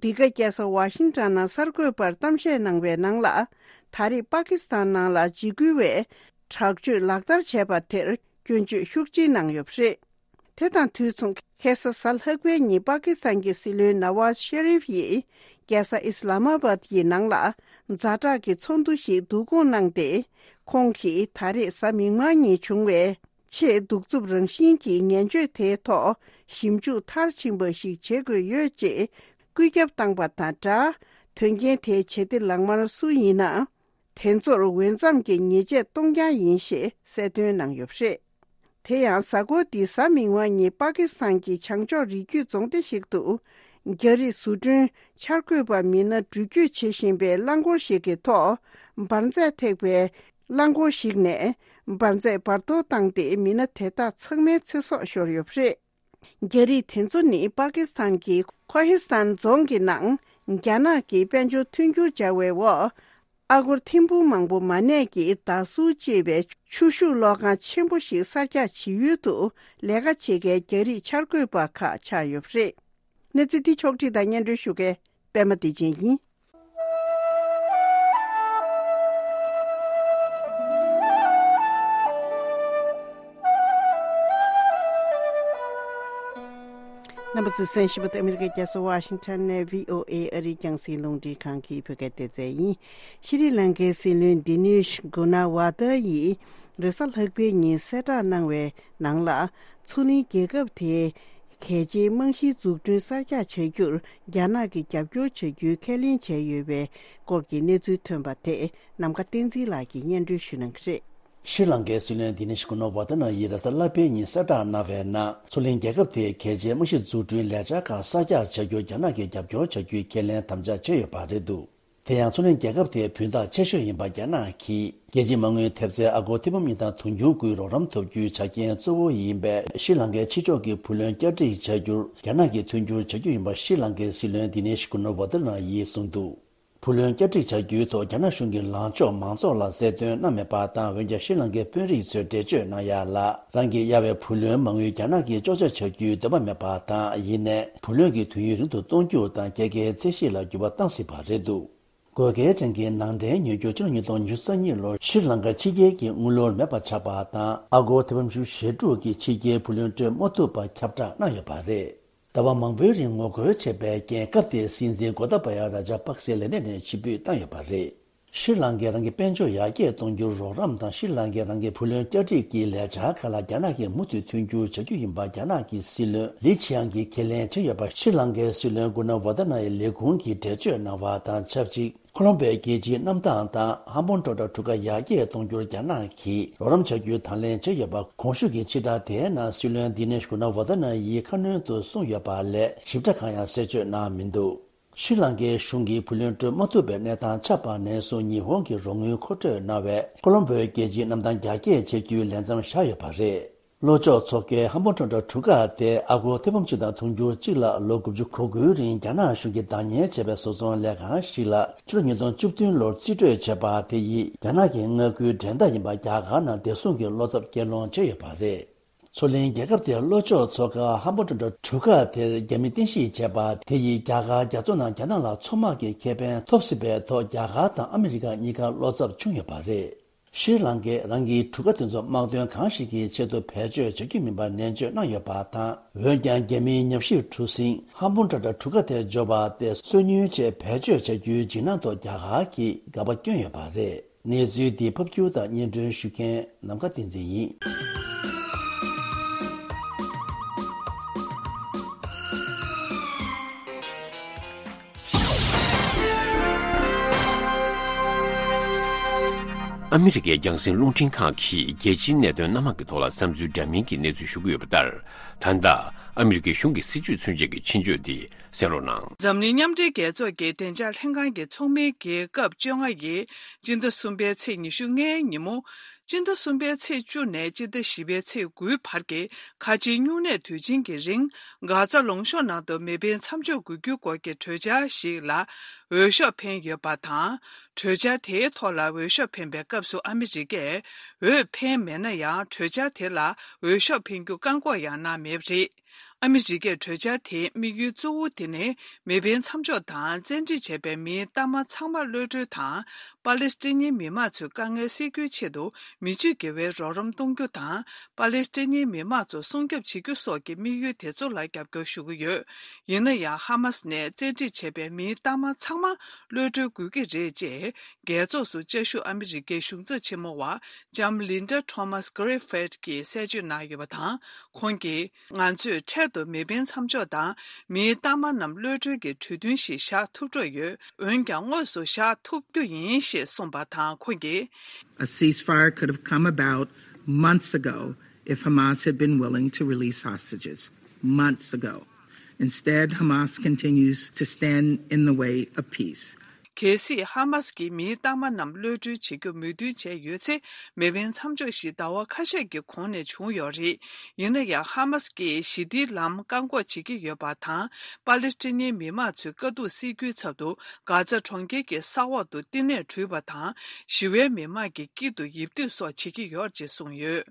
འདི་ག་རྒྱལ་ས་ཝ་ཤིང་ཊོན་ནང་གསར་འགོད་པར་གཏམ་བཤད་གནང་བའི་ནང་ལ། ད་རེས་པ་ཀི་སི་ཐན་ནང་ལ་འཇིགས་སྐུལ་བས་དྲག་སྤྱོད་ལག་བསྟར་བྱས་པ་དེར་སྐྱོན་བརྗོད་ཤུགས་ཆེ་གནང་ཡོད་པ་རེད། དེ་དང་དུས་མཚུངས། ཁ་སང་གཟའ་ལྷག་པའི་ཉིན་པ་ཀི་སི་ཐན་གྱི་སྲིད་བློན་ནཱ་ཝཱཟ་ཤ་རིཕ་ཡིས་རྒྱལ་ས་ཨི་སི་ལ་མ་བཱད་ཀྱི་ནང་ལ་ཛ་དྲག་གི་ཚོགས་འདུ་ཞིག་བསྡུ་སྐོང་གནང་སྟེ། ཁོང་གིས་ད་རེས་གཟའ་མིག་དམར་ཉིན་བྱུང་བའི་ཆེས་གདུག་རྩུབ་རང་བཞིན་གྱི་ངན་སྤྱོད་དེའི་ཐོག་ཞིབ་འཇུག་མཐར་ཕྱིན་པ་ཞིག་བྱེད་དགོས་ཡོད་ཅེས་བཀོད་ཁྱབ་བཏང་པ་དང་སྦྲགས། དོན་རྐྱེན་དེའི་བྱེད་གཏེ་ལག་དམར་སུ་ཡིན་ན། དེ་ཚོར་འོས་འཚམ་གྱི་ཉེས་ཆད་གཏོང་རྐྱང་ཡིན་ཞེས་གསལ་སྟོན་གནང་ཡོད་པ་རེད། དེ་ཡང་གཟའ་འཁོར་འདིའི་གཟའ་མིག་དམར་ཉིན་པ་ཀི་སི་ཐན་གྱི་བྱང་ཕྱོགས་རི་རྒྱུད་རྫོང་སྡེ་ཞིག་ཏུ། རྒྱ་རིགས་བཟོ་སྐྲུན་འཆར་འགོད་པ་མི་སྣ་འགྲུལ་སྐྱོད་བྱེད་བཞིན་པའི་རླངས་འཁོར་ཞིག་གི་ཐོག་འབར་རྫས་ཐེག་པའི་རླངས་འཁོར་ཞིག་ནས་འབར་རྫས་འབར་གཏོར་བཏང་སྟེ་མི་སྣ་དེ་དག་ཚང་མའི་ཚེ་སྲོག་ཤོར་ཡོད་པ་རེད། རྒྱ་རིགས་དེ་ཚོ་ནི་པ་ཀི་སི་ཐན་གྱི་ཁོ་ཧི་སི་ཐན་རྫོང་གི་ནང་རྒྱ་ནག་གི་དཔལ་འབྱོར་མཐུན་འགྱུར་སྦྱར་བའི་འོག་ཨ་སྒོར་ཐེར་འབུམ་མང་པོ་མ་གནས་ཀྱི་ད་སུའུ་ཅེས་པའི་ཆུ་ཤུགས་གློག་ཁང་ཆེན་པོ་ཞིག་གསར་རྒྱག་བྱེད་ཡུལ་དུ་ལས་ཀ་བྱེད་མཁན་རྒྱ་རིགས་འཆར་འགོད་པ་ཁག་ཆགས་ཡོད་པ་རེད། གནས་ཚུལ་འདི་ཕྱོགས་བསྒྲིགས་དང་སྙན་སྒྲོན་ཞུ་མཁན་པད་མ་བདེ་ཆེན་ཡིན། རྣམ་པ་ཚོས་གསན་བཞིན་པ་དེ་ཨ་མི་རི་ཀའི་རྒྱལ་ས་ཝ་ཤིང་ཊོན་ནས་བྷི་ཨོ་ཨེ་ཨ་རིའི་རྒྱང་སྲིང་རླུང་འཕྲིན་ཁང་གི་བོད་སྐད་སྡེ་ཚན་ཡིན། ཤྲི་ལང་ཀའི་སྲིད་བློན་ལྡི་ནེ་ཤ་གུ་ན་ཝ་ཏཱ་ཡིས་རེས་གཟའ་ལྷག་པའི་ཉིན་གསལ་བསྒྲགས་གནང་བའི་ནང་ལ། མཚོ་གླིང་རྒྱལ་ཁབ་དེའི་གལ་ཆེའི་རྨང་གཞིའི་འཛུགས་སྐྲུན་གསར་རྒྱག་བྱ་རྒྱུར་རྒྱ་ནག་གིས་རྒྱབ་སྐྱོར་བྱ་རྒྱུའི་ཁས་ལེན་བྱས་ཡོད་པའི་སྐོར་གྱི་གནས་ཚུལ་ཐོན་པ་དེ་ནམ་མཁའ་བསྟན་འཛིན་ལགས་ཀྱིས་སྙན་སྒྲོན་ཞུ་གནང་གི་རེད། ཤྲི་ལང་ཀའི་སྲིད་བློན་ལྡི་ནེ་ཤ་གུ་ན་ཝ་ཏཱ་ན་ཡིས་རེས་གཟའ་ལྷག་པའི་ཉིན་གསལ་བསྒྲགས་གནང་བའི་ནང་། མཚོ་གླིང་རྒྱལ་ཁབ་དེའི་གལ་ཆེའི་རྨང་གཞི་འཛུགས་སྐྲུན་ལས་འཆར་ཁག་གསར་རྒྱག་བྱ་རྒྱུར་རྒྱ་ནག་གིས་རྒྱབ་སྐྱོར་བྱ་རྒྱུའི་ཁས་ལེན་དམ་བཅའ་བྱས་ཡོད་པ་རེད་འདུག་དེ་ཡང་མཚོ་གླིང་རྒྱལ་ཁབ་དེའི་བུན་བདག་ཆེ་ཤོས་ཡིན་པ་རྒྱ་ནག་གིས་རྒྱལ་སྤྱིའི་མ་དངུལ་ཐེབས་རྩའི་ཨ་སྒོར་ཐེར་འབུམ་གཉིས་དང་དུང་ཕྱུར་དགུའི་རོགས་རམ་ཐོབ་རྒྱུའི་ཆ་རྐྱེན་གཙོ་བོ་ཡིན་པས། ཤྲི་ལང་ཀའི་ཕྱི་ཕྱོགས་ཀྱི་བུ་ལོན་བསྐྱར་སྒྲིག་བྱ་རྒྱུར་རྒྱ་ནག་གིས་མཐུན་འགྱུར་བྱ་རྒྱུ་ཡིན་པ་ཤྲི་ལང་ཀའི་སྲིད་བློན་ལྡི་ནེ་ཤ་གུ་ན་ཝ་ཏཱ་ན་ཡིས་གསུངས་འདུག་བུ་ལོན་བསྐྱར་སྒྲིག་བྱ་རྒྱུའི་ཐོག་རྒྱ་ནག་གཞུང་གི་ལངས་ཕྱོགས་མང་ཚོགས་ལ་གསལ་སྟོན་གནང་མེད་པ་དང་། འོན་ཀྱང་ཤྲི་ལང་ཀའི་དཔོན་རིགས་ཚོས་འགྲེལ་བརྗོད་གནང་ཡ་ལ། རང་གི་གཡར་བའི་བུ་ལོན་མ་དངུལ་རྒྱ་ནག་གིས་གཅོག་ཆ་བྱ་རྒྱུའི་འདོད་པ་མེད་པ་དང་། ཡིན་ནའི་བུ་ལོན་གྱི་དུས་ཡུན་རིང་དུ་གཏོང་རྒྱུ་དང་། རྒྱལ་ཁའི་ཚད་གཞི་ལ་འགྱུར་བ་བཏང་སྲིད་པ་རེད་འདུག་དགོས་གལ་ཅན་གྱི་ནང་འདྲེན་ཉོ་རྒྱུ་ཕྱི་ལོ་ཉིས་སྟོང་ཉི་ཤུ་རྩ་གཉིས་ལོར་ཤྲི་ལང་ཀའི་ཕྱི་རྒྱལ་གྱི་དངུལ་ལོར་མེད་པ་ཆགས་པ་དང་། ཨ་སྒོར་ཐེར་འབུམ་བཞི་བཅུ་ཞེ་དྲུག་གི་ཕྱི་རྒྱལ་བུ་ལོན་སྤྲོད་མ་ཐུབ་པ་ཁྱབ་བསྒྲགས་གནང་ཡོད་པ་རེད། ཟླ་བ་མང་པོའི་རིང་ངོ་རྒོལ་བྱས་པའི་རྐྱེན། སྐབས་དེའི་སྲིད་འཛིན་གོ་ཏཱ་པ་ཡ་ར་ཇ་པག་སེ་ལས་གནས་ནས་ཕྱིར་འབུད་བཏང་ཡོད་པ་རེད། ཤྲི་ལང་ཀས་རང་གི་དཔལ་འབྱོར་ཡར་རྒྱས་གཏོང་རྒྱུར་རོགས་རམ་དང་། ཤྲི་ལང་ཀས་རང་གི་བུ་ལོན་བསྐྱར་སྒྲིག་གི་ལས་འཆར་ཁག་ལ་རྒྱ་ནག་གིས་མུ་མཐུད་མཐུན་འགྱུར་བྱ་རྒྱུ་ཡིན་པ་རྒྱ་ནག་གི་སྲིད་བློན་ལི་ཆི་ཡང་གིས་ཁས་ལེན་བྱས་ཡོད་པ། ཤྲི་ལང་ཀའི་སྲིད་བློན་གུ་ན་ཝ་ཏ་ན་ཡི་ལས་ཁུངས་ཀྱིས་འགྲེལ་བརྗོད་གནང་བ་དང་ཆབས་ཅིག་ཁོ་ལོམ་བྷོའི་རྒྱལ་སྤྱིའི་གནམ་ཐང་དང་ཧམ་ཕོན་ཊོ་ཊ་གྲུ་ཁ་ཡར་རྒྱས་གཏོང་རྒྱུར་རྒྱ་ནག་གིས་རོགས་རམ་བྱ་རྒྱུའི་དང་ལེན་བྱས་ཡོད་པ། གོང་ཞུས་ཀྱི་ཕྱིར་བསྒྲགས་དེའི་ནང་སྲིད་བློན་དི་ནེཤ་གུ་ན་ཝ་ཏ་ན་ཡིས་ཁ་སྣོན་དུ་གསུངས་ཡོད་པ་ལས་ཞིབ་ཕྲ་གང་ཡང་གསལ་བརྗོད་གནང་མི་འདུག་ཤྲི་ལང་ཀའི་གཞུང་གིས་བུ་ལོན་སྤྲོད་མ་ཐུབ་པའི་གནས་སྟངས་ཆགས་པ་ནས་བཟུང་ཉི་ཧོང་གིས་རོགས་དངུལ་མཁོ་སྤྲོད་གནང་བའི་ཁོ་ལོམ་བྷོའི་རྒྱལ་སྤྱིའི་གནམ་ཐང་རྒྱ་སྐྱེད་བྱེད་རྒྱུའི་ལས་མཚམས་བཞག་ཡོད་པ་རེད། ལྷོ་ཕྱོགས་མཚོ་ཁའི་ཧམ་ཕོན་ཊོ་ཊ་གྲུ་ཁ་དེ་ཨ་སྒོར་ཐེར་འབུམ་གཅིག་དང་དུང་ཕྱུར་གཅིག་ལ་ལོ་དགུ་བཅུ་གོ་དགུའི་རིང་རྒྱ་ནག་གཞུང་གིས་བདག་གཉེར་བྱས་པའི་བཟོ་ཚོང་ལས་ཁང་ཞིག་ལ། ཕྱི་ལོ་ཉིས་སྟོང་བཅུ་བདུན་ལོར་རྩིས་སྤྲོད་བྱས་པ་དེ་ཡིས་རྒྱ་ནག་གི་མངའ་ཁུལ་འགྲན་ཟླ་ཡིན་པ་རྒྱ་གར་ནང་བདེ་སྲུང་གི་བློ་འཚབ་སྐྱེད་སློང་བྱས་ཡོད་པ་རེད། མཚོ་གླིང་རྒྱལ་ཁབ་དེའི་ལྷོ་ཕྱོགས་མཚོ་ཁ་ཧམ་ཕོན་ཊོ་ཊ་གྲུ་ཁ་དེར་རྒྱ་མི་རྟེན་གཞི་བྱས་པ་དེ་ཡིས་རྒྱ་གར་རྒྱ་མཚོ་ནང་རྒྱ་ནག་ལ་མཚོ་དམག་གི་ཁེ་ཕན་ཐོབ་སྲིད་པའི་ཐོག་རྒྱ་གར་དང་ཨ་མི་རི་ཀ་གཉིས་ཀར་བློ་འཚབ་བྱུང་ཡོད་པ་རེད། ཤྲི་ལང་ཀས་རང་གི་གྲུ་ཁ་དེ་ཚོ་དམག་དོན་གང་ཞིག་གི་ཆེད་དུ་བེད་སྤྱོད་བྱ་རྒྱུ་མིན་པར་ནན་བརྗོད་གནང་ཡོད་པ་དང་། འོན་ཀྱང་རྒྱ་མིའི་ཉམས་ཞིབ་གྲུ་གཟིངས་ཧམ་ཕོན་ཊོ་ཊ་གྲུ་ཁ་དེར་འབྱོར་བ་དེ་སོ་ཉུལ་ཆེད་བེད་སྤྱོད་བྱ་རྒྱུའི་འཇིགས་སྣང་ཐོག་རྒྱ་གར་གྱིས་དགག་པ་བསྐྱོན་ཡོད་པ་རེད། གནས་ཚུལ་འདི་ཕབ་སྒྱུར་དང་སྙན་སྒྲོན་ཞུ་མཁན་ནམ་མཁའ་བསྟན་འཛིན་ཡིན། ཨ་མི་རི་ཀའི་རྒྱང་སྲིང་རླུང་འཕྲིན་ཁང་གིས་རྒྱལ་སྤྱིའི་གནད་དོན་སྣ་མང་གི་ཐོག་ལ་བསམ་ཚུལ་འདྲ་མིན་གྱི་གནས་ཚུལ་ཞུ་གི་ཡོད་པ་ལྟར། ད་ལྟ་ཨ་མི་རི་ཀའི་གཞུང་གི་སྲིད་བྱུས་མཚོན་བྱེད་ཀྱི་ཆེད་བརྗོད་འདི་གསན་རོགས་གནང་། འཛམ་གླིང་མཉམ་འབྲེལ་རྒྱལ་ཚོགས་ཀྱི་བདེ་འཇགས་ལྷན་ཁང་གི་ཚོགས་མིའི་རྒྱལ་ཁབ་བཅོ་ལྔ་ཡིས་སྤྱི་ཟླ་གསུམ་པའི་ཚེས་ཉི་ཤུ་ལྔའི་ཉིན་མོ། སྤྱི་ཟླ་གསུམ་པའི་ཚེས་བཅུ་ནས་སྤྱི་ཟླ་བཞི་པའི་ཚེས་དགུའི་བར་གྱི་ཁ་ཆེའི་སྨྱུང་གནས་དུས་ཆེན་གྱི་རིང་། གྷ་ཛ་ལུང་གཤོང་ནང་དུ་མེ་འཕེན་མཚམས་འཇོག་དགོས་རྒྱུའི་སྐོར་གྱི་གྲོས་འཆར་ཞིག་ལ་འོས་ཤོག་འཕེན་ཡོད་པ་དང་། གྲོས་འཆར་དེའི་ཐོག་ལ་འོས་ཤོག་འཕེན་པའི་སྐབས་སུ་ཨ་མི་རི་ཀས་འོས་འཕེན་མེད་ན་ཡང་། གྲོས་འཆར་དེ་ལ་འོས་ཤོག་འཕེན་རྒྱུ་བཀག་འགོག་ཡང་གནང་མེད་པ་རེད། ཨ་མི་རི་ཀས་གྲོས་འཆར་དེའི་དམིགས་ཡུལ་གཙོ་བོ་དེ་ནི། མེ་འཕེན་མཚམས་འཇོག་དང་བཙན་ཁྲིད་བྱས་པའི་མིའི་གཏའ་མ་ཚང་མ་གློད་གྲོལ་དང་། པ་ལེ་སི་ཐན་མི་མང་ཚོའི་དཀའ་ངལ་སེལ་རྒྱུའི་ཆེད་དུ། མི་ཆོས་དགེ་བའི་རོགས་རམ་གཏོང་རྒྱུ་དང་། པ་ལེ་སི་ཐན་མི་མང་ཚོ་སྲུང་སྐྱོབ་བྱེད་རྒྱུ་སོགས་ཀྱི་དམིགས་ཡུལ་དེ་ཚོ་ལ་རྒྱབ་སྐྱོར་ཞུ་གི་ཡོད། ཡིན་ན་ཡང་། ཧ་མ་སི་ནས་བཙན་ཁྲིད་བྱས་པའི་མིའི་གཏའ་མ་ཚང་མ་གློད་གྲོལ་དགོས་ཀྱི་རེད་ཅེས། རྒྱལ་ཚོགས་སུ་བཅའ་བཞུགས་ཨ་མི་རི་ཀའི་གཞུང་ཚབ་ཆེན་མོ་བ་ལྕམ་ལིན་ཌ་ཐོ་མཱ་སི་གྷི་རི་ཕིད་ཀྱིས་གསལ་བརྗོད་གནང་ཡོད་པ་དང་། ཁོང་གིས། ང་ཚོས་འཕྲལ་དུ་མེ་འཕེན་མཚམས་འཇོག་དང་མིའི་གཏའ་མ་རྣམས་གློད་གྲོལ་གྱི་གྲོས་མཐུན་ཞིག་བཞག་ཐུབ་འགྲོ་ཡོད། འོན་ཀྱང་དངོས་སུ་བཞག་ཐུབ་རྒྱུ་ཡིན་ཞེས་གསུངས་པ་དང་། ཁོང་གིས། A ceasefire could have come about months ago if Hamas had been willing to release hostages. Months ago. Instead, Hamas continues to stand in the way of peace. གལ་སྲིད་ཧ་མ་སི་ཀྱིས་མིའི་གཏའ་མ་རྣམས་གློད་གྲོལ་བྱེད་རྒྱུར་མོས་མཐུན་བྱས་ཡོད་ཚེ། མེ་འཕེན་མཚམས་འཇོག་ཞིག་ཟླ་བ་ཁ་ཤས་ཀྱི་གོང་ནས་བྱུང་ཡོད་རེད། ཡིན་ན་ཡང་། ཧ་མ་སི་ཀྱིས་ཞི་བདེའི་ལམ་བཀག་འགོག་བྱེད་ཀྱི་ཡོད་པ་དང་། པ་ལེ་སི་ཐན་མི་མང་ཚོའི་དཀའ་སྡུག་སེལ་རྒྱུའི་ཚབ་ཏུ། གྷ་ཛ་གྲོང་ཁྱེར་གྱི་ས་འོག་ཏུ་བསྟི་གནས་གྲུས་པ་དང་། ཞི་བའི་མི་མང་གི་དཀྱིལ་དུ་ཡིབ་སྡོད་སོགས་བྱེད་ཀྱི་ཡོད་ཅེས་གསུངས་ཡོད།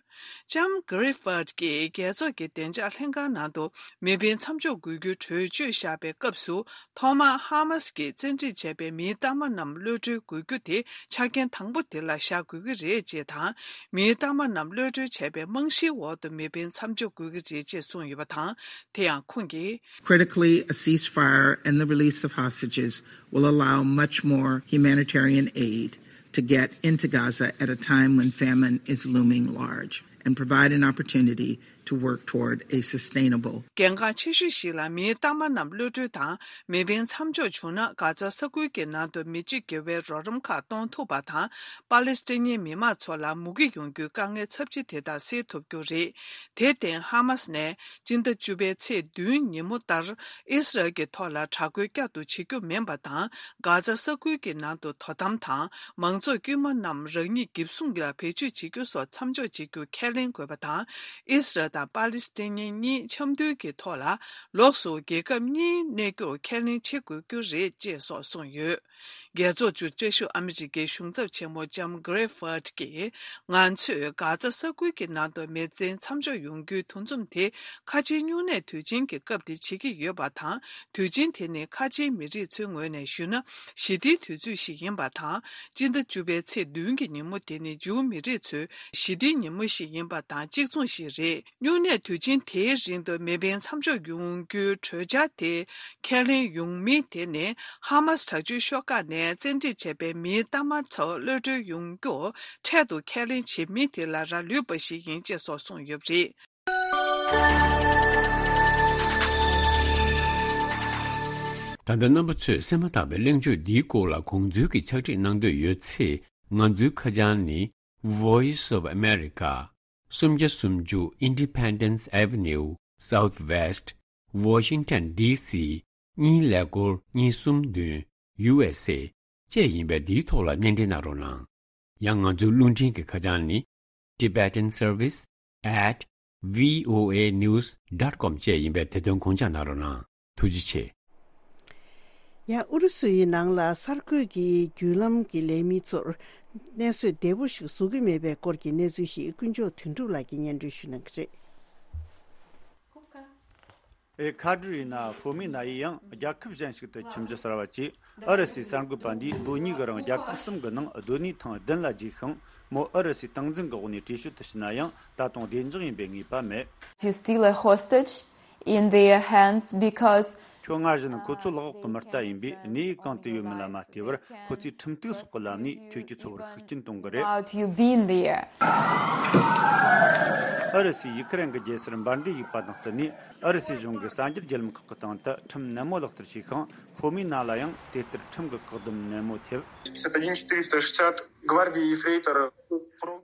ལྕམ་གྷི་རི་ཕིད་ཀྱིས་རྒྱལ་ཚོགས་ཀྱི་བདེ་འཇགས་ལྷན་ཁང་ནང་དུ་མེ་འཕེན་མཚམས་འཇོག་དགོས་རྒྱུའི་གྲོས་ཆོད་བཞག་པའི་སྐབས་སུ། ཐོག་མར་ཧ་མ་སི་ཀྱིས་བཙན་ཁྲིད་བྱས་པའི་མིའི་གཏའ་མ་རྣམས་གློད་གྲོལ་དགོས་རྒྱུ་དེ་ཆ་རྐྱེན་དང་པོ་དེ་ལ་བཞག་དགོས་ཀྱི་རེད་ཅེས་དང་། མིའི་གཏའ་མ་རྣམས་གློད་གྲོལ་བྱས་པའི་རྨང་གཞིའི་འོག་ཏུ་མེ་འཕེན་མཚམས་འཇོག་དགོས་ཀྱི་རེད་ཅེས་གསུངས་ཡོད་པ་དང་། དེ་ཡང་ཁོང་གིས། Critically, a ceasefire and the release of hostages will allow much more humanitarian aid to get into Gaza at a time when famine is looming large and provide an opportunity to work toward a sustainable. གལ་འགངས་ཆེ་ཤོས་ཤིག་ལ་མིའི་གཏའ་མ་རྣམས་གློད་གྲོལ་དང་མེ་འཕེན་མཚམས་འཇོག་བྱུང་ན། གྷ་ཛ་ས་ཁུལ་གྱི་ནང་དུ་མི་སྤྱི་དགེ་བའི་རོགས་རམ་ཁག་གཏོང་ཐུབ་པ་དང་། པ་ལེ་སི་ཐན་མི་མང་ཚོ་ལ་མུ་གེ་ཡོང་རྒྱུའི་དཀའ་ངལ་ཚབས་ཆེ་དེ་དག་སེལ་ཐུབ་རྒྱུ་རེད། དེར་བརྟེན། ཧ་མ་སི་ནས་སྤྱི་ཟླ་བཅུ་པའི་ཚེས་བདུན་ཉིན་མོ་ལྟར་ཨིས་རལ་གྱི་ཐོག་ལ་དྲག་རྒོལ་བསྐྱར་དུ་བྱེད་རྒྱུ་མིན་པ་དང་། གྷ་ཛ་ས་ཁུལ་གྱི་ནང་དུ་དོ་དམ་དང་། མང་ཚོགས་དཀྱུས་མ་རྣམས་རང་ཉིད་འགེབས་སྲུང་ལ་བེད་སྤྱོད་བྱེད་རྒྱུ་སོགས་མཚམས་འཇོག་བྱེད་རྒྱུ་ཁས་ལེན་དགོས་པ་དང་། ཨིས་རལ་དང་པ་ལི་སི་ཐན་གཉིས་འཆམ་མཐུན་གྱི་ཐོག་ལ་ལོགས་སུ་རྒྱལ་ཁབ་གཉིས་གནས་རྒྱུར་ཁས་ལེན་བྱེད་དགོས་རྒྱུ་རེད་ཅེས་སོགས་གསུངས་ཡོད། རྒྱལ་ཚོགས་ཀྱི་བཀྲ་ཤིས་ཨ་མི་རི་ཀའི་གཞུང་ཚབ་ཆེན་མོ་ལྕམ་Gray Ford་གྱིས། ང་ཚོས་གྷ་ཛ་ས་ཁུལ་གྱི་ནང་དུ་མེ་འཛིན་མཚམས་འཇོག་ཡོང་རྒྱུའི་འདུ་འཛོམས་དེ་ཁ་ཆེའི་སྨྱུང་གནས་དུས་ཆེན་གྱི་སྐབས་དེ་བྱེད་ཀྱི་ཡོད་པ་དང་། དུས་ཆེན་དེ་ནི་ཁ་ཆེའི་མི་རིགས་ཚོའི་ངོས་ནས་ཞུས་ན་ཞི་བདེའི་དུས་ཚོད་ཞིག་ཡིན་པ་དང་། སྤྱི་ཟླ་བཅུ་པའི་ཚེས་བདུན་གྱི་ཉིན་མོ་དེ་ནི་ཇུའུ་མི་རིགས་ཚོའི་ཞི་བདེའི་ཉིན་མོ་ཞིག་ཡིན་པ་དང་གཅིག་མཚུངས་ཤིག་རེད། སྨྱུང་གནས་དུས་ཆེན་དེའི་རིང་དུ་མེ་འཕེན་མཚམས་འཇོག་ཡོང་རྒྱུའི་གྲོས་འཆར་དེ་ཁས་ལེན་ཡོང་མིན་དེ་ནི་ཧ་མ་སི་དྲག་སྤྱོད་ཤོག་ཁག་ནས་བཙན་ཁྲིད་བྱས་པའི་མིའི་གཏའ་མ་ཚོ་གློད་གྲོལ་ཡོང་རྒྱུ་འཕྲལ་དུ་ཁས་ལེན་བྱེད་མིན་དེ་ལ་རག་ལུས་པ་ཞིག་ཡིན་ཅེས་སོགས་གསུངས་ཡོད་པ་རེད། ད་ལྟ་རྣམ་པ་ཚོས་གསན་མ་ཐག་པའི་གླེང་བརྗོད་འདིའི་སྐོར་ལ་དགོངས་ཚུལ་གྱི་ཕྱག་བྲིས་གནང་འདོད་ཡོད་ཚེ། ང་ཚོའི་ཁ་བྱང་ནི། Voice of America། སུམ་བརྒྱ་སུམ་ཅུ་Independence Avenue Southwest Washington D C གཉིས་ཀླད་ཀོར་གཉིས་གསུམ་བདུན། U S A བཅས་ཡིན་པས་འདིའི་ཐོག་ལ་སྣེ་འདྲེན་གནང་རོགས་གནང་། ཡང་ང་ཚོའི་རླུང་འཕྲིན་གྱི་ཁ་བྱང་ནི། Tibetan Service at V O A news dot com བཅས་ཡིན་པས་དེ་དོན་དགོངས་འཇགས་གནང་རོགས་གནང་། ཐུགས་རྗེ་ཆེ། ཡང་ཨུ་རུ་སུ་ཡི་ནང་ལ་གསར་འགོད་ཀྱི་བརྒྱུད་ལམ་གྱི་ལས་མི་ཚོར་གནས་ཚུལ་བདེ་པོ་ཞིག་བཟོ་གི་མེད་པའི་སྐོར་གྱི་གནས་ཚུལ་ཞིག་དཀོན་མཆོག་དོན་གྲུབ་ལགས་ཀྱིས་སྙན་སྒྲོན་ཞུ་གནང་གི་རེད། ཨེ་ཁ་ཏྲི་ན་ཧྥོ་མི་ན་ཡི་ཡང་རྒྱལ་ཁབ་གཞན་ཞིག་ཏུ་ཁྱིམ་གཞི་གསར་བ་བཅས། ཨུ་རུ་སུའི་གསར་འགོད་པ་འདིས་ལོ་གཉིས་ཀྱི་རིང་རྒྱལ་ཁབ་གསུམ་གྱི་ནང་སྡོད་གནས་ཐེངས་བདུན་ལ་བརྗེས་ཤིང་། མོ་ཨུ་རུ་སུའི་སྟངས་འཛིན་གྱི་འོག་ནས་བྲོས་བྱོལ་དུ་ཕྱིན་ན་ཡང་ད་དུང་བདེ་འཇགས་ཡིན་པའི་ངེས་པ་མེད། You're still a hostage in their hands because ཁྱོད་སྔར་བཞིན་ཁོ་ཚོའི་ལག་འོག་གི་མི་རྟ་ཡིན་པས། གནས་ཡུལ་གང་དུ་ཡོད་མིན་ལ་མ་ལྟོས་པར་ཁོ་ཚོས་ཁྲིམས་གཏུག་སོགས་ཀྱི་ལམ་ནས་ཁྱོད་ཀྱི་འཚོ་བར་ཤུགས་རྐྱེན་གཏོང་གི་རེད། About you being there. ཨུ་རུ་སུས་ཡུ་ཁི་རན་གྱི་རྒྱལ་སར་འབར་མདེལ་གཡུགས་པ་དང་བསྟུན་ནས། ཨུ་རུ་སུའི་གཞུང་གིས་གསར་འགྱུར་བརྒྱུད་ལམ་ཁག་གི་སྟེང་དུ་ཁྲིམས་ནན་མོ་ལག་བསྟར་བྱས་ཤིང་། ཧྥོ་མི་ན་ལ་ཡང་དེ་ལྟར་ཁྲིམས་ཀྱི་བཀག་སྡོམ་ནན་མོ་ཐེབས། Пятьдесят один четыреста шестьдесят гвардии ефрейтора.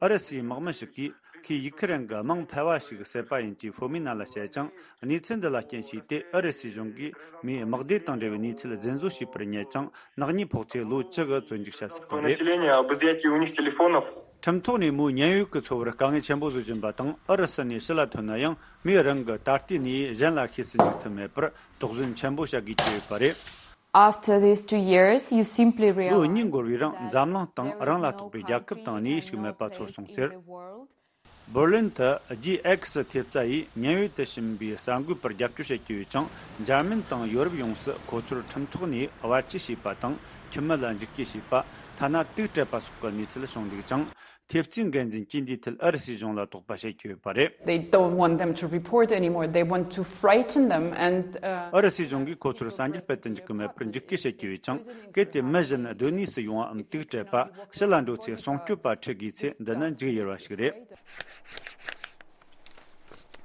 ཨུ་རུ་སུའི་དམག་མི་ཞིག་གིས་ཁོས་ཡུ་ཁི་རན་གྱི་དམངས་ཕལ་བ་ཞིག་བསད་པ་ཡིན་ཅེས་ཧྥོ་མི་ན་ལ་བཤད་ཅིང་། གནས་ཚུལ་འདི་ལ་རྐྱེན་བྱས་ཏེ་ཨུ་རུ་སུའི་གཞུང་གིས་མོའི་དམག་སྡེ་དང་འབྲེལ་བའི་གནས་ཚུལ་རྫུན་བཟོ་བྱས་པར་བསྙད་ཅིང་། ནག་ཉེས་ཕོག་ཚེ་ལོ་བཅུ་གི་བཙོན་འཇུག་བྱ་སྲིད་པ་རེད། Населения об изъятии у них телефонов. ཁྲིམས་ཐོག་ནས་མོའི་ཉེན་གཡོལ་གྱི་འཚོ་བར་དཀའ་ངལ་ཆེན་པོ་བཟོ་བཞིན་པ་དང་། ཨུ་རུ་སུ་ནས་ཕྱི་ལ་ཐོན་ན་ཡང་མོས་རང་གི་ད་ལྟའི་གནས་གཞན་ལ་ཤེས་སུ་འཇུག་ཐུབ་མེད་པར་དོགས་ཟོན་ཆེན་པོ་བྱ་དགོས་ཀྱི་ཡོད་པ་རེད། After these two years, you simply realize ལོ་གཉིས་འགོར་བའི་རིང་འཛམ་གླིང་སྟེང་རང་ལ་གཏོགས་པའི་རྒྱལ་ཁབ་དང་གནས་ཡུལ་ཞིག་མེད་པ་ཚོར་སོང་ཟེར། འབར་ལིན་དུ་རྗེས་X་ཐེབས་རྩ་ཡིས་ཉེན་གཡོལ་དུ་ཕྱིན་པའི་གསར་འགོད་པར་རྒྱབ་སྐྱོར་བྱེད་ཀྱི་ཡོད་ཅིང་། འཇར་མན་དང་ཡོ་རོབ་ཡོངས་སུ་ཁོ་ཚོར་ཁྲིམས་ཐོག་ནས་བར་ཆད་བྱས་པ་དང་། ཁྱིམ་མི་ལ་འཇིགས་སྐུལ་བྱས་པ། ཐ་ན་དུག་སྤྲད་པ་སོགས་ཀྱི་གནས་ཚུལ་བྱུང་འདུག་ཅིང་། ཐེབས་རྩའི་འགན་འཛིན་གྱིས་འདིའི་ཐད་ཨུ་རུ་སུའི་གཞུང་ལ་དོགས་པ་བྱེད་ཀྱི་ཡོད་པ་རེད། They don't want them to report anymore. They want to frighten them and, uh, ཨུ་རུ་སུའི་གཞུང་གིས་ཁོ་ཚོར་གསར་འགྱུར་སྤེལ་དུ་འཇུག་གི་མེད་པར་འཇིགས་སྐུལ་བྱེད་ཀྱི་ཡོད་ཅིང་། གལ་ཏེ་མི་གཞན་སྡོད་གནས་སུ་ཡོང་བའམ་དུག་སྤྲད་པ། ཕྱི་ལ་འགྲོ་ཚེ་སྲུང་སྐྱོབ་པ་ཁྲིད་དགོས་ཚེ་འདི་ནི་འཇིགས་ཡུལ་བ་ཞིག་རེད།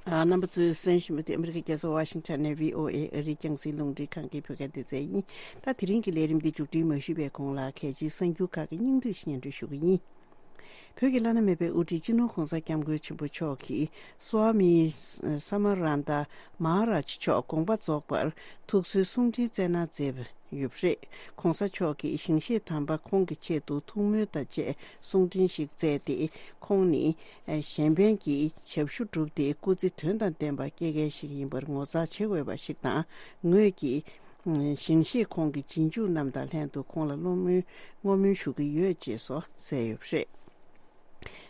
ཨ། རྣམ་པ་ཚོས་གསན་བཞིན་པ་དེ་ཨ་མི་རི་ཀའི་རྒྱལ་ས་ཝ་ཤིང་ཊོན་ནས་བྷི་ཨོ་ཨེ་ཨ་རིའི་རྒྱང་སྲིང་རླུང་འཕྲིན་ཁང་གི་བོད་སྐད་སྡེ་ཚན་ཡིན། ད་དེ་རིང་གི་ལས་རིམ་འདི་མཇུག་སྒྲིལ་མ་ཞུས་པའི་གོང་ལ་གལ་ཆེའི་གསར་འགྱུར་ཁག་གི་སྙིང་བསྡུས་ཤིག་སྙན་སྒྲོན་ཞུ་གི་ཡིན། བོད་ཀྱི་བླ་ན་མེད་པའི་དབུ་ཁྲིད་སྤྱི་ནོར་༧གོང་ས་༧སྐྱབས་མགོན་ཆེན་པོ་མཆོག་གིས་སྭ་མི་ས་མ་ར་ཏ་མ་ཧ་ར་ཇ་མཆོག་དགོངས་པ་རྫོགས་པར་ཐུགས་གསོའི་གསུང་འཕྲིན་སྩལ་གནང་མཛད་ཡོད་པ་རེད། ༧གོང་ས་མཆོག་གིས་ཞིང་གཤེགས་དམ་པ་ཁོང་གི་ཆེད་དུ་ཐུགས་སྨོན་དང་བཅས་གསུང་འཕྲིན་ཞིག་སྩལ་ཏེ། ཁོང་ནི་གཞན་ཕན་གྱི་ཞབས་ཞུ་བསྒྲུབས་ཏེ་སྐུ་ཚེ་དོན་དང་ལྡན་པ་སྐྱེལ་མཁན་ཞིག་ཡིན་པར་ངོ་མཚར་ཆེ་དགོས་པ་ཞིག་དང་། ངོས་ཀྱིས་ཞིང་གཤེགས་ཁོང་གི་རྗེས་འཇུག་རྣམས་དང་ལྷན་དུ་ཁོང་ལ་བསྔོ་སྨོན་བསྔོ་སྨོན་ཞུ་གི་ཡོད་ཅེས་སོགས་གསལ་ཡོད་པ་རེད།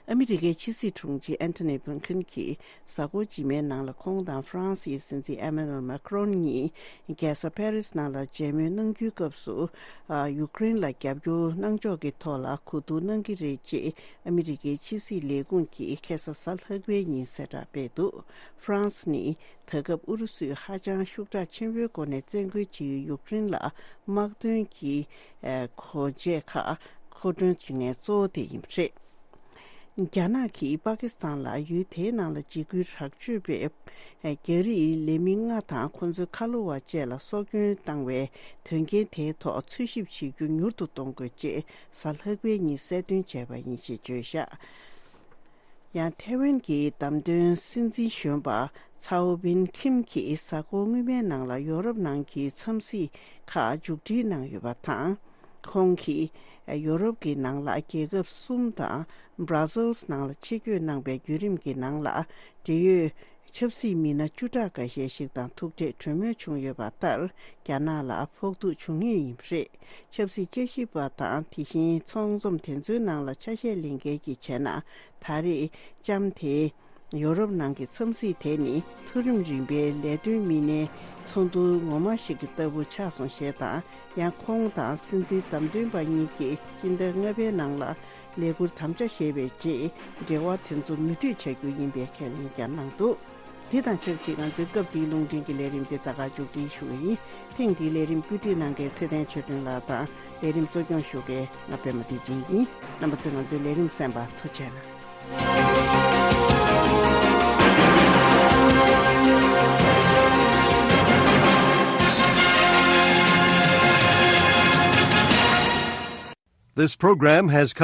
ཨ་མི་རི་ཀའི་ཕྱི་སྲིད་དྲུང་ཆེ་ཨན་ཐོ་ནི་བྷི་ལིན་ཁིན་གྱིས་གཟའ་འཁོར་རྗེས་མའི་ནང་ལ་ཁོང་དང་ཧྥ་རན་སིའི་སྲིད་འཛིན་ཨེ་མེ་ནུ་ཨེལ་མཱ་ཁི་རོན་གཉིས་རྒྱལ་ས་ཕ་རིས་ནང་ལ་མཇལ་མོལ་གནང་རྒྱུའི་སྐབས་སུ། ཨ། ཡུཀ་རེན་ལ་རྒྱབ་སྐྱོར་གནང་ཕྱོགས་ཀྱི་ཐོག་ལ་གོ་བསྡུར་གནང་གི་རེད་ཅེས་ཨ་མི་རི་ཀའི་ཕྱི་སྲིད་ལས་ཁུངས་ཀྱིས་ཁ་སང་གཟའ་ལྷག་པའི་ཉིན་གསལ་བསྒྲགས་སྤེལ་འདུག་ཧྥ་རན་སི་ནི་ད་སྐབས་ཨུ་རུ་སུས་ཧ་ཅང་ཤུགས་དྲག་ཆེན་པོའི་སྒོ་ནས་བཙན་རྒོལ་བྱེད་ཡུལ་ཡུཀ་རེན་ལ་དམག་དོན་གྱི་ཨ་སྒོ་འབྱེད་ཁག་མཁོ་སྤྲོད་བྱེད་མཁན་གཙོ་བོ་དེ་ཡིན་པ་རེད། རྒྱ་ནག་གིས་པ་ཀི་སི་ཐན་ལ་ཡུལ་དེའི་ནང་ལ་འཇིགས་སྐུལ་དྲག་སྤྱོད་པས་རྒྱ་རིགས་ལས་མི་ལྔ་དང་ཁོ་ཚོའི་ཁ་ལོ་བ་བཅས་ལ་སྲོག་སྐྱོན་བཏང་བའི་དོན་རྐྱེན་དེའི་ཐོག་འཚོལ་ཞིབ་བྱེད་རྒྱུ་མྱུར་དུ་གཏོང་དགོས་ཅེས་གཟའ་ལྷག་པའི་ཉིན་གསལ་སྟོན་བྱས་པ་ཡིན་ཞེས་བརྗོད་བཞག་ཡང་ཐའེ་ཝན་གྱི་བདམས་ཐོན་སྲིད་འཛིན་གཞོན་པ་ཚའོ་བིན་ཁིམ་གྱིས་གཟའ་འཁོར་སྔོན་མའི་ནང་ལ་ཡོ་རོབ་ནང་གི་འཚམས་གཟིགས་ཁག་མཇུག་སྒྲིལ་གནང་ཡོད་པ་དང་། ཁོང་གིས་ཡོ་རོབ་ཀྱི་ནང་ལ་རྒྱལ་ཁབ་གསུམ་དང་། Brussels་ནང་ལ་ཆེད་བསྐྱོད་གནང་པའི་བརྒྱུད་རིམ་གྱི་ནང་ལ། འབྲེལ་ཡོད་ ཆབ་སྲིད་མི་སྣ་བཅུ་ཕྲག་འགའ་ཤས་ཤིག་དང་ཐུག་འཕྲད་གྲོས་མོལ་བྱུང་ཡོད་པ་ལྟར། རྒྱ་ནག་ལ་ཕོག་ཐུག་བྱུང་ངེས་ཡིན་པ་རེད། ཆབ་སྲིད་དཔྱད་ཞིབ་པ་དང་དེ་བཞིན་ཚོགས་འཛོམས་དེ་ཚོའི་ནང་ལ་ཆ་ཤས་ལེན་མཁན་གྱིས་བྱས་ན། ད་རེས་ལྕམ་དེ་ཡོ་རོབ་ནང་གི་འཚམས་གཟིགས་དེ་ནི་མཐོ་རིམ་རིམ་པའི་ལས་དོན་མི་སྣའི་ཚོགས་འདུ་ངོ་མ་ཞིག་གི་ལྟ་བུ་ཆགས་སོང་ཞེས་དང་། ཡང་ཁོང་དང་སྲིད་འཛིན་བདམས་ཐོན་པ་གཉིས་ཀྱིས་སྤྱི་ཟླ་ལྔ་པའི་ནང་ལ་ལས་འཁུར་དམ་བཅའ་བཞེས་པའི་རྗེས། འབྲེལ་བ་དེ་ཚོ་མུ་མཐུད་བྱ་རྒྱུ་ཡིན་པའི་ཁས་ལེན་ཀྱང་གནང་འདུག། དེ་དང་ཆབས་ཅིག་ང་ཚོའི་སྐབས་འདིའི་རླུང་འཕྲིན་གྱི་ལས་རིམ་དེ་ད་ག་མཇུག་སྒྲིལ་ཞུ་གི་ཡིན། ཐེངས་འདིའི་ལས་རིམ་བཀོད་སྒྲིག་གནང་མཁན་ཚེ་བརྟན་ཆོས་སྒྲོན་ལགས་དང་། ལས་རིམ་གཙོ་སྐྱོང་ཞུ་མཁན་ང་པད་མ་བདེ་ཆེན་ཡིན། རྣམ་པ་ཚོས་ང་ཚོའི་ལས་རིམ་གསན་པར་ཐུགས་རྗེ་གནང་། This program has come